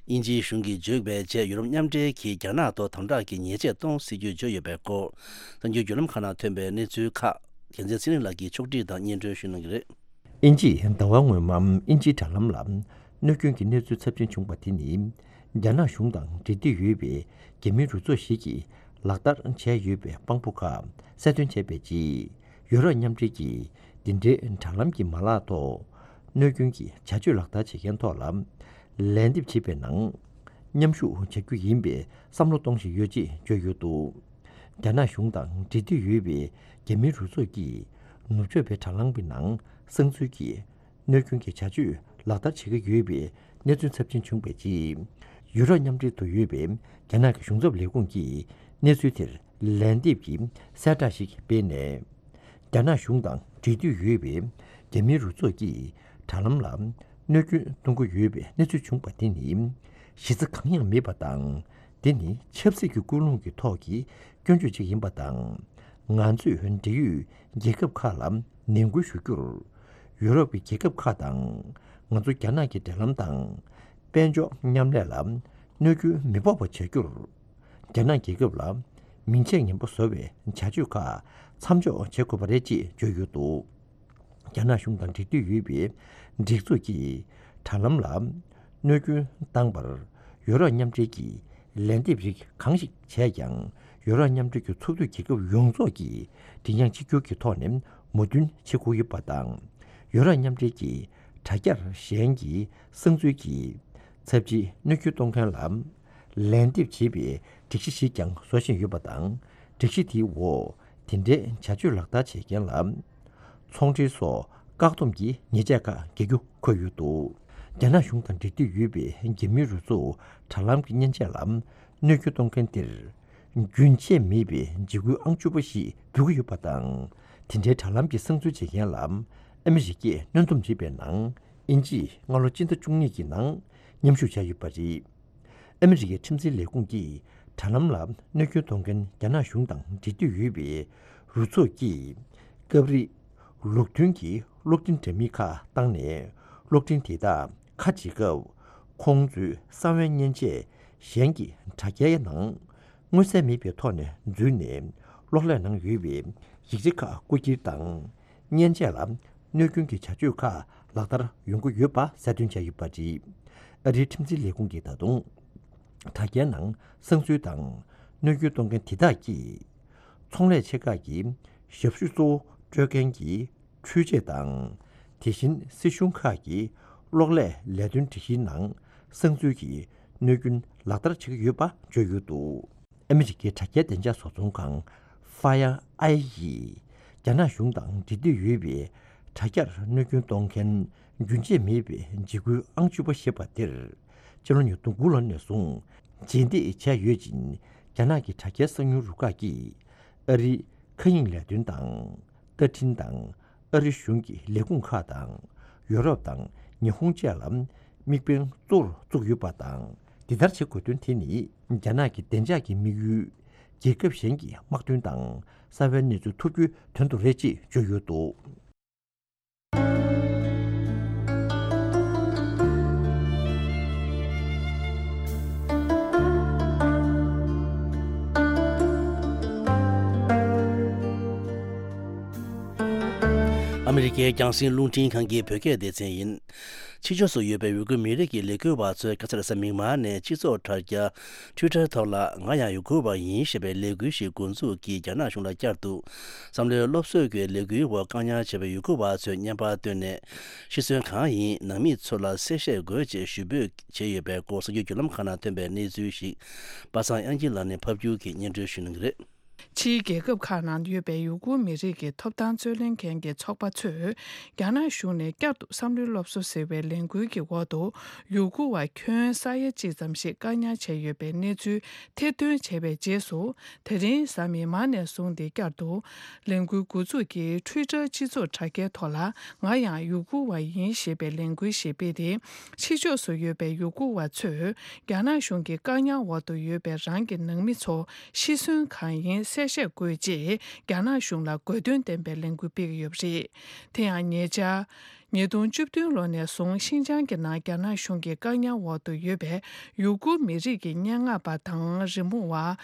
དབྱིན་ཇིའི་གཞུང་གིས་བརྗོད་པའི་རྗེས། ཡུ་རོབ་མཉམ་འབྲེལ་གྱིས་རྒྱ་ནག་ཐོག་དམ་དྲག་གི་ཉེས་ཆད་གཏོང་སྲིད་ཇུས་བརྗོད་ཡོད་པའི་སྐོར། གསར་འགྱུར་བརྒྱུད་ལམ་ཁག་ནང་ཐོན་པའི་གནས་ཚུལ་ཁག་རྒྱལ་མཚན་ཚེ་རིང་ལགས་ཀྱིས་ཕྱོགས་སྒྲིག་དང་སྙན་སྒྲོན་ཞུ་གནང་གི་རེད། དབྱིན་ཇིས་ཟླ་བ་སྔོན་མ་དབྱིན་ཇིའི་དྲ་ལམ་ལ་གནོད་སྐྱོན་གྱི་གནས་ཚུལ་ཚབས་ཆེན་བྱུང་བ་དེ་ནི། རྒྱ་ནག་གཞུང་དང་འབྲེལ་མཐུད་ཡོད་པའི་རྒྱ་མིའི་རུ་ཚོགས་ཤིག་གིས་ལག་བསྟར་བྱས་ཡོད་པའི་དཔང་པོ་ཁག་གསལ་སྟོན་བྱས་པའི་རྗེས། ཡུ་རོབ་མཉམ་འབྲེལ་གྱིས་འདི་འདྲའི་དྲ་ལམ་གྱི་མ་ལག་ཐོག་གནོད་སྐྱོན་གྱི་བྱ་སྤྱོད་ལག་བསྟར་བྱེད་མཁན་ཐོག་ལ་ལན་འདེབས་བྱེད་པའི་ནང་མཉམ་ཞུགས་བྱ་རྒྱུ་ཡིན་པའི་བསམ་བློ་གཏོང་བཞིན་ཡོད་ཅེས་བརྗོད་ཡོད་འདུག། རྒྱ་ནག་གཞུང་དང་འབྲེལ་མཐུད་ཡོད་པའི་རྒྱ་མིའི་རུ་ཚོགས་ཀྱིས་ནུབ་ཕྱོགས་པའི་དྲ་ལམ་གྱི་ནང་གསང་འཛུལ་གྱིས་གནོད་སྐྱོན་གྱི་བྱ་སྤྱོད་ལག་བསྟར་བྱེད་ཀྱི་ཡོད་པའི་གནས་ཚུལ་ཚབས་ཆེན་བྱུང་བའི་རྗེས། ཡུ་རོབ་མཉམ་འབྲེལ་དུ་ཡོད་པའི་རྒྱ་ནག་གི་གཞུང་ཚབ་ལས་ཁུངས་ཀྱིས་གནས་ཚུལ་དེར་ལན་འདེབས་ཀྱི་གསལ་བསྒྲགས་ཤིག་སྤེལ་ནས། རྒྱ་ནག་གཞུང་དང་འབྲེལ་མཐུད་ཡོད་པའི་རྒྱ་མིའི་རུ་ཚོགས་ཀྱིས་དྲ་ལམ་ལ་གནོད་སྐྱོན་གཏོང་གི་ཡོད་པའི་གནས་ཚུལ་བྱུང་བ་དེ་ནི་གཞི་རྩ་གང་ཡང་མེད་པ་དང་ འདི་ནི་ཆབ་སྲིད་ཀྱི་ཀུན་སློང་གི་ཐོག་གི་སྐྱོན་བརྗོད་ཅིག་ཡིན་པ་དང་། ང་ཚོས་འབྲེལ་ཡོད་རྒྱལ་ཁབ་ཁག་ལ་ནན་སྐུལ་ཞུ་རྒྱུར། ཡུ་རོབ་ཀྱི་རྒྱལ་ཁབ་ཁག་དང་། ང་ཚོ་རྒྱ་ནག་གི་འབྲེལ་ལམ་དང་། དཔལ་འབྱོར་མཉམ་ལས་ལ་གནོད་སྐྱོན་མི་ཕོག་པ་བྱ་རྒྱུར། རྒྱ་ནག་རྒྱལ་ཁབ་ལ་མིང་ཆད་ངན་པ་བཟོ་བའི་བྱ་སྤྱོད་ཁག་མཚམས་འཇོག་བྱེད་དགོས་པ་རེད་ཅེས་བརྗོད་ཡོད་འདུག་རྒྱ་ནག་གཞུང་དང་འབྲེལ་མཐུད་ཡོད་པའི་སྒྲིག་འཛུགས་ཀྱིས་དྲ་ལམ་ལ་གནོད་སྐྱོན་བཏང་བར་ཡུ་རོབ་མཉམ་འབྲེལ་གྱིས་ལན་འདེབས་རིགས་གང་ཞིག་བྱས་ཀྱང་། ཡུ་རོབ་མཉམ་འབྲེལ་གྱི་ཚོགས་འཐུས་རྒྱལ་ཁབ་ཡོངས་རྫོགས་ཀྱིས་མགྲིན་དབྱངས་གཅིག་གྱུར་གྱི་ཐོག་ནས་མོས་མཐུན་བྱེད་དགོས་ཡོད་པ་དང་། ཡུ་རོབ་མཉམ་འབྲེལ་གྱི་དྲ་རྒྱར་གཞན་གྱི་གསང་འཛུལ་གྱིས་ཚབས་ཆེའི་གནོད་སྐྱོན་གཏོང་མཁན་ལ་ལན་འདེབས་བྱེད་པའི་སྒྲིག་གཞི་ཞིག་ཀྱང་བཟོ་བཞིན་ཡོད་པ་དང་། སྒྲིག་གཞི་དེའི་འོག་དེ་འདྲའི་བྱ་སྤྱོད་ལག་བསྟར་བྱེད་མཁན་ལ་ཚོང་འབྲེལ་སོགས་བཀག་སྡོམ་གྱི་ཉེས་ཆད་ཁག་འགེལ་རྒྱུ་འཁོད་ཡོད་འདུག་རྒྱ་ནག་གཞུང་དང་འབྲེལ་མཐུད་ཡོད་པའི་རྒྱ་མིའི་རུ་ཚོགས་དྲ་ལམ་གྱི་མཉེན་ཆས་ལ་གནོད་སྐྱོན་གཏོང་མཁན་དེར་རྒྱུན་ཆད་མེད་པའི་འཇིགས་སྐུལ་ཨང་བཅུ་པ་ཞིག་འབུལ་གྱི་ཡོད་པ་དང་། དེ་འདྲའི་དྲ་ལམ་གྱི་གསང་འཛུལ་བྱེད་མཁན་ལ་ཨ་མི་རི་ཀས་གནོན་སྡོམ་བྱེད་པའི་ནང་། དབྱིན་ཇིས་སྔ་ལོ་སྤྱི་ཟླ་བཅུ་གཉིས་ཀྱི་ནང་མཉམ་ཞུགས་བྱས་ཡོད་པ་རེད། ཨ་མི་རི་ཀའི་ཁྲིམས་འཛིན་ལས་ཁུངས་ཀྱིས་དྲ་ལམ་ལ་གནོད་སྐྱོན་གཏོང་མཁན་རྒྱ་ནག་གཞུང་དང་འབྲེལ་མཐུད་ཡོད་པའི་རུ་ཚོགས་ཀྱིས་སྐབས་རེ་ལུགས་མཐུན་གྱི་གློག་འཕྲིན་འདྲ་མིན་ཁག་བཏང་ནས། གློག་འཕྲིན་དེ་དག་ཁ་ཕྱེ་སྐབས་ཁོང་ཚོའི་གསང་བའི་མཉེན་ཆས་གཞན་གྱི་དྲ་རྒྱའི་ནང་མངོན་གསལ་མེད་པའི་ཐོག་ནས་འཛུལ་ནས། གློག་ཀླད་ནང་ཡོད་པའི་ཡིག་ཆ་ཁག་རྐུ་འཁྱེར་དང་། མཉེན་ཆས་ལ་གནོད་སྐྱོན་གྱི་བྱ་སྤྱོད་ཁག་ལག་བསྟར་ཡོང་གི་ཡོད་པ་གསལ་སྟོན་བྱས་ཡོད་པ་རེད། ཨ་རིའི་ཁྲིམས་འཛིན་ལས་ཁུངས་ཀྱིས་ད་དུང་། དྲ་རྒྱའི་ནང་གསང་འཛུལ་དང་གནོད་སྐྱོན་གཏོང་མཁན་དེ་དག་གིས། ཚོང་ལས་ཆེ་ཁག་གི་ཞབས་ཞུ་གཙོ་བོ་སྤྲོད་མཁན་གྱི་འཕྲུལ་ཆས་དང་། དེ་བཞིན་སྲིད་གཞུང་ཁག་གི་གློག་ཀླད་ལས་དོན་སྒྲིག་གཞིའི་ནང་གསང་འཛུལ་གྱི་གནོད་སྐྱོན་ལག་བསྟར་བྱེད་ཀྱི་ཡོད་པ་བརྗོད་ཡོད་འདུག་ཨ་མི་རི་ཀའི་དྲ་རྒྱའི་བདེ་འཇགས་བཟོ་ཚོང་ཁང་Fire Eye ཡིས་རྒྱ་ནག་གཞུང་དང་འབྲེལ་མཐུད་ཡོད་པའི་དྲ་རྒྱར་གནོད་སྐྱོན་གཏོང་མཁན་རྒྱུན་ཆད་མེད་པའི་འཇིགས་སྐུལ་ཨང་བཅུ་པ་ཞེས་པ་དེར། ཕྱི་ལོ་ཉིས་སྟོང་དགུ་ལོ་ནས་བཟུང་རྗེས་འདེད་བྱས་ཡོད་ཅིང་། རྒྱ་ནག་གི་དྲ་རྒྱའི་གསང་མྱུལ་རུ་ཁག་གིས་ཨ་རིའི་མཁའ་དབྱིངས་ལས་དོན་དང་། ལྟ་འཕྲིན་དང་། ཨ་རི་གཞུང་གི་ལས་ཁུངས་ཁག་དང་། ཡོ་རོབ་དང་ཉི་ཧོང་བཅས་ལ་དམིགས་འབེན་གཙོ་བོར་བཙུགས་ཡོད་པ་དང་། འདི་ལྟར་བྱེད་དགོས་དོན་དེ་ནི། རྒྱ་ནག་གི་བདེ་འཇགས་ཀྱི་དམིགས་ཡུལ། རྒྱལ་ཁབ་གཞན་གྱི་དམག་དོན་དང་། གསང་བའི་གནས་ཚུལ་ཐོབ་རྒྱུའི་དོན་དུ་རེད་ཅེས་བརྗོད་ཡོད་འདུག་ཨ་མི་རི་ཀའི་རྒྱང་སྲིང་རླུང་འཕྲིན་ཁང་གི་བོད་སྐད་སྡེ་ཚན་ཡིན། ཕྱི་ཕྱོགས་སུ་ཡོད་པའི་ཡུ་གུར་མི་རིགས་ཀྱི་ལས་འགུལ་བ་ཚོས་ཁ་སང་རེས་གཟའ་མིག་དམར་ནས་སྤྱི་ཚོགས་དྲ་རྒྱ་Twitter ཐོག་ལ། ང་ཡང་ཡུ་གུར་བ་ཡིན་ཞེས་པའི་ལས་འགུལ་ཞིག་འགོ་འཛུགས་ཀྱིས་རྒྱ་ནག་གཞུང་ལ་བསྐྱར་དུ་བསམ་བློའི་སློབ་གསོའི་ལས་འགུལ་འོག་བཀག་ཉར་བྱས་པའི་ཡུ་གུར་བ་ཚོས་བརྙན་པར་བཏོན་ནས། ཤི་གསོན་གང་ཡིན། ནང་མི་ཚོ་ལ་གསལ་བཤད་དགོས་ཅེས་ཞུ་འབོད་བྱས་ཡོད་པའི་སྐོར་གསར་འགྱུར་བརྒྱུད་ལམ་ཁག་ནང་ཐོན་པའི་གནས་ཚུལ་ཞིག་པ་སངས་དབྱངས་སྐྱིད་ལགས་ནས་ཕབ་སྒྱུར་གྱིས་སྙན་སྒྲོན་ཞུ་གནང་གི་རེད། ཕྱིའི་རྒྱལ་ཁབ་ཁག་ནང་ཡོད་པའི་ཡུ་གུར་མི་རིགས་ཀྱི་ཐོབ་ཐང་རྩོད་ལེན་མཁན་གྱི་ཚོགས་པ་ཚོས། རྒྱ་ནག་གཞུང་ནས་བསྐྱར་དུ་བསམ་བློའི་སློབ་གསོ་ཟེར་བའི་ལས་འགུལ་གྱི་འོག་ཏུ། ཡུ་གུར་བ་ཁྱོན་ས་ཡ་གཅིག་ཙམ་ཞིག་བཀག་ཉར་བྱས་ཡོད་པའི་གནས་ཚུལ་ཐེར་འདོན་བྱས་པའི་རྗེས་སུ། དེ་རིང་གཟའ་མིག་དམར་ནས་བཟུང་སྟེ་བསྐྱར་དུ། ལས་འགུལ་འགོ་འཛུགས་ཀྱིས་Twitter་སྤྱི་ཚོགས་དྲ་རྒྱའི་ཐོག་ལ། ང་ཡང་ཡུ་གུར་བ་ཡིན་ཞེས་པའི་ལས་འགུལ་ཞིག་སྤེལ་ཏེ། ཕྱི་ཕྱོགས་སུ་ཡོད་པའི་ཡུ་གུར་བ་ཚོས། རྒྱ་ནག་གཞུང་གི་བཀག་ཉར་འོག་ཏུ་ཡོད་པའི་རང་གི་ནང་མི་ཚོ་ཤི་གསོན་གང་ཡིན་གསལ་བཤད་དགོས་ཅེས་རྒྱ་ནག་གཞུང་ལ་དགོས་འདུན་ལྡན་པའི་ལས་འགུལ་སྤེལ་གྱི་ཡོད་པ་རེད། དེ་ཡང་ཉེ་ཆར། ཉིས་སྟོང་བཅུ་བདུན་ལོ་ནས་བཟུང་ཤིན་ཅང་གི་ནང་རྒྱ་ནག་གཞུང་གི་བཀག་ཉར་འོག་ཏུ་ཡོད་པའི་ཡུ་གུར་མི་རིགས་ཀྱི་སྙན་ངག་པ་དང་རི་མོ་བ་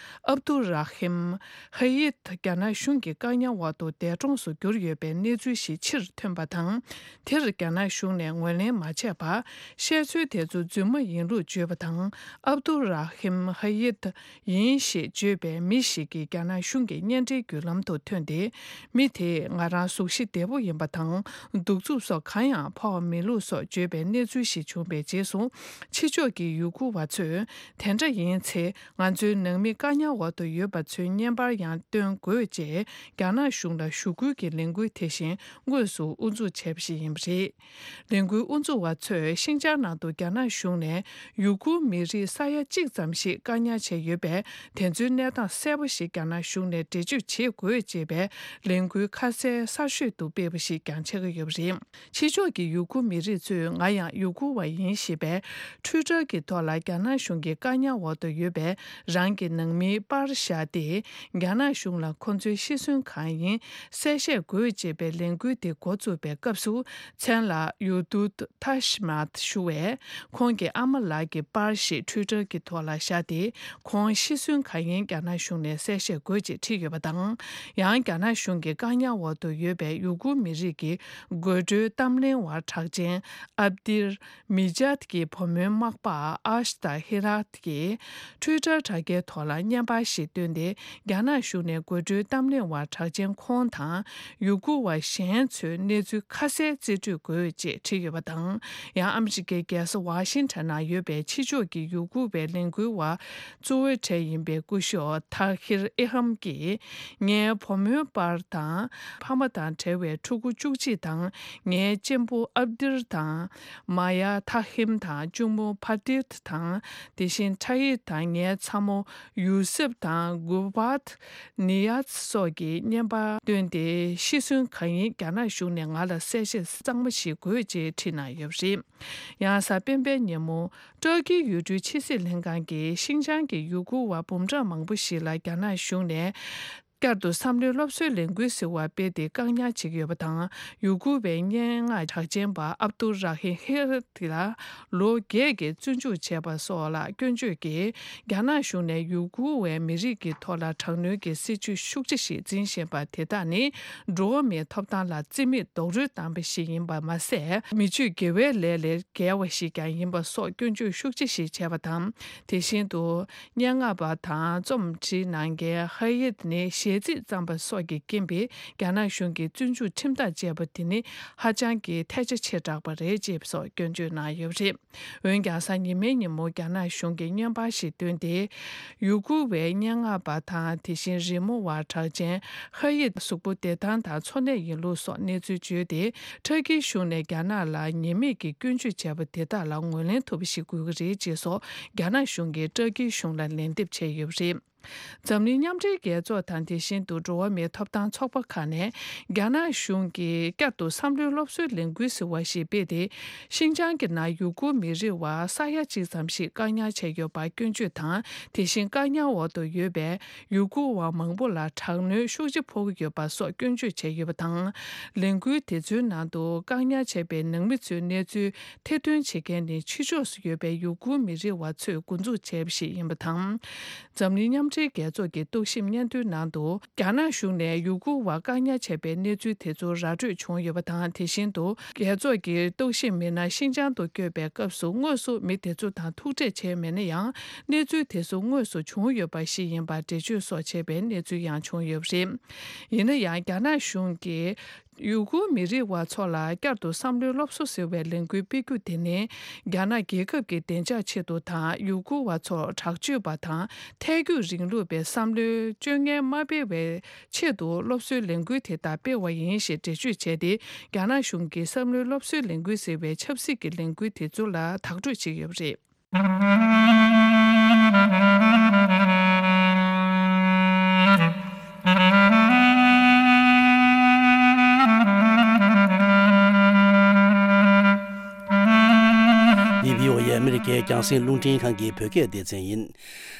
ཨབ་དུ་ར་ཧིམ་ཧ་ཡིད་རྒྱ་ནག་གཞུང་གི་བཀག་ཉར་འོག་ཏུ་འདས་གྲོངས་སུ་གྱུར་ཡོད་པའི་གནས་ཚུལ་ཞིག་ཕྱིར་ཐོན་པ་དང་། དེར་རྒྱ་ནག་གཞུང་ནས་ངོས་ལེན་མ་བྱས་པར། བཤད་ཚུལ་དེ་ཚོ་རྫུན་མ་ཡིན་ལུགས་བརྗོད་པ་དང་། ཨབ་དུ་ར་ཧིམ་ཧ་ཡིད་ཡིན་ཞེས་བརྗོད་པའི་མི་ཞིག་གིས་རྒྱ་ནག་གཞུང་གི་བརྙན་འཕྲིན་བརྒྱུད་ལམ་དུ་ཐོན་ཏེ། མི་དེས་ང་རང་གཟུགས་གཞི་བདེ་པོ་ཡིན་པ་དང་། གདུག་རྩུབ་སོགས་གང་ཡང་ཕོག་མེད་ལུགས་སོགས་བརྗོད་པའི་གནས་ཚུལ་ཞིག་བྱུང་བའི་རྗེས་སུ། ཕྱི་ཕྱོགས་ཀྱི་ཡུ་གུར་བ་ཚོས། དེ་འདྲ་ཡིན་ཚེ། ང་ཚོའི་ནང་མི་བཀག་ཉར་འོག་ཏུ་ཡོད་པ་ཚོའི་བརྙན་པར་ཡང་སྟོན་དགོས་ཅེས། རྒྱ་ནག་གཞུང་ལ་ཞུ་སྐུལ་གྱི་ལས་འགུལ་དེ་བཞིན་དངོས་སུ་དབུ་འཛུགས་བྱས་པ་ཞིག་ཡིན་པ་རེད། ལས་འགུལ་དབུ་འཛུགས་པ་ཚོས་ཤིན་ཅང་ནང་དུ་རྒྱ་ནག་གཞུང་ནས་ཡུ་གུར་མི་རིགས་ས་ཡ་གཅིག་ཙམ་ཞིག་བཀག་ཉར་བྱས་ཡོད་པས། དེ་ཚོའི་གནས་སྟངས་གསལ་པོ་ཞིག་རྒྱ་ནག་གཞུང་ནས་འགྲེལ་བརྗོད་བྱེད་དགོས་ཅེས་པའི་ལས་འགུལ་ཁ་གསལ་གསར་ཤོས་དུ་སྤེལ་བ་ཞིག་ཀྱང་ཆགས་ཀྱི་ཡོད་པ་རེད། ཕྱི་ཕྱོགས་ཀྱི་ཡུ་གུར་མི་རིགས་ཚོས་ང་ཡང་ཡུ་གུར་བ་ཡིན་ཞེས་པའི་ཊུའི་ཊར་གྱི་ཐོག་ལ་རྒྱ་ནག་གཞུང་གི་བཀག་ཉར་འོག་ཏུ་ཡོད་པའི་རང་གི་ནང་མིའི་པར་བཞག་སྟེ། རྒྱ་ནག་གཞུང་ལ་ཁོ་ཚོའི་ཤི་གསོན་གང་ཡིན་གསལ་བཤད་དགོས་ཅེས་པའི་ལས་འགུལ་དེ་འགོ་བཙུགས་པའི་སྐབས་སུ། མཚན་ལ་ཡུ་དུད་ཐ་ཤི་མཱད་ཞུ་བས། ཁོང་གི་ཨ་མ་ལགས་ཀྱི་པར་ཞིག་ཊུའི་ཊར་གྱི་ཐོག་ལ་བཞག་སྟེ། ཁོང་ཤི་གསོན་གང་ཡིན་རྒྱ་ནག་གཞུང་ནས་གསལ་བཤད་དགོས་ཅེས་བྲིས་ཡོད་པ་དང་། ཡང་རྒྱ་ནག་གཞུང་གི་བཀག་ཉར་འོག་ཏུ་ཡོད་པའི་ཡུ་གུར་མི་རིགས་ཀྱི་དགོད་བྲོའི་གཏམ་གླེང་བ་གྲགས་ཅན་ཨབ་དིར་མི་ཇཱད་ཀྱི་བུ་མོའི་མག་པ་ཨ་ཤ་ཏ་ཧི་རཱད་ཀྱིས་ཊུའི་ཊར་དྲ་རྒྱའི་ཐོག་ལ་བརྙན་པར་ཞིག་བཏོན་ཏེ། རྒྱ་ནག་གཞུང་ནས་དགོད་བྲོའི་གཏམ་གླེང་བ་གྲགས་ཅན་ཁོང་དང་ཡུ་གུར་བ་གཞན་ཚོའི་གནས་ཚུལ་ཁ་གསལ་རྩིས་སྤྲོད་དགོས་ཅེས་བྲིས་ཡོད་པ་དང་། ཡང་ཨ་མི་རི་ཀའི་རྒྱལ་ས་ཝ་ཤིང་ཊོན་ནང་ཡོད་པའི་ཕྱི་ཕྱོགས་ཀྱི་ཡུ་གུར་བའི་ལས་འགུལ་བ་གཙོ་བོའི་གྲས་ཡིན་པའི་སྐུ་ཞབས་ཐ་ཧིར་ཨེ་ཧམ་གྱིས། ངའི་བུ་མོའི་པར་དང་། ཕ་མ་དང་བྲལ་བའི་ཕྲུ་གུ་བཅུ་གཅིག་དང་། ངའི་གཅེན་པོ་ཨབ་དིར་དང་། མ་ཡ་ཐ་ཧིམ་དང་གཅུང་མོ་ཕ་ཏིར་དང་། དེ་བཞིན་ཁྲ་ཡིད་དང་ངའི་ཚ་མོ་ཡུ་སེབ་དང་གུ་བཱད་ནི་ཡཱད་སོགས་ཀྱིས་བརྙན་པར་བཏོན་ཏེ། ཤི་གསོན་གང་ཡིན་རྒྱ་ནག་གཞུང་ནས་ང་ལ་གསལ་བཤད་གཙང་མ་ཞིག་དགོས་ཅེས་བྲིས་གནང་ཡོད་པ་རེད། ཡང་གཟའ་སྤེན་པའི་ཉིན་མོ། ཏུར་ཀིའི་ཡུལ་གྲུའི་ཕྱི་སྲིད་ལྷན་ཁང་གིས་ཤིན་ཅང་གི་ཡུ་གུར་བ་འབུམ་ཕྲག་མང་པོ་ཞིག་ལ་རྒྱ་ནག་གཞུང་ནས། བསྐྱར་དུ་བསམ་བློའི་སློབ་གསོའི་ལས་འགུལ་ཟེར་བ་སྤེལ་ཏེ་བཀག་ཉར་བྱེད་ཀྱི་ཡོད་པ་དང་། ཡུ་གུར་བའི་སྙན་ངག་གྲགས་ཅན་པ་ཨབ་ཏུར་ར་ཧིམ་ཧེ་ར་ཏི་ལ་ལོ་བརྒྱད་ཀྱི་བཙོན་འཇུག་བྱས་པ་སོགས་ལ་སྐྱོན་བརྗོད་ཀྱིས། རྒྱ་ནག་གཞུང་ནས་ཡུ་གུར་བའི་མི་རིགས་ཀྱི་ཐོག་ལ་དྲག་གནོན་གྱི་སྲིད་བྱུས་ཤུགས་ཆེ་ཞིག་འཛིན་བཞིན་པ་དེ་དག་ནི། འགྲོ་བ་མིའི་ཐོབ་ཐང་ལ་རྩིས་མེད་རྡོག་རོལ་བཏང་བ་ཞིག་ཡིན་པ་མ་ཟད། མི་ཆོས་དགེ་བའི་ལས་ལས་འགལ་བ་ཞིག་ཀྱང་ཡིན་པ་སོགས་སྐྱོན་བརྗོད་ཤུགས་ཆེ་ཞིག་བྱས་པ་དང་། དེ་བཞིན་དུ། སྙན་ངག་པ་དང་རྩོམ་བྲིས་གནང་མཁན་ཧ་ཡིད་ནི་ཞལ་རྩིས་བརྩམས་པ་སོགས་ཀྱི་རྐྱེན་པས། རྒྱ་ནག་གཞུང་གིས་བཙོན་འཇུག་ཁྲིམས་ཐག་བཅད་པ་དེ་ནི་ཧ་ཅང་གི་ཐལ་ཆ་ཆེ་དྲགས་པ་རེད་ཅེས་སོགས་སྐྱོན་བརྗོད་གནང་ཡོད་པ་རེད། འོན་ཀྱང་གཟའ་ཉི་མའི་ཉིན་མོ་རྒྱ་ནག་གཞུང་གིས་བརྙན་པར་ཞིག་བཏོན་ཏེ། ཡུ་གུར་བའི་སྙན་ངག་པ་དང་དེ་བཞིན་རི་མོ་བ་གྲགས་ཅན་ཧ་ཡིད་གཟུགས་པོ་བདེ་ཐང་དང་འཚོ་གནས་ཡིན་ལུགས་སོགས་གནས་ཚུལ་བརྗོད་དེ། ཏུར་ཀིའི་གཞུང་ནས་རྒྱ་ནག་ལ་ཉེས་མེད་ཀྱི་སྐྱོན་བརྗོད་བྱས་པ་དེ་དག་ལ་ངོས་ལེན་ཐུབ་པ་ཞིག་དགོས་ཀྱི་རེད་ཅེས་སོགས་རྒྱ་ནག་གཞུང་གིས་ཏུར་ཀིའི་གཞུང་ལ་ལན་འདེབས་བྱས་ཡོད་པ་རེད། འཛམ་གླིང་མཉམ་འབྲེལ་རྒྱལ་ཚོགས་དང་དེ་བཞིན་དུ་འགྲོ་བ་མིའི་ཐོབ་ཐང་ཚོགས་པ་ཁག་ནས་རྒྱ་ནག་གཞུང་གིས་བསྐྱར་དུ་བསམ་བློའི་སློབ་གསོའི་ལས་འགུལ་ཟེར་བ་ཞིག་སྤེལ་ཏེ། ཤིན་ཅང་གི་ནང་ཡུ་གུར་མི་རིགས་བ་ས་ཡ་གཅིག་ཙམ་ཞིག་བཀག་ཉར་བྱས་ཡོད་པར་སྐྱོན་བརྗོད་དང་། དེ་བཞིན་བཀག་ཉར་འོག་ཏུ་ཡོད་པའི་ཡུ་གུར་བ་མང་པོ་ལ་དྲག་གནོན་ཤུགས་ཆེ་ཕོག་གི་ཡོད་པ་སོགས་སྐྱོན་བརྗོད་བྱས་ཡོད་པ་དང་། ལས་འགུལ་དེ་ཚོའི་ནང་དུ་བཀག་ཉར་བྱས་པའི་ནང་མི་ཚོའི་གནས་ཚུལ་ཐེར་འདོན་བྱེད་མཁན་ནི་ཕྱི་ཕྱོགས་སུ་ཡོད་པའི་ཡུ་གུར་མི་རིགས་བ་ཚོས་འགོ་འཛུགས་བྱས་པ་ཞིག་ཡིན་པ་དང་། འཛམ་གླིང་མཉམ་འབྲེལ་རྒྱལ་ཚོགས་ཀྱི་རྟོག་ཞིབ་སྙན་ཐོའི་ནང་དུ། རྒྱ་ནག་གཞུང་ནས་ཡུ་གུར་བ་བཀག་ཉར་བྱས་པའི་གནས་ཚུལ་དེ་ཚོ་ར་སྤྲོད་བྱུང་ཡོད་པ་དང་། དེ་བཞིན་དུ། རྒྱལ་ཚོགས་ཀྱི་རྟོག་ཞིབ་མི་སྣ་ཤིན་ཅང་དུ་བསྐྱོད་པའི་སྐབས་སུ་དངོས་སུ་མི་དེ་ཚོ་དང་ཐུག་འཕྲད་བྱས་མེད་ན་ཡང་། གནས་ཚུལ་དེ་ཚོ་དངོས་སུ་བྱུང་ཡོད་པ་ཞིག་ཡིན་པར་འགྲེལ་བརྗོད་སོགས་བྱས་པའི་གནས་ཚུལ་ཡང་བྱུང་ཡོད་པ་རེད། ཡིན་ན་ཡང་། རྒྱ་ནག་གཞུང་གིས་ཡུ་གུར་མི་རིགས་བ་ཚོ་ལ་བསྐྱར་དུ་བསམ་བློའི་སློབ་གསོ་ཟེར་བའི་ལས་འགུལ་སྤེལ་རྒྱུ་དེ་ནི། རྒྱ་ནག་རྒྱལ་ཁབ་ཀྱི་བདེ་འཇགས་ཆེད་དུ་དང་། ཡུ་གུར་བ་ཚོར་དྲག་སྤྱོད་པ་དང་། ཐལ་འགྱུར་རིང་ལུགས་པའི་བསམ་བློའི་སྤྱོད་ངན་མ་སྤེལ་བའི་ཆེད་དུ་སློབ་གསོའི་ལས་འགུལ་དེ་དག་སྤེལ་བ་ཡིན་ཞེས་འགྲེལ་བརྗོད་བྱས་ཏེ། རྒྱ་ནག་གཞུང་གིས་བསམ་བློའི་སློབ་གསོའི་ལས་འགུལ་ཟེར་བའི་ཆབ་སྲིད་ཀྱི་ལས་འགུལ་དེ་ཚོ་ལ་དག་སྤྲོད་བྱས་ཡོད་པ་རེད། འདི་བྷི་ཨོ་ཨེ་ཨ་མི་རི་ཀའི་རྒྱང་སྲིང་རླུང་འཕྲིན་ཁང་གི་བོད་སྐད་སྡེ་ཚན་ཡིན།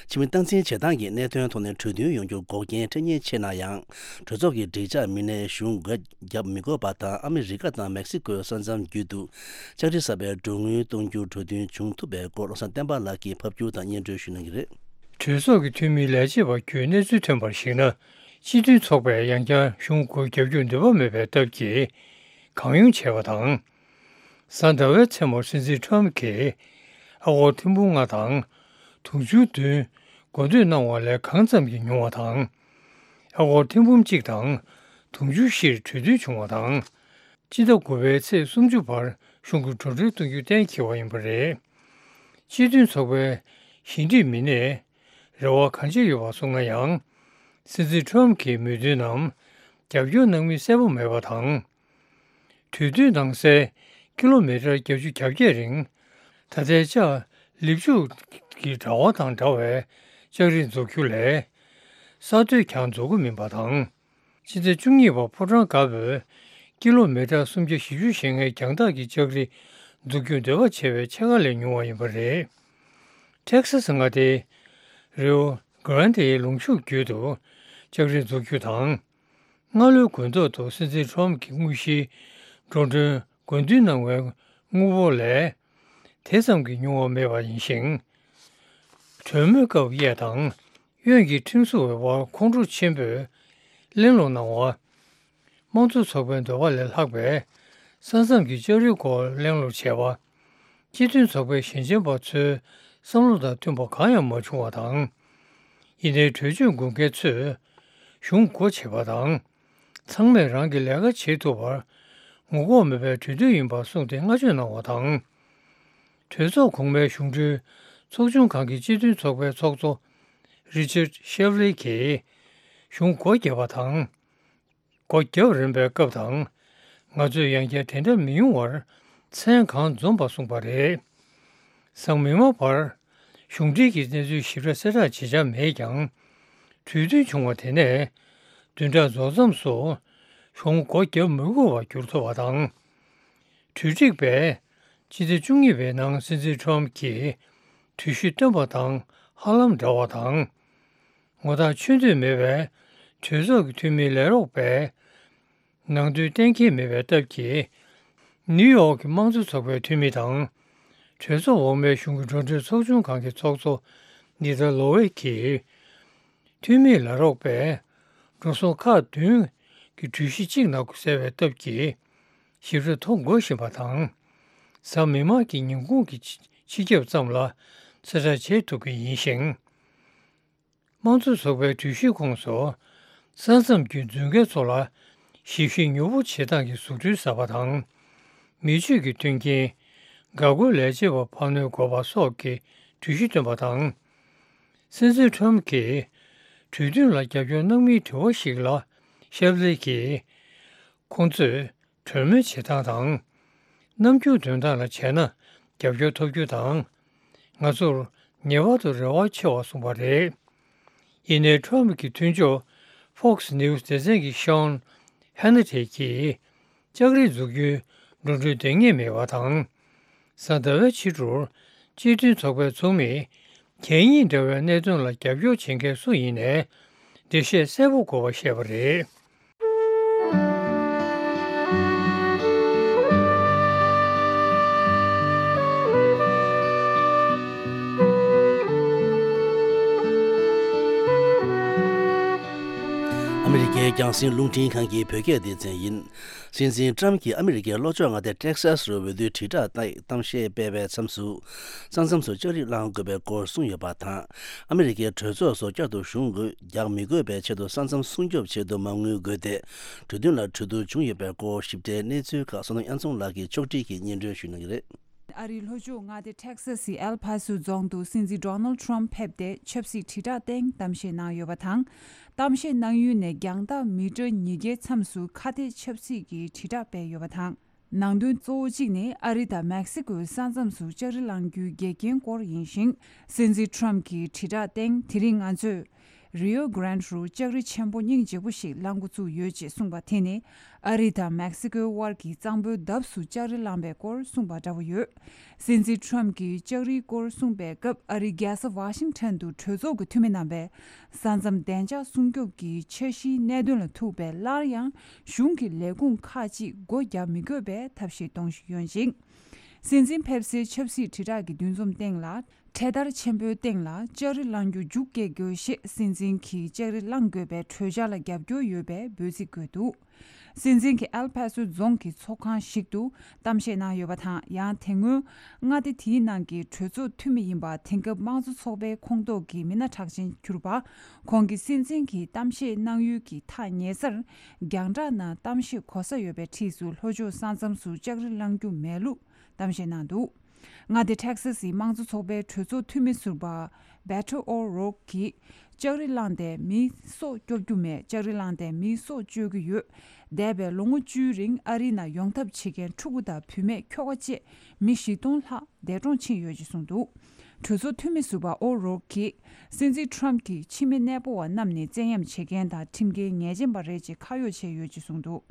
ཕྱི་མི་སྟངས་འཛིན་བྱེད་སྟངས་ཀྱི་གནད་དོན་ཐོག་ནས་གྲོས་མཐུན་ཡོང་རྒྱུར་འགོག་རྐྱེན་འཕྲད་ཉེན་ཆེ་ན་ཡང་། གྲོས་ཚོགས་ཀྱི་སྒྲིག་འཇགས་མི་སྣས་གཞུང་སྒོ་བརྒྱབ་མི་དགོས་པ་དང་། ཨ་མི་རི་ཀ་དང་མེག་སི་ཀོའི་ས་མཚམས་བརྒྱུད་དུ་ལྕགས་རི་གསར་པའི་མགྲོན་གཉེར་གཏོང་རྒྱུར་གྲོས་མཐུན་བྱུང་ཐུབ་པའི་སྐོར། བློ་བཟང་བསྟན་པ་ལགས་ཀྱིས་ཕབ་སྒྱུར་དང་སྙན་སྒྲོན་ཞུ་གནང་གི་རེད། གྲོས་ཚོགས་ཀྱི་འཐུས་མིའི་ལས་བྱེད་པ་ཁྱོན་གནས་ཚུལ་ཐོན་པར་གཞིགས་ན། སྤྱི་མཐུན་ཚོགས་པས་ཡང་བསྐྱར་གཞུང་སྒོ་བརྒྱབ་རྒྱུར་འདོད་པ་མེད་པའི་སྟབས་ཀྱིས་གང་ཡོང་བྱས་པ་དང་། གཟའ་ཟླ་བའི་མཚན་མོར་སྲིད་འཛིན་ཁྲོམ་གྱིས་ཨ་སྒོར་ཐེར་འབུམ་ལྔ་དང་དུང་ཕྱུར་བདུན་མགོ་འདོད་གནང་བ་ལས་གང་ཙམ་གྱིས་ཉུང་བ་དང་། ཨ་སྒོར་ཐེར་འབུམ་གཅིག་དང་དུང་ཕྱུར་བཞིར་གྲོས་མཐུན་བྱུང་བ་དང་། སྤྱི་ཟླ་དགུ་པའི་ཚེས་སུམ་ཅུ་བར་གཞུང་གི་འགྲོ་གྲོན་གཏོང་རྒྱུ་གཏན་འཁེལ་བ་ཡིན་པ་རེད། སྤྱི་མཐུན་ཚོགས་པའི་ཞི་འགྲིག་མི་སྣས་རེ་བ་གང་ཆེ་ཡོད་པ་སོང་ན་ཡང་། སྲིད་འཛིན་ཁྲོམ་གྱི་མོས་མཐུན་ནམ་རྒྱབ་སྐྱོར་གནང་མིན་གསལ་པོ་མེད་པ་དང་། གྲོས་མཐུན་ནང་གསལ་ཀི་ལོ་མི་ཊར་བརྒྱད་ཅུ་གྱ་བརྒྱད་རིང་། ད་ལྟའི་ལྕགས་ལེབ་ཆུ་གི་དྲ་བ་དང་འདྲ་བའི་ལྕགས་རི་འཛུགས་རྒྱུ་ལས། ས་རྡོས་ཀྱང་འཛུགས་ཀྱི་མིན་པ་དང་། སྤྱི་ཟླ་བཅུ་གཉིས་པར་ཕོ་བྲང་དཀར་པོའི་ ཀི་ལོ་མི་ཊར་སུམ་བརྒྱ་བཞི་བཅུ་ཞེ་ལྔའི་རྒྱང་ཐག་གི་ལྕགས་རི་འཛུགས་རྒྱུར་འདོད་པ་བྱེད་པའི་ཕྱེད་ཀ་ལས་ཉུང་བ་ཡིན་པ་རེད། ཊེག་སཱ་སི་མངའ་སྡེའི་རི་ཨོ་གྷ་རན་དེའི་ལུང་ཕྱོགས་བརྒྱུད་དུ་ལྕགས་རི་འཛུགས་རྒྱུ་དང་། སྔ་ལོའི་དགུན་ཐོག་ཏུ་སྲིད་འཛིན་ཊམ་གྱི་དངོས་གཞིའི་འགྲོ་གྲོན་དགོས་འདུན་གནང་བའི་དངུལ་འབོར་ལས། དེ་ཙམ་གྱིས་ཉུང་བ་མེད་པ་ཡིན་ཞིང་། གྲོས་མོལ་སྐབས་གཡས་དང་གཡོན་གྱི་ཁྲིམས་བཟོ་བའི་དབར་ཁོང་ཁྲོ་ཆེན་པོས་གླེང་སློང་གནང་བ། དམངས་གཙོ་ཚོགས་པའི་འདོད་པ་ལས་ལྷག་པའི་ས་མཚམས་ཀྱི་ལྕགས་རིའི་སྐོར་གླེང་སློང་བྱས་པ། སྤྱི་མཐུན་ཚོགས་པའི་ཞལ་ཆེམས་པ་ཚོའི་བསམ་བློ་དང་མཐུན་པ་གང་ཡང་མ་བྱུང་བ་དང་། ཡིན་ནའི་གྲོས་ཆོད་དགོས་མཁན་ཚོས་གཞུང་སྒོ་ཕྱེ་བ་དང་། ཚང་མས་རང་གི་ལས་ཀ་བྱེད་ཐུབ་པར་ངོ་ལྐོག་མེད་པའི་གྲོས་མཐུན་ཡིན་པར་གསུངས་ཏེ་བསྔགས་བརྗོད་གནང་བ་དང་། གྲོས་ཚོགས་གོང་མའི་གཞུང་འབྲེལ་ཚོགས་ཆུང་ཁང་གི་སྤྱི་མཐུན་ཚོགས་པའི་ཚོགས་གཙོ་རི་ཅར་ཤེབ་ལི་གིས་གཞུང་སྒོ་བརྒྱབ་པ་དང་། སྒོ་བརྒྱབ་རན་པའི་སྐབས་དང་། ང་ཚོས་ཡང་བསྐྱར་དེ་འདྲ་མི་ཡོང་བར་མཚན་གང་འཛོམས་པ་གསུངས་པ་རེད། སང་མི་མང་བར་གཞུང་འབྲེལ་གྱི་གནས་ཚུལ་ཞིབ་ཕྲ་གསལ་བསྒྲགས་བྱེད་འཆར་མེད་ཀྱང་། གྲོས་མཐུན་བྱུང་བ་དེ་ནས་བདུན་ཕྲག་རྫོགས་མཚམས་སུ་གཞུང་སྒོ་བརྒྱབ་མི་དགོས་པར་གྱུར་ཐུབ་པ་དང་། གྲོས་སྒྲིག་པས་ཕྱི་ཟླ་བཅུ་གཉིས་པའི་ནང་སྲིད་འཛིན་ཊམ་གྱིས་གྲོས་གཞི་བཏོན་པ་དང་ཧ་ལམ་འདྲ་བ་དང་། ངོ་ཐག་ཆོད་འདོད་མེད་པའི་གྲོས་ཚོགས་ཀྱི་འཐུས་མི་ལས་རོགས་པས་ནང་དོན་གཏན་འཁེལ་མེད་པའི་སྟབས་ཀྱིས། ནིའུ་ཡོག་གི་དམངས་གཙོ་ཚོགས་པའི་འཐུས་མི་དང་། གྲོས་ཚོགས་འོག་མའི་གཞུང་གི་འགྲོ་གྲོན་ཚོགས་ཆུང་ཁང་གི་ཚོགས་གཙོ་ནི་ད་ལོ་ཝེ་གིས། འཐུས་མི་ལས་རོགས་པས་འགྲོ་སོང་ཁག་བདུན་གྱི་གྲོས་གཞི་གཅིག་ནང་དུ་གསལ་བའི་སྟབས་ཀྱིས་ཞིབ་ཕྲ་ཐོ་འགོད་བཞིན་པ་དང་། གཟའ་མིག་དམར་གྱི་ཉིན་གུང་གི་སྤྱི་ཁྱབ་ཙམ་ལ་གསལ་བསྒྲགས་བྱེད་ཐུབ་ཀྱི་ཡིན་ཞིང་། དམངས་གཙོ་ཚོགས་པའི་གྲོས་གཞིའི་ཁོངས་སུ་ས་མཚམས་ཀྱི་མཛོད་འགན་ཚོ་ལ་ཞིབ་བཤེར་མྱུར་པོ་བྱེད་སྟངས་ཀྱི་བཟོ་སྐྲུན་གསར་པ་དང་། མི་སྤྱོད་ཀྱི་མཐུན་རྐྱེན། འགག་སྒོའི་ལས་བྱེད་པ་འཕར་སྣོན་དགོས་པ་སོགས་ཀྱི་གྲོས་གཞི་བཏོན་པ་དང་། སྲིད་འཛིན་ཁྲོམ་གྱིས་གྲོས་མཐུན་ལ་རྒྱབ་སྐྱོར་གནང་མིན་དྲི་བ་ཞིག་ལ་ཤེབ་ལི་གིས། ཁོང་ཚོས་གྲོས་མོལ་བྱེད་སྟངས་དང་། རྣམ་འགྱུར་འདོན་སྟངས་ལ་བྱས་ན་རྒྱབ་སྐྱོར་ཐོབ་རྒྱུ་དང་། ང་ཚོར་ངེས་པར་དུ་རེ་བ་ཆེ་བ་གསུངས་པ་རེད། ཡིན་ནའི་ཁྲོམ་གྱི་མཐུན་ཕྱོགས་Fox News་སྡེ་ཚན་གྱི་ཤོན་ཧན་ནི་ཏེ་གྱིས། ལྕགས་རི་འཛུགས་རྒྱུའི་འགྲོ་གྲོན་འདང་ངེས་མེད་པ་དང་། གཟའ་ཟླ་བའི་ཕྱི་དྲོར་སྤྱི་མཐུན་ཚོགས་པའི་ཚོགས་མིས་གད་སྙིགས་འདྲ་བའི་གནད་དོན་ལ་རྒྱབ་སྐྱོར་བྱེད་མཁན་སུ་ཡིན་ནའི་འགྲེལ་བཤད་གསལ་པོ་དགོས་པ་བཤད་པ་རེད། ཨ་མི་རི་ཀའི་རྒྱང་སྲིང་རླུང་འཕྲིན་ཁང་གི་བོད་སྐད་སྡེ་ཚན་ཡིན། སྲིད་འཛིན་ཀྲམ་གྱིས་ཨ་མི་རི་ཀའི་ལྷོ་ཕྱོགས་མངའ་སྡེ་ཊེག་སཱ་སི་རུ་འོས་བསྡུའི་དྲིལ་བསྒྲགས་གཏམ་བཤད་སྤེལ་བའི་མཚམས་སུ། ས་མཚམས་སུ་ལྕགས་རི་བསླང་དགོས་པའི་སྐོར་གསུངས་ཡོད་པ་དང་། ཨ་མི་རི་ཀའི་གྲོས་ཚོགས་སུ་བསྐྱར་དུ་ཞུགས་དགོས་རྒྱག་མི་དགོས་པའི་ཆེད་དུ་ས་མཚམས་སྲུང་སྐྱོབ་ཆེད་དུ་མ་དངུལ་དགོས་ཏེ། གྲོས་མཐུན་ལ་གྲོས་བསྡུར་བྱུང་ཡོད་པའི་སྐོར་ཞིབ་ཕྲའི་གནས་ཚུལ་ཁག་བསོད་ནམས་དབྱངས་འཛོམས་ལགས་ཀྱིས་ཕྱོགས་སྒྲིག་གིས་སྙན་སྒྲོན་ཞུ་གནང་གི་རེད། ཨ་རིའི་ལྷོ་ཕྱོགས་མངའ་སྡེ་ཊེག་སཱ་སི་ཨེལ་ཕ་སོ་རྫོང་དུ་སྲིད་འཛིན་ཌོ་ནལ་ཊམ་ཕེབས་ཏེ་ཆབ་སྲིད་དྲིལ་བསྒྲགས་སྟེང་གཏམ་བཤད་གནང་ཡོད་པ་དང་། གཏམ་བཤད་གནང་ཡུལ་ནས་རྒྱང་ཐག་མི་ཊར་ཉིས་བརྒྱའི་མཚམས་སུ་ཁ་གཏད་ཆབ་སྲིད་ཀྱི་དྲིལ་བསྒྲགས་སྤེལ་ཡོད་པ་དང་། ནང་དོན་གཙོ་བོ་གཅིག་ནི་ཨ་རི་དང་མེག་སི་ཀོའི་ས་མཚམས་སུ་ལྕགས་རི་བསླང་རྒྱུའི་འགལ་རྐྱེན་སྐོར་ཡིན་ཞིང་། སྲིད་འཛིན་ཊམ་གྱི་དྲིལ་བསྒྲགས་སྟེང་དེ་རིང་ང་ཚོས། རི་ཡོ་གྷ་རན་རུ་ལྕགས་རི་ཆེན་པོ་སྙིང་རྗེ་པོ་ཞིག་བསླང་འགོ་བཙུགས་ཡོད་ཅེས་གསུངས་པ་དེ་ནི་ཨ་རི་དང་མེག་སི་ཀོའི་དབར་གྱི་གཙང་པོའི་འདབས་སུ་ལྕགས་རི་བསླངས་པའི་སྐོར་གསུངས་པ་འདྲ་བོ་ཡོད། སྲིད་འཛིན་ཊམ་གྱིས་ལྕགས་རིའི་སྐོར་གསུངས་པའི་སྐབས་ཨ་རིའི་རྒྱལ་ས་ཝ་ཤིང་ཊོན་དུ་གྲོས་ཚོགས་ཀྱི་འཐུས་མི་རྣམ་པས་ས་མཚམས་བདེ་འཇགས་སྲུང་སྐྱོབ་ཀྱི་འཆར་གཞིའི་གནད་དོན་ལ་ཐུག་པའི་སླར་ཡང་གཞུང་གི་ལས་ཁུངས་ཁག་ཅིག་སྒོ་རྒྱག་མི་དགོས་པའི་ཐབས་ཤེས་གཏོང་བཞིན་ཡོད་ཅིང་། སྲིད་འཛིན་ཕེབས་སའི་ཆབ་སྲིད་དྲིལ་བསྒྲགས་ཀྱི་འདུ་འཛོམས་སྟེང་ལ། འཕྲེད་དར་ཆེན་པོའི་སྟེང་ལ་ལྕགས་རི་བསླང་རྒྱུ་རྒྱུགས་སྐྱེལ་དགོས་ཞེས་སྲིད་འཛིན་གྱིས་ལྕགས་རི་བསླང་དགོས་པའི་གྲོས་འཆར་ལ་རྒྱབ་སྐྱོར་ཡོད་པའི་འབོད་ཚིག་བཀོད་འདུག། སྲིད་འཛིན་གྱིས་ཨེལ་ཕ་སོ་རྫོང་གི་ཚོགས་ཁང་ཞིག་ཏུ་གཏམ་བཤད་གནང་ཡོད་པ་དང་། ཡང་དེ་སྔོན་མངའ་སྡེ་དེའི་ནང་གི་གྲོས་ཚོགས་འཐུས་མི་ཡིན་པ། དེང་སྐབས་དམངས་གཙོ་ཚོགས་པའི་ཁོངས་གཏོགས་ཀྱི་མི་སྣ་གྲགས་ཅན་གྱུར་པ། ཁོང་གིས་སྲིད་འཛིན་གྱི་གཏམ་བཤད་གནང་ཡུལ་གྱི་ཐག་ཉེ་སར་རྒྱང་བསྒྲགས་ནང་གཏམ་བཤད་གོ་ས་ཡོད་པའི་འཁྲིས་སུ་ལྷོ་ཕྱོགས་ས་མཚམས་སུ་ལྕགས་རི་བསླང་རྒྱུ་མེད་ལུགས་གཏམ་བཤད་གནང་འདུག། མངའ་སྡེ་ཊེག་སཱ་སིའི་དམངས་གཙོ་ཚོགས་པའི་གྲོས་ཚོགས་འཐུས་མི་ཟུར་པ་བེ་ཐོ་ཨོ་རོག་གིས་ལྕགས་རི་བསླངས་ཏེ་མིའི་སྲོག་སྐྱོབ་རྒྱུ་མེད། ལྕགས་རི་བསླངས་ཏེ་མིའི་སྲོག་གཅོད་ཀྱི་ཡོད། འདས་པའི་ལོ་ངོ་བཅུའི་རིང་ཨ་རིའི་ནང་ཡོང་ཐབས་བྱེད་མཁན་ཕྲུ་གུ་དང་བུད་མེད་ཁྱོ་ག་བཅས་མི་བཞི་སྟོང་ལྷག་འདས་གྲོངས་ཕྱིན་ཡོད་ཅེས་གསུངས་འདུག། གྲོས་ཚོགས་འཐུས་མི་ཟུར་པ་ཨོ་རོག་གིས་སྲིད་འཛིན་ཊམ་གྱིས་ཕྱི་མི་གནས་སྤོ་བ་རྣམས་ནི་བཙན་གཡེམ་བྱེད་མཁན་དང་ཁྲིམས་འགལ་ཉེས་ཅན་པ་རེད་ཅེས་ཁ་གཡོགས་བྱས་ཡོད་ཅེས་གསུངས་འདུག།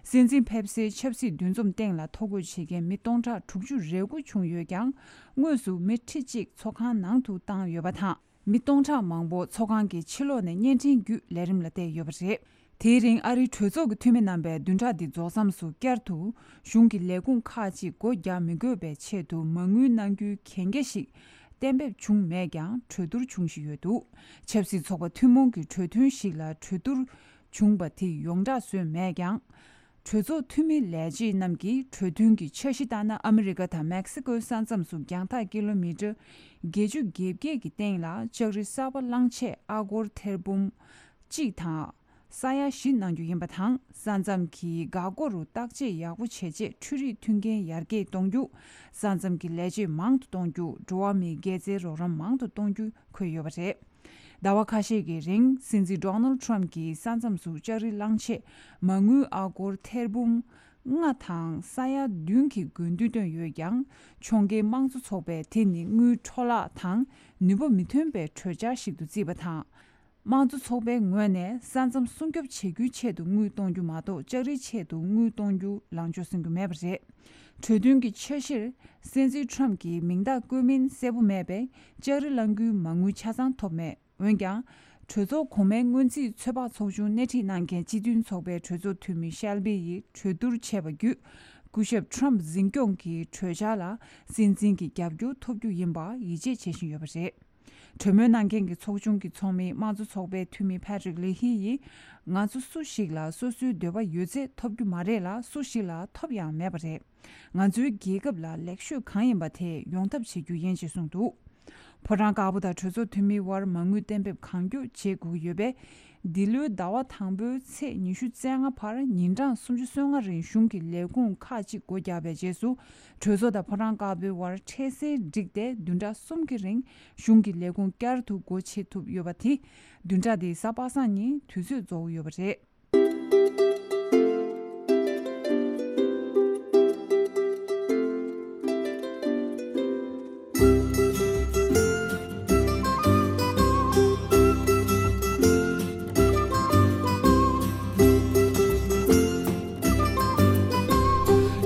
སྲིད་འཛིན་ཕེབས་སའི་ཆབ་སྲིད་འདུ་འཛོམས་སྟེང་ལ་ཐོ་འགོད་བྱེད་མཁན་མི་སྟོང་ཕྲག་དྲུག་ཅུ་རེ་དགུ་བྱུང་ཡོད་ཀྱང་། དངོས་སུ་མི་ཁྲི་གཅིག་ཚོགས་ཁང་ནང་དུ་བཏང་ཡོད་པ་དང་། མི་སྟོང་ཕྲག་མང་པོ་ཚོགས་ཁང་གི་ཕྱི་ལོགས་ནས་བརྙན་འཕྲིན་བརྒྱུད་ལས་རིམ་ལ་བལྟས་ཡོད་པ་རེད། དེའི་རིང་ཨ་རིའི་གྲོས་ཚོགས་ཀྱི་འཐུས་མི་རྣམ་པས་བདུན་ཕྲག་འདི་རྫོགས་མཚམས་སུ་བསྐྱར་དུ་གཞུང་གི་ལས་ཁུངས་ཁག་ཅིག་སྒོ་རྒྱག་མི་དགོས་པའི་ཆེད་དུ་མ་དངུལ་གནང་རྒྱུའི་གན་རྒྱ་ཞིག་གཏན་འབེབས་བྱུང་མེད་ཀྱང་། གྲོས་བསྡུར་འབྱུང་བཞིན་ཡོད་འདུག་ཆབ་སྲིད་ཚོགས་པ་ཐུན་མོང་གི་གྲོས་མཐུན་ཞིག་ལ་གྲོས་བསྡུར་བྱུང་པ་དེ་ཡོངས་གྲགས་བཟོས་མེད་ཀྱང་། གྲོས་ཚོགས་འཐུས་མི་ལས་བྱེད་རྣམས་ཀྱིས་གྲོས་མཐུན་གྱི་འཆར་གཞི་ལྟར་ན། ཨ་མི་རི་ཀ་དང་མེག་སི་ཀོའི་ས་མཚམས་སུ་རྒྱང་ཐག་ཀི་ལོ་མི་ཊར་བརྒྱད་ཅུ་གྱ་བརྒྱད་ཀྱི་སྟེང་ལ་ལྕགས་རི་གསར་པ་བླངས་ཆེད་ཨ་སྒོར་ཐེར་འབུམ་གཅིག་དང་ས་ཡ་བཞི་གནང་རྒྱུ་ཡིན་པ་དང་། ས་མཚམས་ཀྱི་འགག་སྒོ་རུ་བརྟག་དཔྱད་ཡག་པོ་བྱས་རྗེས་འཕྲུལ་རིག་མཐུན་རྐྱེན་ཡར་རྒྱས་གཏོང་རྒྱུ། ས་མཚམས་ཀྱི་ལས་བྱེད་མང་དུ་གཏོང་རྒྱུ། འགྲོ་བ་མིའི་དགེ་རྩའི་རོགས་རམ་མང་དུ་གཏོང་རྒྱུ་འཁོད་ཡོད་པ་རེད། ཟླ་བ་ཁ་ཤས་ཀྱི་རིང་སྲིད་འཛིན་ཌོ་ནལ་ཊམ་གྱིས་ས་མཚམས་སུ་ལྕགས་རི་བླངས་ཆེད་མ་དངུལ་ཨ་སྒོར་ཐེར་འབུམ་ལྔ་དང་ས་ཡ་བདུན་གྱི་དགོས་འདུན་བཏོན་ཡོད་ཀྱང་། ཕྱོགས་འགལ་དམངས་གཙོ་ཚོགས་པས་དེ་ནི་དངུལ་འཕྲོ་བརླག་དང་ནུས་པ་མི་ཐོན་པའི་གྲོས་འཆར་ཞིག་ཏུ་བརྩིས་པ་དང་། དམངས་གཙོ་ཚོགས་པའི་ངོས་ནས་ས་མཚམས་སྲུང་སྐྱོབ་བྱེད་རྒྱུའི་ཆེད་དུ་དངུལ་གཏོང་རྒྱུ་མ་གཏོགས། ལྕགས་རིའི་ཆེད་དུ་དངུལ་གཏོང་རྒྱུ་ལངས་ཕྱོགས་སྲུང་རྒྱུ་མེད་པ་རེད། གྲོས་མཐུན་གྱི་འཆར་གཞིར་སྲིད་འཛིན་ཊམ་གྱི་མིང་རྟགས་བཀོད་མིན་གསལ་པོ་མེད་པས། ལྕགས་རི་བླང་རྒྱུའི་མ་དངུལ་ཆ་ཚང་ཐོབ་མེད། འོན་ཀྱང་། གྲོས་ཚོགས་གོང་མའི་སྔོན་རྩིས་ཚོད་དཔག་ཚོགས་ཆུང་སྣེ་ཁྲིད་གནང་མཁན་སྤྱི་མཐུན་ཚོགས་པའི་གྲོས་ཚོགས་འཐུས་མི་ཤལ་བི་ཡིས་གྲོས་བསྡུར་བྱས་པ་བརྒྱུད། སྐུ་ཞབས་ཊམ་འཛིན་སྐྱོང་གི་གྲོས་འཆར་ལ་སྲིད་འཛིན་གྱི་རྒྱབ་སྐྱོར་ཐོབ་རྒྱུ་ཡིན་པ་ཡིད་ཆེས་བྱེད་བཞིན་ཡོད་པ་རེད། གྲོས་མོལ་གནང་མཁན་གྱི་ཚོགས་ཆུང་གི་ཚོགས་མི་དམངས་གཙོ་ཚོགས་པའི་འཐུས་མི་ཕ་ཏྲིག་ལི་ཧི་ཡིས། ང་ཚོ་སུ་ཞིག་ལ་སོ་སོའི་འདོད་པ་ཡོད་ཚད་ཐོབ་རྒྱུ་མ་རེད་ལ། སུ་ཞིག་ལ་ཐོབ་ཡང་མེད་པ་རེད། ང་ཚོའི་རྒྱལ་ཁབ་ལ་ལེགས་ཤོས་གང་ཡིན་པ་དེ་ཡོང་ཐབས་བྱེད་རྒྱུ་ཡིན་ཞེས་གསུངས་འདུག་ཕོ་བྲང་དཀར་པོ་དང་གྲོས་ཚོགས་འཐུས་མིའི་དབར་མ་དངུལ་གཏན་འབེབས་གང་མགྱོགས་བྱེད་དགོས་ཀྱི་ཡོད་པས། འདི་ལོའི་ཟླ་བ་དང་པོའི་ཚེས་ཉི་ཤུ་རྩ་ལྔ་བར་ཉིན་གྲངས་སུམ་ཅུ་སོ་ལྔ་རིང་གཞུང་གི་ལས་ཁུངས་ཁག་ཅིག་སྒོ་བརྒྱབ་པའི་རྗེས་སུ། གྲོས་ཚོགས་དང་ཕོ་བྲང་དཀར་པོའི་དབར་འཕྲལ་སེལ་བསྒྲིགས་ཏེ། བདུན་ཕྲག་གསུམ་གྱི་རིང་གཞུང་གི་ལས་ཁུངས་བསྐྱར་དུ་སྒོ་ཕྱེ་ཐུབ་ཡོད་པ་དེ། བདུན་ཕྲག་འདིའི་གཟའ་པ་སངས་ཉིན་དུས་ཚོད་རྫོགས་ཡོད་པ་རེད།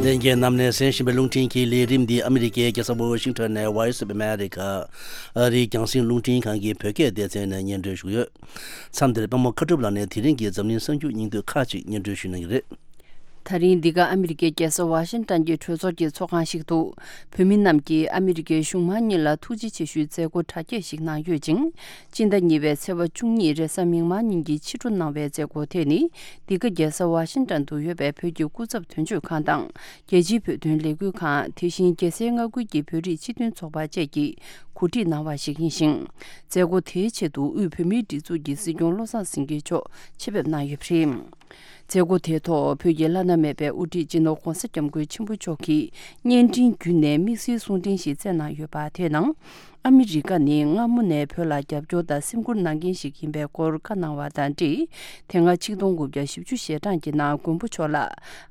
ལྷན་རྒྱས་རྣམས་ནས་གསན་བཞིན་པའི་རླུང་འཕྲིན་གྱི་ལས་རིམ་འདི་ཨ་མི་རི་ཀའི་རྒྱལ་ས་ཝ་ཤིང་ཊོན་ནས་Voice of America ཨ་རིའི་རྒྱང་སྲིང་རླུང་འཕྲིན་ཁང་གི་བོད་སྐད་སྡེ་ཚན་ནས་སྙན་སྒྲོན་ཞུས་ཡོད། མཚམས་འདིར་དཔལ་མོ་མཁའ་གྲུབ་ལགས་ནས་དེ་རིང་གི་འཛམ་གླིང་གསར་འགྱུར་སྙིང་བསྡུས་ཁག་ཅིག་སྙན་སྒྲོན་ཞུ་གནང་གི་རེད། ད་རིང་འདི་ག་ཨ་མི་རི་ཀའི་རྒྱལ་ས་ཝ་ཤིང་ཊོན་གྱི་གྲོས་ཚོགས་ཀྱི་ཚོགས་ཁང་ཞིག་ཏུ། བོད་མི་རྣམས་ཀྱིས་ཨ་མི་རི་ཀའི་གཞུང་མང་གཉིས་ལ་ཐུགས་རྗེ་ཆེ་ཞུའི་མཛད་སྒོ་གྲ་རྒྱས་ཤིག་གནང་ཡོད་ཅིང་། སྤྱི་ཟླ་གཉིས་པའི་ཚེས་པ་བཅུ་གཉིས་རེས་གཟའ་མིག་དམར་ཉིན་གྱི་ཕྱི་དྲོ་གནང་བའི་མཛད་སྒོ་དེ་ནི། འདི་ག་རྒྱལ་ས་ཝ་ཤིང་ཊོན་དུ་ཡོད་པའི་བོད་ཀྱི་སྐུ་ཚབ་དོན་གཅོད་ཁང་དང་། རྒྱལ་སྤྱིའི་བོད་དོན་ལས་འགུལ་ཁང་། དེ་བཞིན་རྒྱལ་སའི་མངའ་ཁུལ་གྱི་བོད་རིགས་སྤྱི་མཐུན་ཚོགས་པ་བཅས་ཀྱིས་གོ་སྒྲིག་གནང་བ་ཞིག་ཡིན་ཞིང་། མཛད་སྒོ་དེའི་ཆེད་དུ་དབུས་བོད་མིའི་སྒྲིག་འཛུགས་ཀྱི་སྲིད་སྐྱོང་བློ་བཟང་སེང་གེ་མཆོག་ཆེད་ཕེབས་གནང་ཡོད་པ་རེད། མཛད་སྒོ་དེའི་ཐོག་བོད་ཀྱི་བླ་ན་མེད་པའི་དབུ་ཁྲིད་སྤྱི་ནོར་༧གོང་ས་༧སྐྱབས་མགོན་ཆེན་པོ་མཆོག་གིས་བརྙན་འཕྲིན་བརྒྱུད་ནས་དམིགས་བསལ་གསུང་འཕྲིན་ཞིག་བསྩལ་གནང་ཡོད་པ། དེའི་ནང་། ཨ་མི་རི་ཀ་ནི་སྔ་མོ་ནས་བོད་ལ་རྒྱབ་སྐྱོར་དང་སེམས་ཁུར་གནང་མཁན་ཞིག་ཡིན་པའི་སྐོར་བཀའ་གནང་བ་དང་འབྲེལ། དེ་སྔ་ཆིག་སྟོང་དགུ་བརྒྱ་བཞི་བཅུ་ཞེ་གྲངས་ཀྱི་ནང་མགོན་པོ་མཆོག་ལ་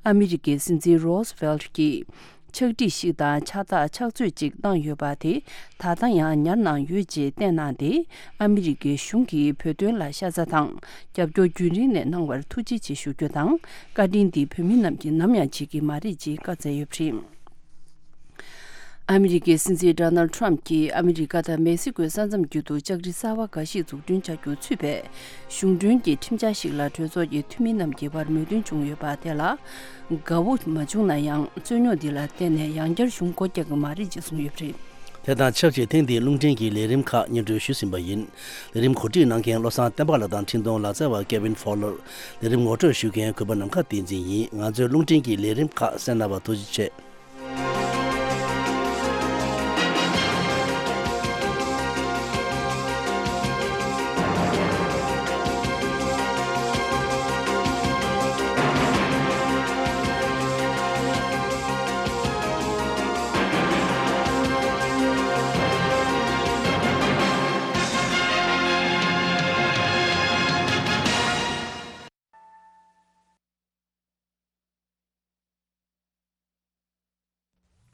ཨ་མི་རི་ཀའི་སྲིད་འཛིན་རོ་སི་ཝེལ་གྱིས་ཕྱག་བྲིས་ཤིག་དང་ཕྱག་རྟགས་ཕྱག་མཛོད་ཅིག་བཏང་ཡོད་པ་དེ་ད་ལྟ་ཡང་ཉར་གནང་ཡོད་ཅེས་བསྟན་གནང་སྟེ། ཨ་མི་རི་ཀའི་གཞུང་གིས་བོད་དོན་ལ་ཤ་ཚ་དང་རྒྱབ་སྐྱོར་རྒྱུན་རིང་ནས་གནང་བར་ཐུགས་རྗེ་ཆེ་ཞུ་རྒྱུ་དང་། བཀའ་དྲིན་འདི་བོད་མི་རྣམས་ཀྱིས་ནམ་ཡང་བརྗེད་ཀྱི་མ་རེད་ཅེས་བཀའ་སྩལ་ཡོད་པ་རེད། ཨ་མི་རི་ཀའི་སྲིད་འཛིན་ཌོ་ནལ་ཊམ་གྱིས་ཨ་མི་རི་ཀ་དང་མེག་སི་ཀོའི་ས་མཚམས་རྒྱུད་དུ་ལྕགས་རི་གསར་བ་འགའ་ཞིག་འཛུགས་སྐྲུན་བྱ་རྒྱུ་ཚུད་པའི་གཞུང་གྲོན་གྱི་ཁྲིམས་འཆར་ཞིག་ལ་གྲོས་ཚོགས་ཀྱི་འཐུས་མི་རྣམས་ཀྱི་བར་མོས་མཐུན་བྱུང་ཡོད་པ་དེ་ལ་དགའ་བོ་མ་བྱུང་ན་ཡང་། རྩོད་རྙོག་འདི་ལ་བརྟེན་ནས་ཡང་བསྐྱར་གཞུང་སྒོ་རྒྱག་གི་མ་རེད་ཅེས་གསུངས་ཡོད་པ་རེད། དེ་དང་ཆབས་ཅིག་ཐེངས་འདིའི་རླུང་འཕྲིན་གྱི་ལས་རིམ་ཁག་སྙན་སྒྲོན་ཞུས་ཟིན་པ་ཡིན། ལས་རིམ་གོ་སྒྲིག་གནང་མཁན་བློ་བཟང་བསྟན་པ་ལགས་དང་འཕྲིན་གཏོང་ལག་རྩལ་བ་ཀེ་ཝིན་ཕོ་ལར། ལས་རིམ་ངོ་སྤྲོད་ཞུ་མཁན་གུས་པ་ནམ་མཁའ་བསྟན་འཛིན་ཡིན། ང་ཚོའི་རླུང་འཕྲིན་གྱི་ལས་རིམ་ཁག་གསན་གནང་བར་ཐུགས་རྗེ་ཆེ།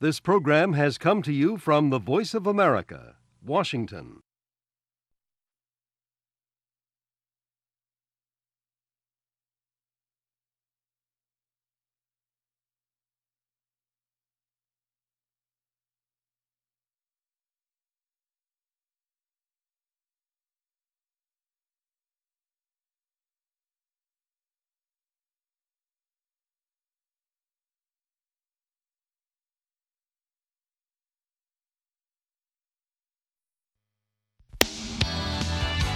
This program has come to you from the Voice of America, Washington.